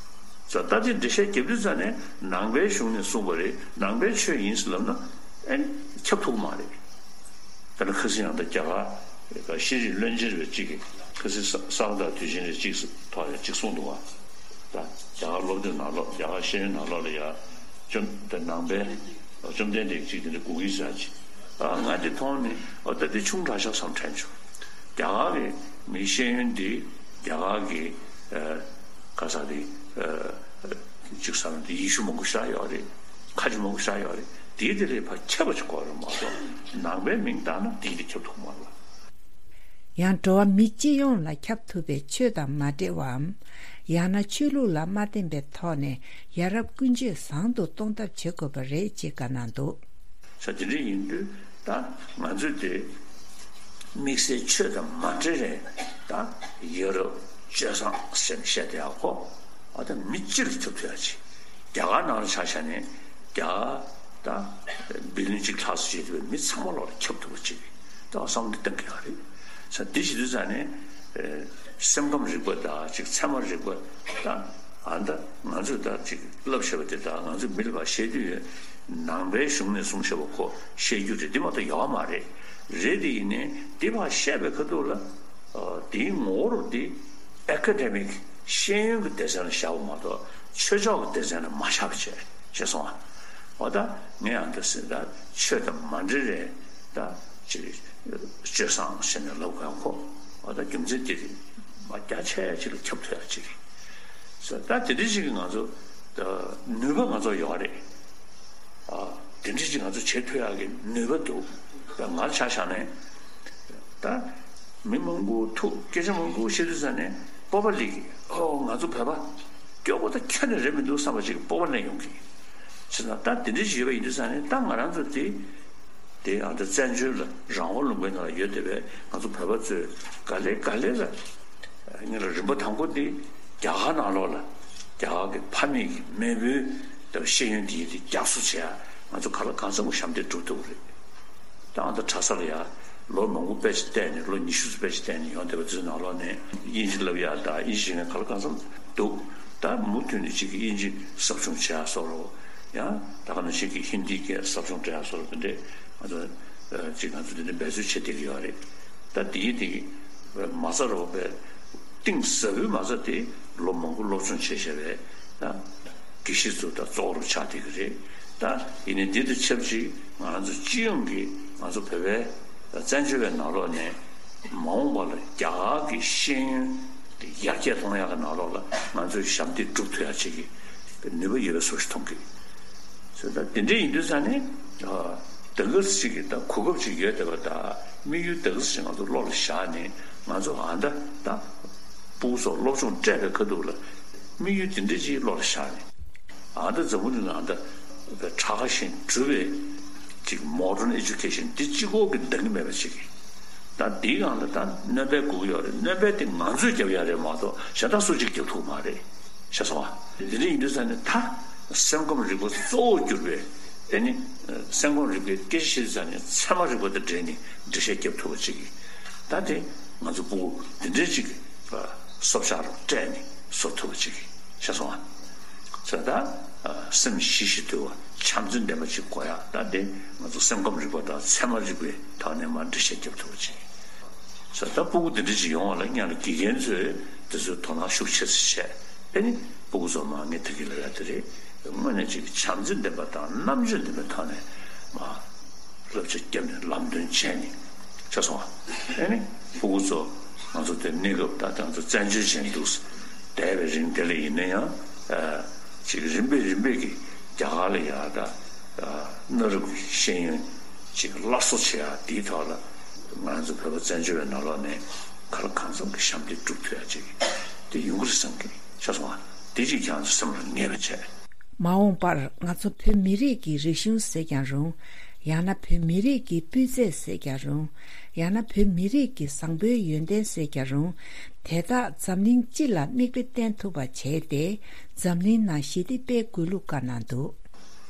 ག་ད་དེ་འགྲེལ་བཤད་རྒྱབ་དུས་ཙ་ནས་ནང་པའི་གཞུང་ནས་གསུངས་པ་རེད། ནང་པའི་ཆོས་ཡིན་ཟེར་ལབ་ན་ཨེ་ཁྱབ་ཐུབ་མ་རེད། ད་ནི་ཁ་སང་ཡང་ད་རྒྱ་གར་ཤེས་རིག་བློན་ཆེན་རེ་གཅིག་གིས་ཁ་སང་ས་ག་ཟླ་དུས་ཆེན་རེ་གཅིག་ཐོག་ཡང་གཅིག་གསུངས་འདུག་བ། ད་རྒྱ་གར་སློབ་དེབ་ནང་ལོགས། རྒྱ་གར་ཤེས་ཡོན་ནང་ལོགས་ལ་ཡ་བཅོམ་ད་ནང་པའི་བཅོམ་ལྡན་འདས་གཅིག་དེ་འདྲ་དགོས་ཀྱི་ཟེར་ཅིག་ཨ་ང་དེ་མཐོང་ནས་ཨོ་ད་དེ་ཆུང་དྲགས་ཤག་བསམ་དྲན་བྱུང་། རྒྱ་གར་གི་མི་ཤེས་ཡོན་འདི་རྒྱ་གར་གི་ཨ་ག་ས་དེ་ཨ་ཅིག་བསམ་དེ་ཡེ་ཤུ་མང་པོ་ཞིག་ཡོད་རེད། ཁ་ཆེ་མང་པོ་ཞིག་ཡོད་རེད། དེའི་དེ་ལས་ཕར་ཁྱབ་པ་ཅིག་དགོས་རེད་མ་གཏོགས་ནང་པའི་མིང་བཏགས་ན་དེའི་དེ་ཁྱབ་ཐུབ་མ་རེད་བ། ཡང་འགྲོ་བ་མི་སྤྱི་ཡོངས་ལ་ཁྱབ་ཐུབ་པའི་ཆོས་དང་མ་འབྲེལ་བའམ། ཡང་ན་ཆོས་ལུགས་ལ་མ་བརྟེན་པའི་ཐོག་ནས་ཡ་རབས་ཀུན་སྤྱོད་བཟང་དུ་གཏོང་ཐབས་བྱེད་དགོས་པ་རེད་ཅེས་བཀའ་གནང་འདུག་ས་དེ་འདྲ་ཡིན་དུས་ད་ང་ཚོས་དེ་དམིགས་བསལ་ཆོས་དང་མ་འབྲེལ་རེད། ད་ཡ་རབས་སྤྱོད་བཟང་ཟེར་ནས་བཤད་བསྡད་ཡག་ཁོ་ཨ་ད་མི་སྤྱི་ལ་ཁྱབ་ཐུབ་ཡག་ཅིག་རྒྱ་གར་ནང་ལ་ཆ་བཞག་ནས་རྒྱ་ད་བི་ལིན་གཅིག་ལྷག་ཙམ་བྱེད་ཐུབ་པའི་མི་ཚང་མ་ལོག་ལ་ཁྱབ་ཐུབ་པ་ཅིག་ད་བསམ་བློ་གཏང་གི་ཡོད་རེད། ས་འདི་བྱེད་དུས་ཙ་ནས་ཨེ་སེམས་ཁམས་རིག་པ་དང་ཅིག་ཚད་མ་རིག་པ་དང་ཨ་ད་ང་ཚོས་ད་ཅིག་བསླབ་བྱས་པ་དེ་དང་ང་ཚོས་མི་ལ་ཕར་བཤད་དུས་ནང་པའི་གཞུང་ནས་གསུངས་བྱས་པ་ཁོ་བཤད་རྒྱུ་རེད། འདི་མ་གཏོགས་ཡོད་མ་རེད། རེད་དེ་ཡིན་ནའི་འདི་ཕར་བཤད་པའི་ཁ་ཐུག་ལ་ཨ་དེའི་ངོ་བོར་འདི་ཨེ་ཀ་ཌེ་མིག་ཤེས་ཡོན་གྱི་སྡེ་ཚན་ལ་བཞག་པ་མ་གཏོགས་ཆོས་ཕྱོགས་ཀྱི་སྡེ་ཚན་ལ་མ་བཞག་པ་བྱས་ཤེས་སོང་ཨ། འོ་ད་ངས་ཡང་ད་ཟེར་ད་ཆོས་དང་མ་འབྲེལ་རེད། ད་ཅིག་སྤྱོད་བཟང་ཟེར་ནས་ལབ་ག་ཁོ་འོ་ད་རྒྱུ་མཚན་དེ་རེད། མ་རྒྱ་ཆེ་ཅིག་ལ་ཁྱབ་ཐུབ་ཡག་ཅིག་རེད། ཟེར་ད་དེ་འདྲ་ཅིག་གི་ང་ཚོ་ད་ནུས་པ་ང་ཚོ་ཡོད་རེད། ཨ་དེ་འདྲ་ཅིག་ང་ཚོ་བྱེད་ཐུབ་ཡག་གི་ནུས་པ་འདུག་ད་ང་ཆ་བཞག་ནས་ད་མི་མང་པོ་ཐུག་སྐད་ཆ་མང་པོ་བཤད་དུས་ཙ་ནས་སྤོབས་པ་སླེབས་ཀྱི། ཨོ་ང་ཚོ་བོད་པ་སྐྱོ་པོ་ད་ཁྱོན་ནས་རེད་མི་འདུག་བསམ་པ་ཅིག་སྤོབས་པ་སླེབས་ཡོང་གི། བྱས་ཙང་ད་དེ་འདྲ་ཞིག་ཡོད་པ་ཡིན་དུས་ཙང་ནས་ད་ང་རང་ཚོ་དེ་དེ་ཨ་ད་བཙན་བྱོལ་ལ་རང་དབང་ལུང་པའི་ནང་ལ་ཡོད་བསྡད་པའི་ང་ཚོ་བོད་པ་ཚོས་ག་ལེ་ག་ལེ་ལ་ངེད་ལ་རིམ་པ་དང་པོ་དེ་རྒྱ་གར་ནང་ལོགས་ལ་རྒྱ་གར་གྱི་ཕ་མེས་ཀྱི་མེས་པོའི་ད་ཤེས་ཡོན་དེ་ཡིན་དེ་རྒྱག་སུ་བྱས་ང་ཚོ་ག་ལ་གང་འཚམ་པོ་ཞབས་འདེགས་སྒྲུབ་ཐུབ་ཀྱི་རེད། ད་ཨ་ད་གྲྭ་ས་ལ་ཡ་ལོ་མང་པོ་དཔེ་ཆ་བལྟས་ནས་ལོ་ཉི་ཤུ་ཙམ་དཔེ་ཆ་བལྟས་ནས་ཡོང་བསྡད་པ་ཚོའི་ནང་ལོགས་ནས་དབྱིན་ཇི་བསླབ་ཡག་དང་དབྱིན་ཇི་ཤེས་མཁན་ག་ལ་གང་འཚམ་འདུག་ད་མུ་མཐུད་ནས་ཅིག་གིས་དབྱིན་ཇི་ཟབ་སྦྱོང་བྱེད་ཡག་སོགས་རོ། ཡང་ད་ག་ནང་བཞིན་གྱི་ཧིན་དིའི་སྐད་ཟབ་སྦྱོང་སྤྲད་ཡག་སོགས་རོ། དེ་འདྲས་ང་ཚོ་ཅིག་ང་ཚོ་དེ་འདྲས་འབད་རྩོལ་བྱེད་བསྡད་ཀྱི་ཡོད་རེད། ད་དེའི་དེ་མ་རྩ་རོ་པའི་གཏིང་ཟབ་པོའི་མ་རྩ་དེ་ལོ་མང་པོ་སློབ་སྦྱོང་བྱས་བྱས་པའི་ད་དགེ་བཤེས་ཚོ་ད་གཙོ་བོར་ཆགས་བསྡད་ཀྱི་རེད། ད་ཡིན་ནའི་འདི་དང་ཆབས་ཅིག་ང་རང་ཚོ་སྤྱི་ཡོངས་ཀྱི་ང་ཚོ་བོད་པའི་བཙན་བྱོལ་བའི་ནང་ལོགས་ནས་མ་འོངས་པ་ལ་རྒྱ་གར་གྱི་ཤེས་ཡོན་དེ་ཡར་རྒྱས་གཏོང་ཡག་གི་ནང་ལོགས་ལ་ང་ཚོས་ཞབས་འདེགས་སྒྲུབ་ཐུབ་ཡག་ཅིག་གི་ནུས་པ་ཡོད་པའི་བཟོ་ཞིག་མཐོང་གི། ཟེར་ད་དེ་འདྲ་ཡིན་དུས་ཙང་ནས་ད་ག་ཟེ་ཅིག་གི་ད་གོ་སྐབས་ཅིག་ཡོད་བསྡད་པ་དང་དམིགས་ཡུལ་ད་ག་ཟེ་ཅིག་ང་ཚོ་བློ་ལ་བཞག་ནས་ང་ཚོ་ཨ་ད་ད་སྤུ་གུ་ཚོ་སློབ་སྦྱོང་སྤྲད་པའི་ཁ་ཐུག་ལ་དམིགས་ཡུལ་དེ་འདྲ་ཅིག་བློ་ལ་བཞག་ནས་ཨ་ད་འཛམ་བུ་གླིང་ལ་ཨ་ད་གྲགས་ཤིང་གྲུབ་པའི་ཅིག་མོ་ཌརན་ཨེ་ཌུ་ཀེ་ཤན་འདི་གཅིག་པོ་གི་འདང་གི་མེད་པ་ཅིག་གི་ད་འདིའི་སྒང་ལ་ད་སྣོན་པ་དགོས་ཀྱི་ཡོད་རེད། སྣོན་པ་དེ་ང་ཚོས་རྒྱབ་ཡག་རེད་མ་གཏོགས་གཞན་དག་སུ་གཅིག་རྒྱབ་ཐུབ་མ་རེད། ཤེས་སོང་ཨ། དེ་འདྲ་ཡིན་དུས་ཙང་ནས་ད་སེམས་ཁམས་རིག་པ་གཙོ་བོར་གྱུར་པའི་ཨེ་ནི་སེམས་ཁམས་རིག་པའི་སྐད་ཆ་བཤད་དུས་ཙང་ནས་ཚད་མ་རིག་པ་དང་འབྲེལ་ནས་འགྲེལ་བཤད་རྒྱབ་ཐུབ་པ་ཅིག་གིས་ད་དེ་ང་ཚོ་སྤུ་གུ་དེ་འདྲའི་ཅིག་གི་སྲོག་ཆགས་རུ་སྤྲད་ནས་བཟོ་ཐུབ་པ་ཅིག་གིས་ཤེས་སོང་ཨ། ཟེར་ད་སེམས་ཞི་ཞིང་དུལ་བ་བྱམས་བརྩེ་ལྡན་པ་ཅིག་དགོས་ཡ། ད་དེ་ང་ཚོ་སེམས་ཁམས་རིག་པ་དང་ཚད་མ་རིག་པའི་ཐོག་ནས་མར་འགྲེལ་བཤད་རྒྱབ་ཐུབ་པ་ཅིག་གིས། ས་ད་སྤུ་གུ་འདི་འདྲ་ཅིག་ཡོང་བ་ལ་སྔོན་ལ་དགེ་རྒན་ཚོས་དེ་ཚོའི་དོ་སྣང་ཤུགས་ཆེ་ཙམ་བྱས། ཨེ་ནི་སྤུ་གུ་ཚོ་མར་ངས་ད་གིན་ལབ་ཡ་དེ་རེད། དངོས་གནས་ཅིག་བྱམས་བརྩེ་ལྡན་པ་དང་རྣམ་དཔྱོད་ལྡན་པའི་ཐོག་ནས་མར་བསླབ་བྱ་བརྒྱབ་ནས་ལམ་སྟོན་བྱས་ནས་ཆགས་སོང་བ། ཨེ་ནི་སྤུ་གུ་ཚོ་ང་ཚོ་དེ་གནས་སྐབས་ད་ང་ཚོ་བཙན་བྱོལ་བྱས་འདུག་བསྡད་པའི་རིང་དེ་ལ་ཡིན་ན་ཡང་ཅིག་རིམ་པས་རིམ་པས་ཀྱིས་རྒྱ་གར་ལ་ཡར་ད་གནའ་རབས་ཀྱི་ཤེས་ཡོན་ཅིག་སླར་གསོ་བྱེད་ཡ་དེའི་ཐོག་ལ་ང་ཚོ་བོད་པ་བཙན་བྱོལ་བའི་ནང་ལོགས་ནས་ག་ལ་གང་འཚམ་གྱི་ཞབས་འདེགས་སྒྲུབ་ཐུབ་ཡ་ཅིག་དེ་ཡོང་གི་རེད་བསམ་གྱི་ཤེས་སོང་བ། དེ་ཅིག་ཁྱེད་རང་ཚོ་སེམས་ལ་ངེས་པ་བྱས། མ་འོངས་པར་ང་ཚོ་བོད་མི་རིགས་ཀྱི་རིག་གཞུང་ཟེར་ཀྱང་རུང་། ཡང་ན་བོད་མི་རིགས་ཀྱི་སྤུས་ཚད་ཟེར་ཀྱང་རུང་། ཡང་ན་བོད་མི་རིགས་ཀྱི་བཟང་པོའི་ཡོན་ཏན་ཟེར་ཀྱང་རུང་། དེ་དག་འཛམ་གླིང་སྤྱི་ལ་མིག་དཔེ་བསྟན་ཐུབ་པ་བྱས་ཏེ། འཛམ་གླིང་ནང་ཞི་བདེ་སྤེལ་དགོས་ལུགས་བཀའ་གནང་འདུག།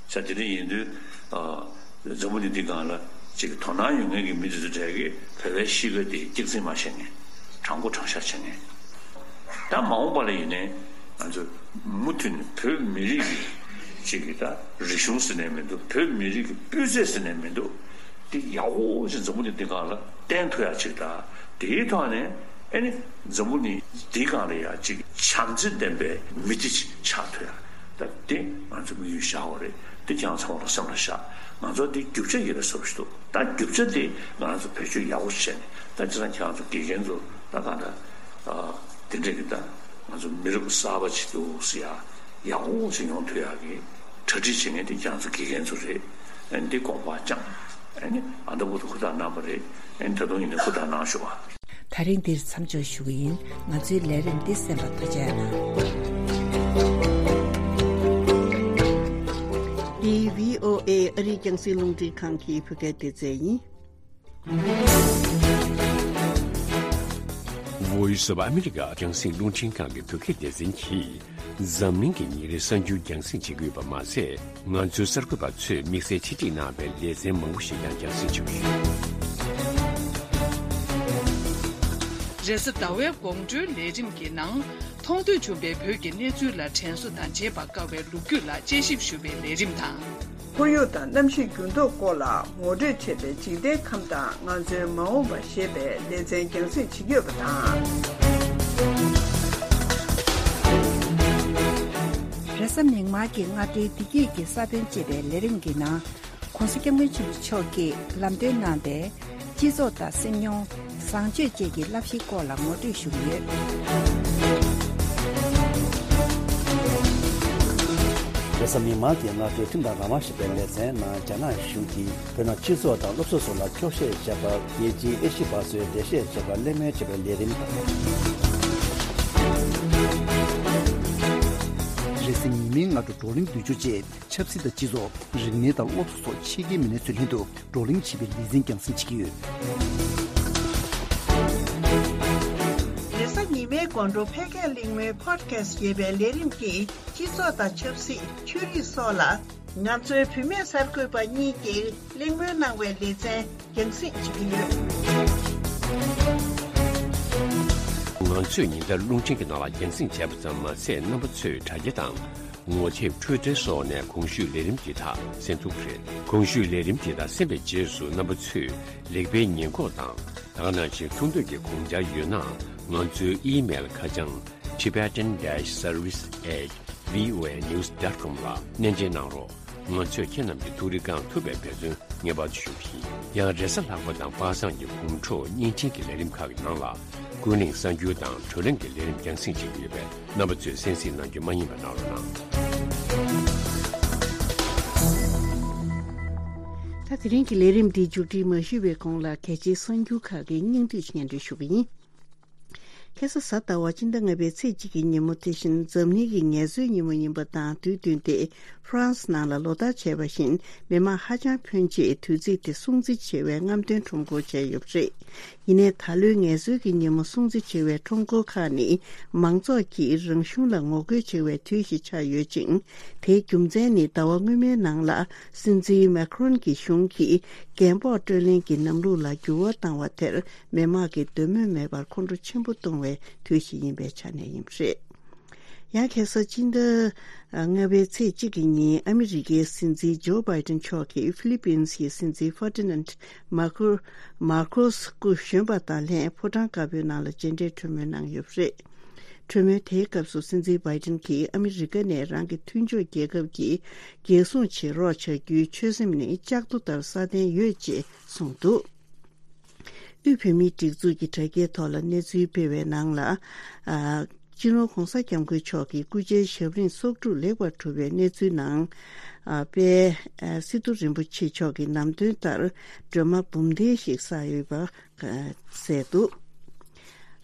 ས་དེ་འདྲ་ཡིན་དུས། ཨ། འཛམ་བུ་གླིང་འདི་སྒང་ལ་ཅིག་དོ་སྣང་ཡོད་མཁན་གྱི་མི་དེ་ཚོ་གྲས་ཀྱིས་བོད་པའི་གཤིས་ཀ་དེ་སྐྱག་རྫུན་མ་བཤད་མཁན། དྲང་པོ་དྲང་བཞག་བྱེད་མཁན། ད་མ་འོངས་པ་ལ་ཡིན་ནའི་ང་ཚོ་མུ་མཐུད་ནས་བོད་མི་རིགས་ཀྱི་ཅིག་གི་ད་རིག་གཞུང་ཟེར་ནའི་མི་འདུག། བོད་མི་རིགས་ཀྱི་སྤུས་ཚད་ཟེར་ནའི་མི་འདུག། དེ་ཡག་པོ་ཞིག་འཛམ་བུ་གླིང་འདི་སྒང་ལ་བསྟན་ཐུབ་ཡག་ཅིག་དང་། དེའི་ཐོག་ནས་ཨ་ནི་འཛམ་བུ་གླིང་འདི་སྒང་ལ་ཡ་ཅིག་བྱམས་བརྩེ་ལྡན་པའི་མི་སྡེ་ཅིག་ཆགས་ཐུབ་ཡ། ད་དེ་ང་ཚོ་དམིགས་ཡུལ་བཞག་པ་རེད། དེ་ཁྱེད་རང་ཚང་མ་ལ་སེམས་ལ་བཞག། ང་ཚོ་འདི་རྒྱུ་ཆ་ཡིན་ན་བཟོ་ཞིག་འདུག། ད་རྒྱུ་ཆ་དེ་ང་ཚོ་བེད་སྤྱོད་ཡག་པོ་བྱས་ནས། ད་ཅི་ཙང་ཁྱེད་རང་ཚོ་དགེ་རྒན་ཚོ་ད་གང་འདྲ། ཨ། དེ་འདྲས་ཀྱི་ད་ང་ཚོ་མི་རབས་གསར་པ་ཅིག་འདུག་ཟེར་ཡ། ཡག་པོ་ཞིག་ཡོང་ཐུབ་ཡག་གི་གྲ་སྒྲིག་བྱེད་མཁན་དེ་ཁྱེད་རང་ཚོ་དགེ་རྒན་ཚོ་རེད། ཨ་ནི་འདི་དགོངས་པ་བཅངས། ཨ་ནི་ཨ་མདའ་བོ་དུ་ཧུར་ཐག་གནང་བ་རེད། ཨ་ནི་ད་དུང་ཡིན་ན་ཧུར་ཐག་གནང་ཤོག་ཨ། ད་རིང་འདིར་མཚམས་འཇོག་ཞུ་གི་ཡིན། ང་ཚོའི་ལས་རིམ་འདི་གསན་པར་ཐུགས་རྗེ་གནང་། འདི་བྷི་ཨོ་ཨེ་ཨ་རིའི་རྒྱང་སྲིང་རླུང་འཕྲིན་ཁང་གི་བོད་སྐད་སྡེ་ཚན་ཡིན། Voice of America རྒྱང་སྲིང་རླུང་འཕྲིན་ཁང་གི་བོད་སྐད་སྡེ་ཚན་གྱིས། འཛམ་གླིང་གི་ཉིན་རེའི་གསར་འགྱུར་རྒྱང་སྲིང་བྱེད་ཀྱི་ཡོད་པ་མ་ཟད། ང་ཚོའི་གསར་འགོད་པ་ཚོས་དམིགས་བསལ་ཆེད་སྒྲིག་གནང་བའི་ལེ་ཚན་མང་པོ་ཞིག་ཀྱང་རྒྱང་སྲིང་བྱེད་ཀྱི་ཡོད། རེས་གཟའ་ཟླ་བའི་དགོང་དྲོའི་ལས་རིམ་གྱི་ནང་། མཐོང་ཐོས་བྱུང་བའི་བོད་ཀྱི་གནས་ཚུལ་ལ་དྲན་གསོ་དང་བརྗེད་པར་དཀའ་བའི་ལོ་རྒྱུས་ལ་དཔྱད་ཞིབ་ཞུ་བའི་ལས་རིམ་དང་། ཁོར་ཡུག་དང་གནམ་གཤིས་འགྱུར་ལྡོག་སྐོར་ལ་ངོ་སྤྲོད་བྱས་པའི་འཇིག་རྟེན་ཁམས་དང་ང་ཚོའི་མ་འོངས་པ་ཞེས་པའི་ལེ་ཚན་རྒྱང་སྲིང་བྱེད་ཀྱི་ཡོད་པ་དང་། རེས་གཟའ་མིག་དམར་གྱི་སྔ་དྲོའི་བདེ་སྐྱིད་ཀྱི་ས་བོན་ཅེས་པའི་ལས་རིམ་གྱི་ནང་། ༸གོང་ས་༸སྐྱབས་མགོན་ཆེན་པོ་མཆོག་གིས་ལམ་སྟོན་གནང་པའི་སྤྱི་ཚོགས་དང་སེམས་མྱོང་། བཟང་སྤྱོད་བཅས་ཀྱི་བསླབ་གཞིའི་སྐོར་ལ་ངོ་སྤྲོད་ཞུ་གི་ཡོད། རེས་གཟའ་མིག་དམར་གྱི་སྔ་དྲོའི་ཁྲིམས་དང་རང་དབང་ཞེས་པའི་ལེ་ཚན་ནང་། རྒྱ་ནག་གཞུང་གིས་བོད་ནང་སྤྱི་ཚོགས་དང་སློབ་གསོ་སོགས་ལ་འཁྱོག་བཤད་བྱས་པར། རྒྱལ་སྤྱིའི་ཨེ་ཤི་པ་ཚོས་འགྲེལ་བཤད་བྱས་པར་གླེང་མོལ་བྱས་པའི་ལས་རིམ་དང་། རེས་གཟའ་ཉི་མའི་སྔ་དྲོ་བགྲོ་གླེང་བསྡུས་བརྗོད་བཅས། ཆབ་སྲིད་དང་སྤྱི་ཚོགས། རིག་གནས་དང་སློབ་གསོ་སོགས་ཕྱི་རྒྱལ་མི་སྣ་ཚོའི་ལྷན་དུ་བགྲོ་གླེང་བྱེད་པའི་ལེ་ཚན་རྒྱང་སྲིང་བྱེད་ཀྱི་ཡོད། རེས་གཟའ་ཉི་མའི་དགོང་དྲོ་ཕལ་སྐད་གླེང་མོལ་Podcast ཞེས་པའི་ལས་རིམ་གྱིས་སྤྱི་ཚོགས་དང་ཆབ་སྲིད། ཆོས་རིག་སོགས་ལ་ང་ཚོའི་བུད་མེད་གསར་འགོད་པ་གཉིས་ཀྱིས་གླེང་མོལ་གནང་བའི་ལེ་ཚན་རྒྱང་སྲིང་བྱེད་ཀྱི་ཡོད། ང་ཚོས་ཉིན་ལྟར་རླུང་འཕྲིན་གྱི་ནང་ལ་རྒྱང་སྲིང་བྱས་པ་ཙམ་མ་ཟད། རྣམ་པ་ཚོས་དྲ་རྒྱ་དང་། ངོ་དེབ། Twitter སོགས་ནས་གོང་ཞུས་ལས་རིམ་འདི་དག་གསན་ཐུབ་ཀྱི་རེད། གོང་ཞུས་ལས་རིམ་འདི་དག་གསན་པའི་རྗེས་སུ་རྣམ་པ་ཚོས་ལེགས་སྤེལ་ཉེས་འགོག་དང་། ད་ག་ནང་བཞིན་ཐུགས་འདོད་ཀྱི་དགོངས་འཆར་ཡོད་ན། ང་ཚོའི་ཨི་མེལ་ཁ་བྱང་tibetan dash service at voanews dot com ལ་སྣེ་འདྲེན་གནང་རོགས། ང་ཚོས་ཁྱེད་རྣམས་ཀྱི་ཐུགས་རེ་བསྐང་ཐུབ་པའི་འབད་བརྩོན་ངེས་པར་དུ་ཞུ་གི་ཡིན། ཡང་རེས་གཟའ་ལྷག་པ་དང་པ་སངས་ཀྱི་དགོང་དྲོ་བརྙན་འཕྲིན་གྱི་ལས་རིམ་ཁག་གི་ནང་ལ། ཀུན་གླེང་གསར་འགྱུར་དང་བགྲོ་གླེང་གི་ལས་རིམ་རྒྱང་སྲིང་བྱེད་ཀྱི་ཡོད་པས། རྣམ་པ་ཚོས་གསན་གཟིགས་གནང་རྒྱུ་མ་བསྙེལ་བ་གནང་རོགས་གནང་། ད་དེ་རིང་གི་ལས་རིམ་འདི་མཇུག་སྒྲིལ་མ་ཞུས་པའི་གོང་ལ། གལ་ཆེའི་གསར་འགྱུར་ཁག་གི་སྙིང་བསྡུས་སྙན་སྒྲོན་ཞུ་གི་ཡིན། ཁ་སང་གཟའ་ཟླ་བ་སྤྱི་ཟླ་ལྔ་པའི་ཚེས་གཅིག་གི་ཉིན་མོ། དེ་བཞིན་འཛམ་གླིང་གི་ངལ་གསོའི་ཉིན་མོ་ཡིན་པ་དང་དུས་བསྟུན་ཏེ། ཧྥ་རན་སི་ནང་ལ་ལོ་ལྟར་བྱས་པ་བཞིན་མི་མང་ཧ་ཅང་ཕོན་ཆེ་དུས་ཚིགས་དེ་སྲུང་བརྩི་བྱེད་པའི་རྔམ་སྟོན་ཁྲོམ་སྐོར་བྱས་ཡོད་པ་རེད། ཡིན་ནའི་ད་ལོའི་ངལ་གསོའི་གི་ཉིན་མོ་སྲུང་བརྩི་བྱེད་པའི་ཁྲོམ་སྐོར་ཁག་ནི་མང་ཚོགས་ཀྱིས་རང་གཞུང་ལ་ངོ་རྒོལ་བྱེད་པའི་དུས་ཤིག་ཆགས་ཡོད་ཅིང་། དེའི་རྒྱུ་མཚན་ནི་ཟླ་བ་སྔོན་མའི་ནང་ལ་སྲིད་འཛིན་མེ་ཁ་རོན་གྱི་གཞུང་གིས་རྒན་པོ་སྤྲོད་ལེན་གྱི་ལམ་ལུགས་ལ་འགྱུར་བ་བཏང་བ་དེར་མི་མང་གིས་འདོད་མོས་མེད་པར་ཁོང་ཁྲོ་ཆེན་པོ་གཏོང་བའི་དུས་ཤིག་ཡིན་པའི་ཆ་ནས་ཡིན་པ་རེད། ཡང་ཁ་སང་སྤྱི་ཟླ་ལྔ་པའི་ཚེས་གཅིག་གི་ཉིན་ཨ་མི་རི་ཀའི་སྲིད་འཛིན་ཇོ་བྷའི་ཏན་མཆོག་གིས་ཧྥི་ལི་པིན་སི་ཡི་སྲིད་འཛིན་ཧྥར་ཏི་ནན་མར་ཁོ་མར་ཁོ་སི་སྐུ་གཞོན་པ་དང་ལྷན་ཕོ་བྲང་དཀར་པོའི་ནང་ལ་མཇལ་འཕྲད་གྲོས་མོལ་གནང་ཡོད་པ་རེད། གྲོས་མོལ་དེའི་སྐབས་སུ་སྲིད་འཛིན་བྷའི་ཏན་གྱིས་ཨ་མི་རི་ཀ་ནས་རང་གི་མཐུན་ཕྱོགས་རྒྱལ་ཁབ་ཀྱིས་རྒྱལ་སྲུང་བྱེད་རོགས་བྱ་རྒྱུའི་ཆོད་སེམས་ནི་ལྕགས་རྡོ་ལྟར་སྲ་བརྟན་ཡོད་ཅེས་གསུངས་འདུག། དབུས་བོད་མིའི་སྒྲིག་འཛུགས་ཀྱི་དྲ་རྒྱའི་ཐོག་ལ་གནས་ཚུལ་སྤེལ་བའི་ནང་ལ། ཨ། སྤྱི་ནོར་༸གོང་ས་༸སྐྱབས་མགོན་མཆོག་གི་སྐུ་ཕྱྭའི་ཞབས་རིམ་སྲོག་སྒྲུབ་ལེགས་པར་གྲུབ་པའི་གནས་ཚུལ་ནང་། ཨ། དཔལ་སི་ཏུ་རིན་པོ་ཆེ་མཆོག་གི་ནམ་སྟོན་ལྟར་སྒྲོལ་མ་འབུམ་ལྡན་ཞིག་བསགས་ཡོད་པ་གསལ་འདུག།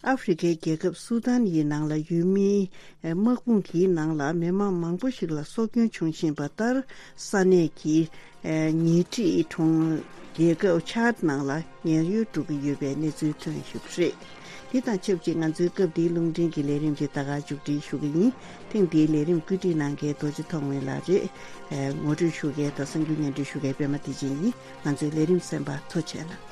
ཨ་ཧྥེ་རི་ཁའི་རྒྱལ་ཁབ་སུ་དཱན་ཡི་ནང་ལ་ཡུལ་མིའི་དམག་དཔུང་གི་ནང་ལ་མི་མང་མང་པོ་ཞིག་ལ་སྲོག་སྐྱོན་བྱུང་བཞིན་པ་ལྟར། ས་གནས་ཀྱི་ཉེ་འཁྲིས་གྲོང་རྒྱལ་ཁབ་ཆཱད་ནང་ལ་ཉེན་གཡོལ་འགྲོ་གི་ཡོད་པའི་གནས་ཚུལ་ཐོན་ཡོད་པ་རེད། དེ་དང་ཆབས་ཅིག་ང་ཚོའི་སྐབས་འདིའི་རླུང་འཕྲིན་གྱི་ལས་རིམ་དེ་ད་ག་མཇུག་སྒྲིལ་ཞུ་གི་ཡིན། ཐེངས་འདིའི་ལས་རིམ་བཀོད་སྒྲིག་གནང་མཁན་རྡོ་རྗེ་ཐོགས་མེད་ལགས་རེད། ངོ་སྤྲོད་ཞུ་མཁན་དང་གསར་འགྱུར་སྙན་སྒྲོན་ཞུ་མཁན་པད་མ་བདེ་ཆེན་ཡིན། ང་ཚོའི་ལས་རིམ་གསན་པར་ཐུགས་རྗེ་གནང་།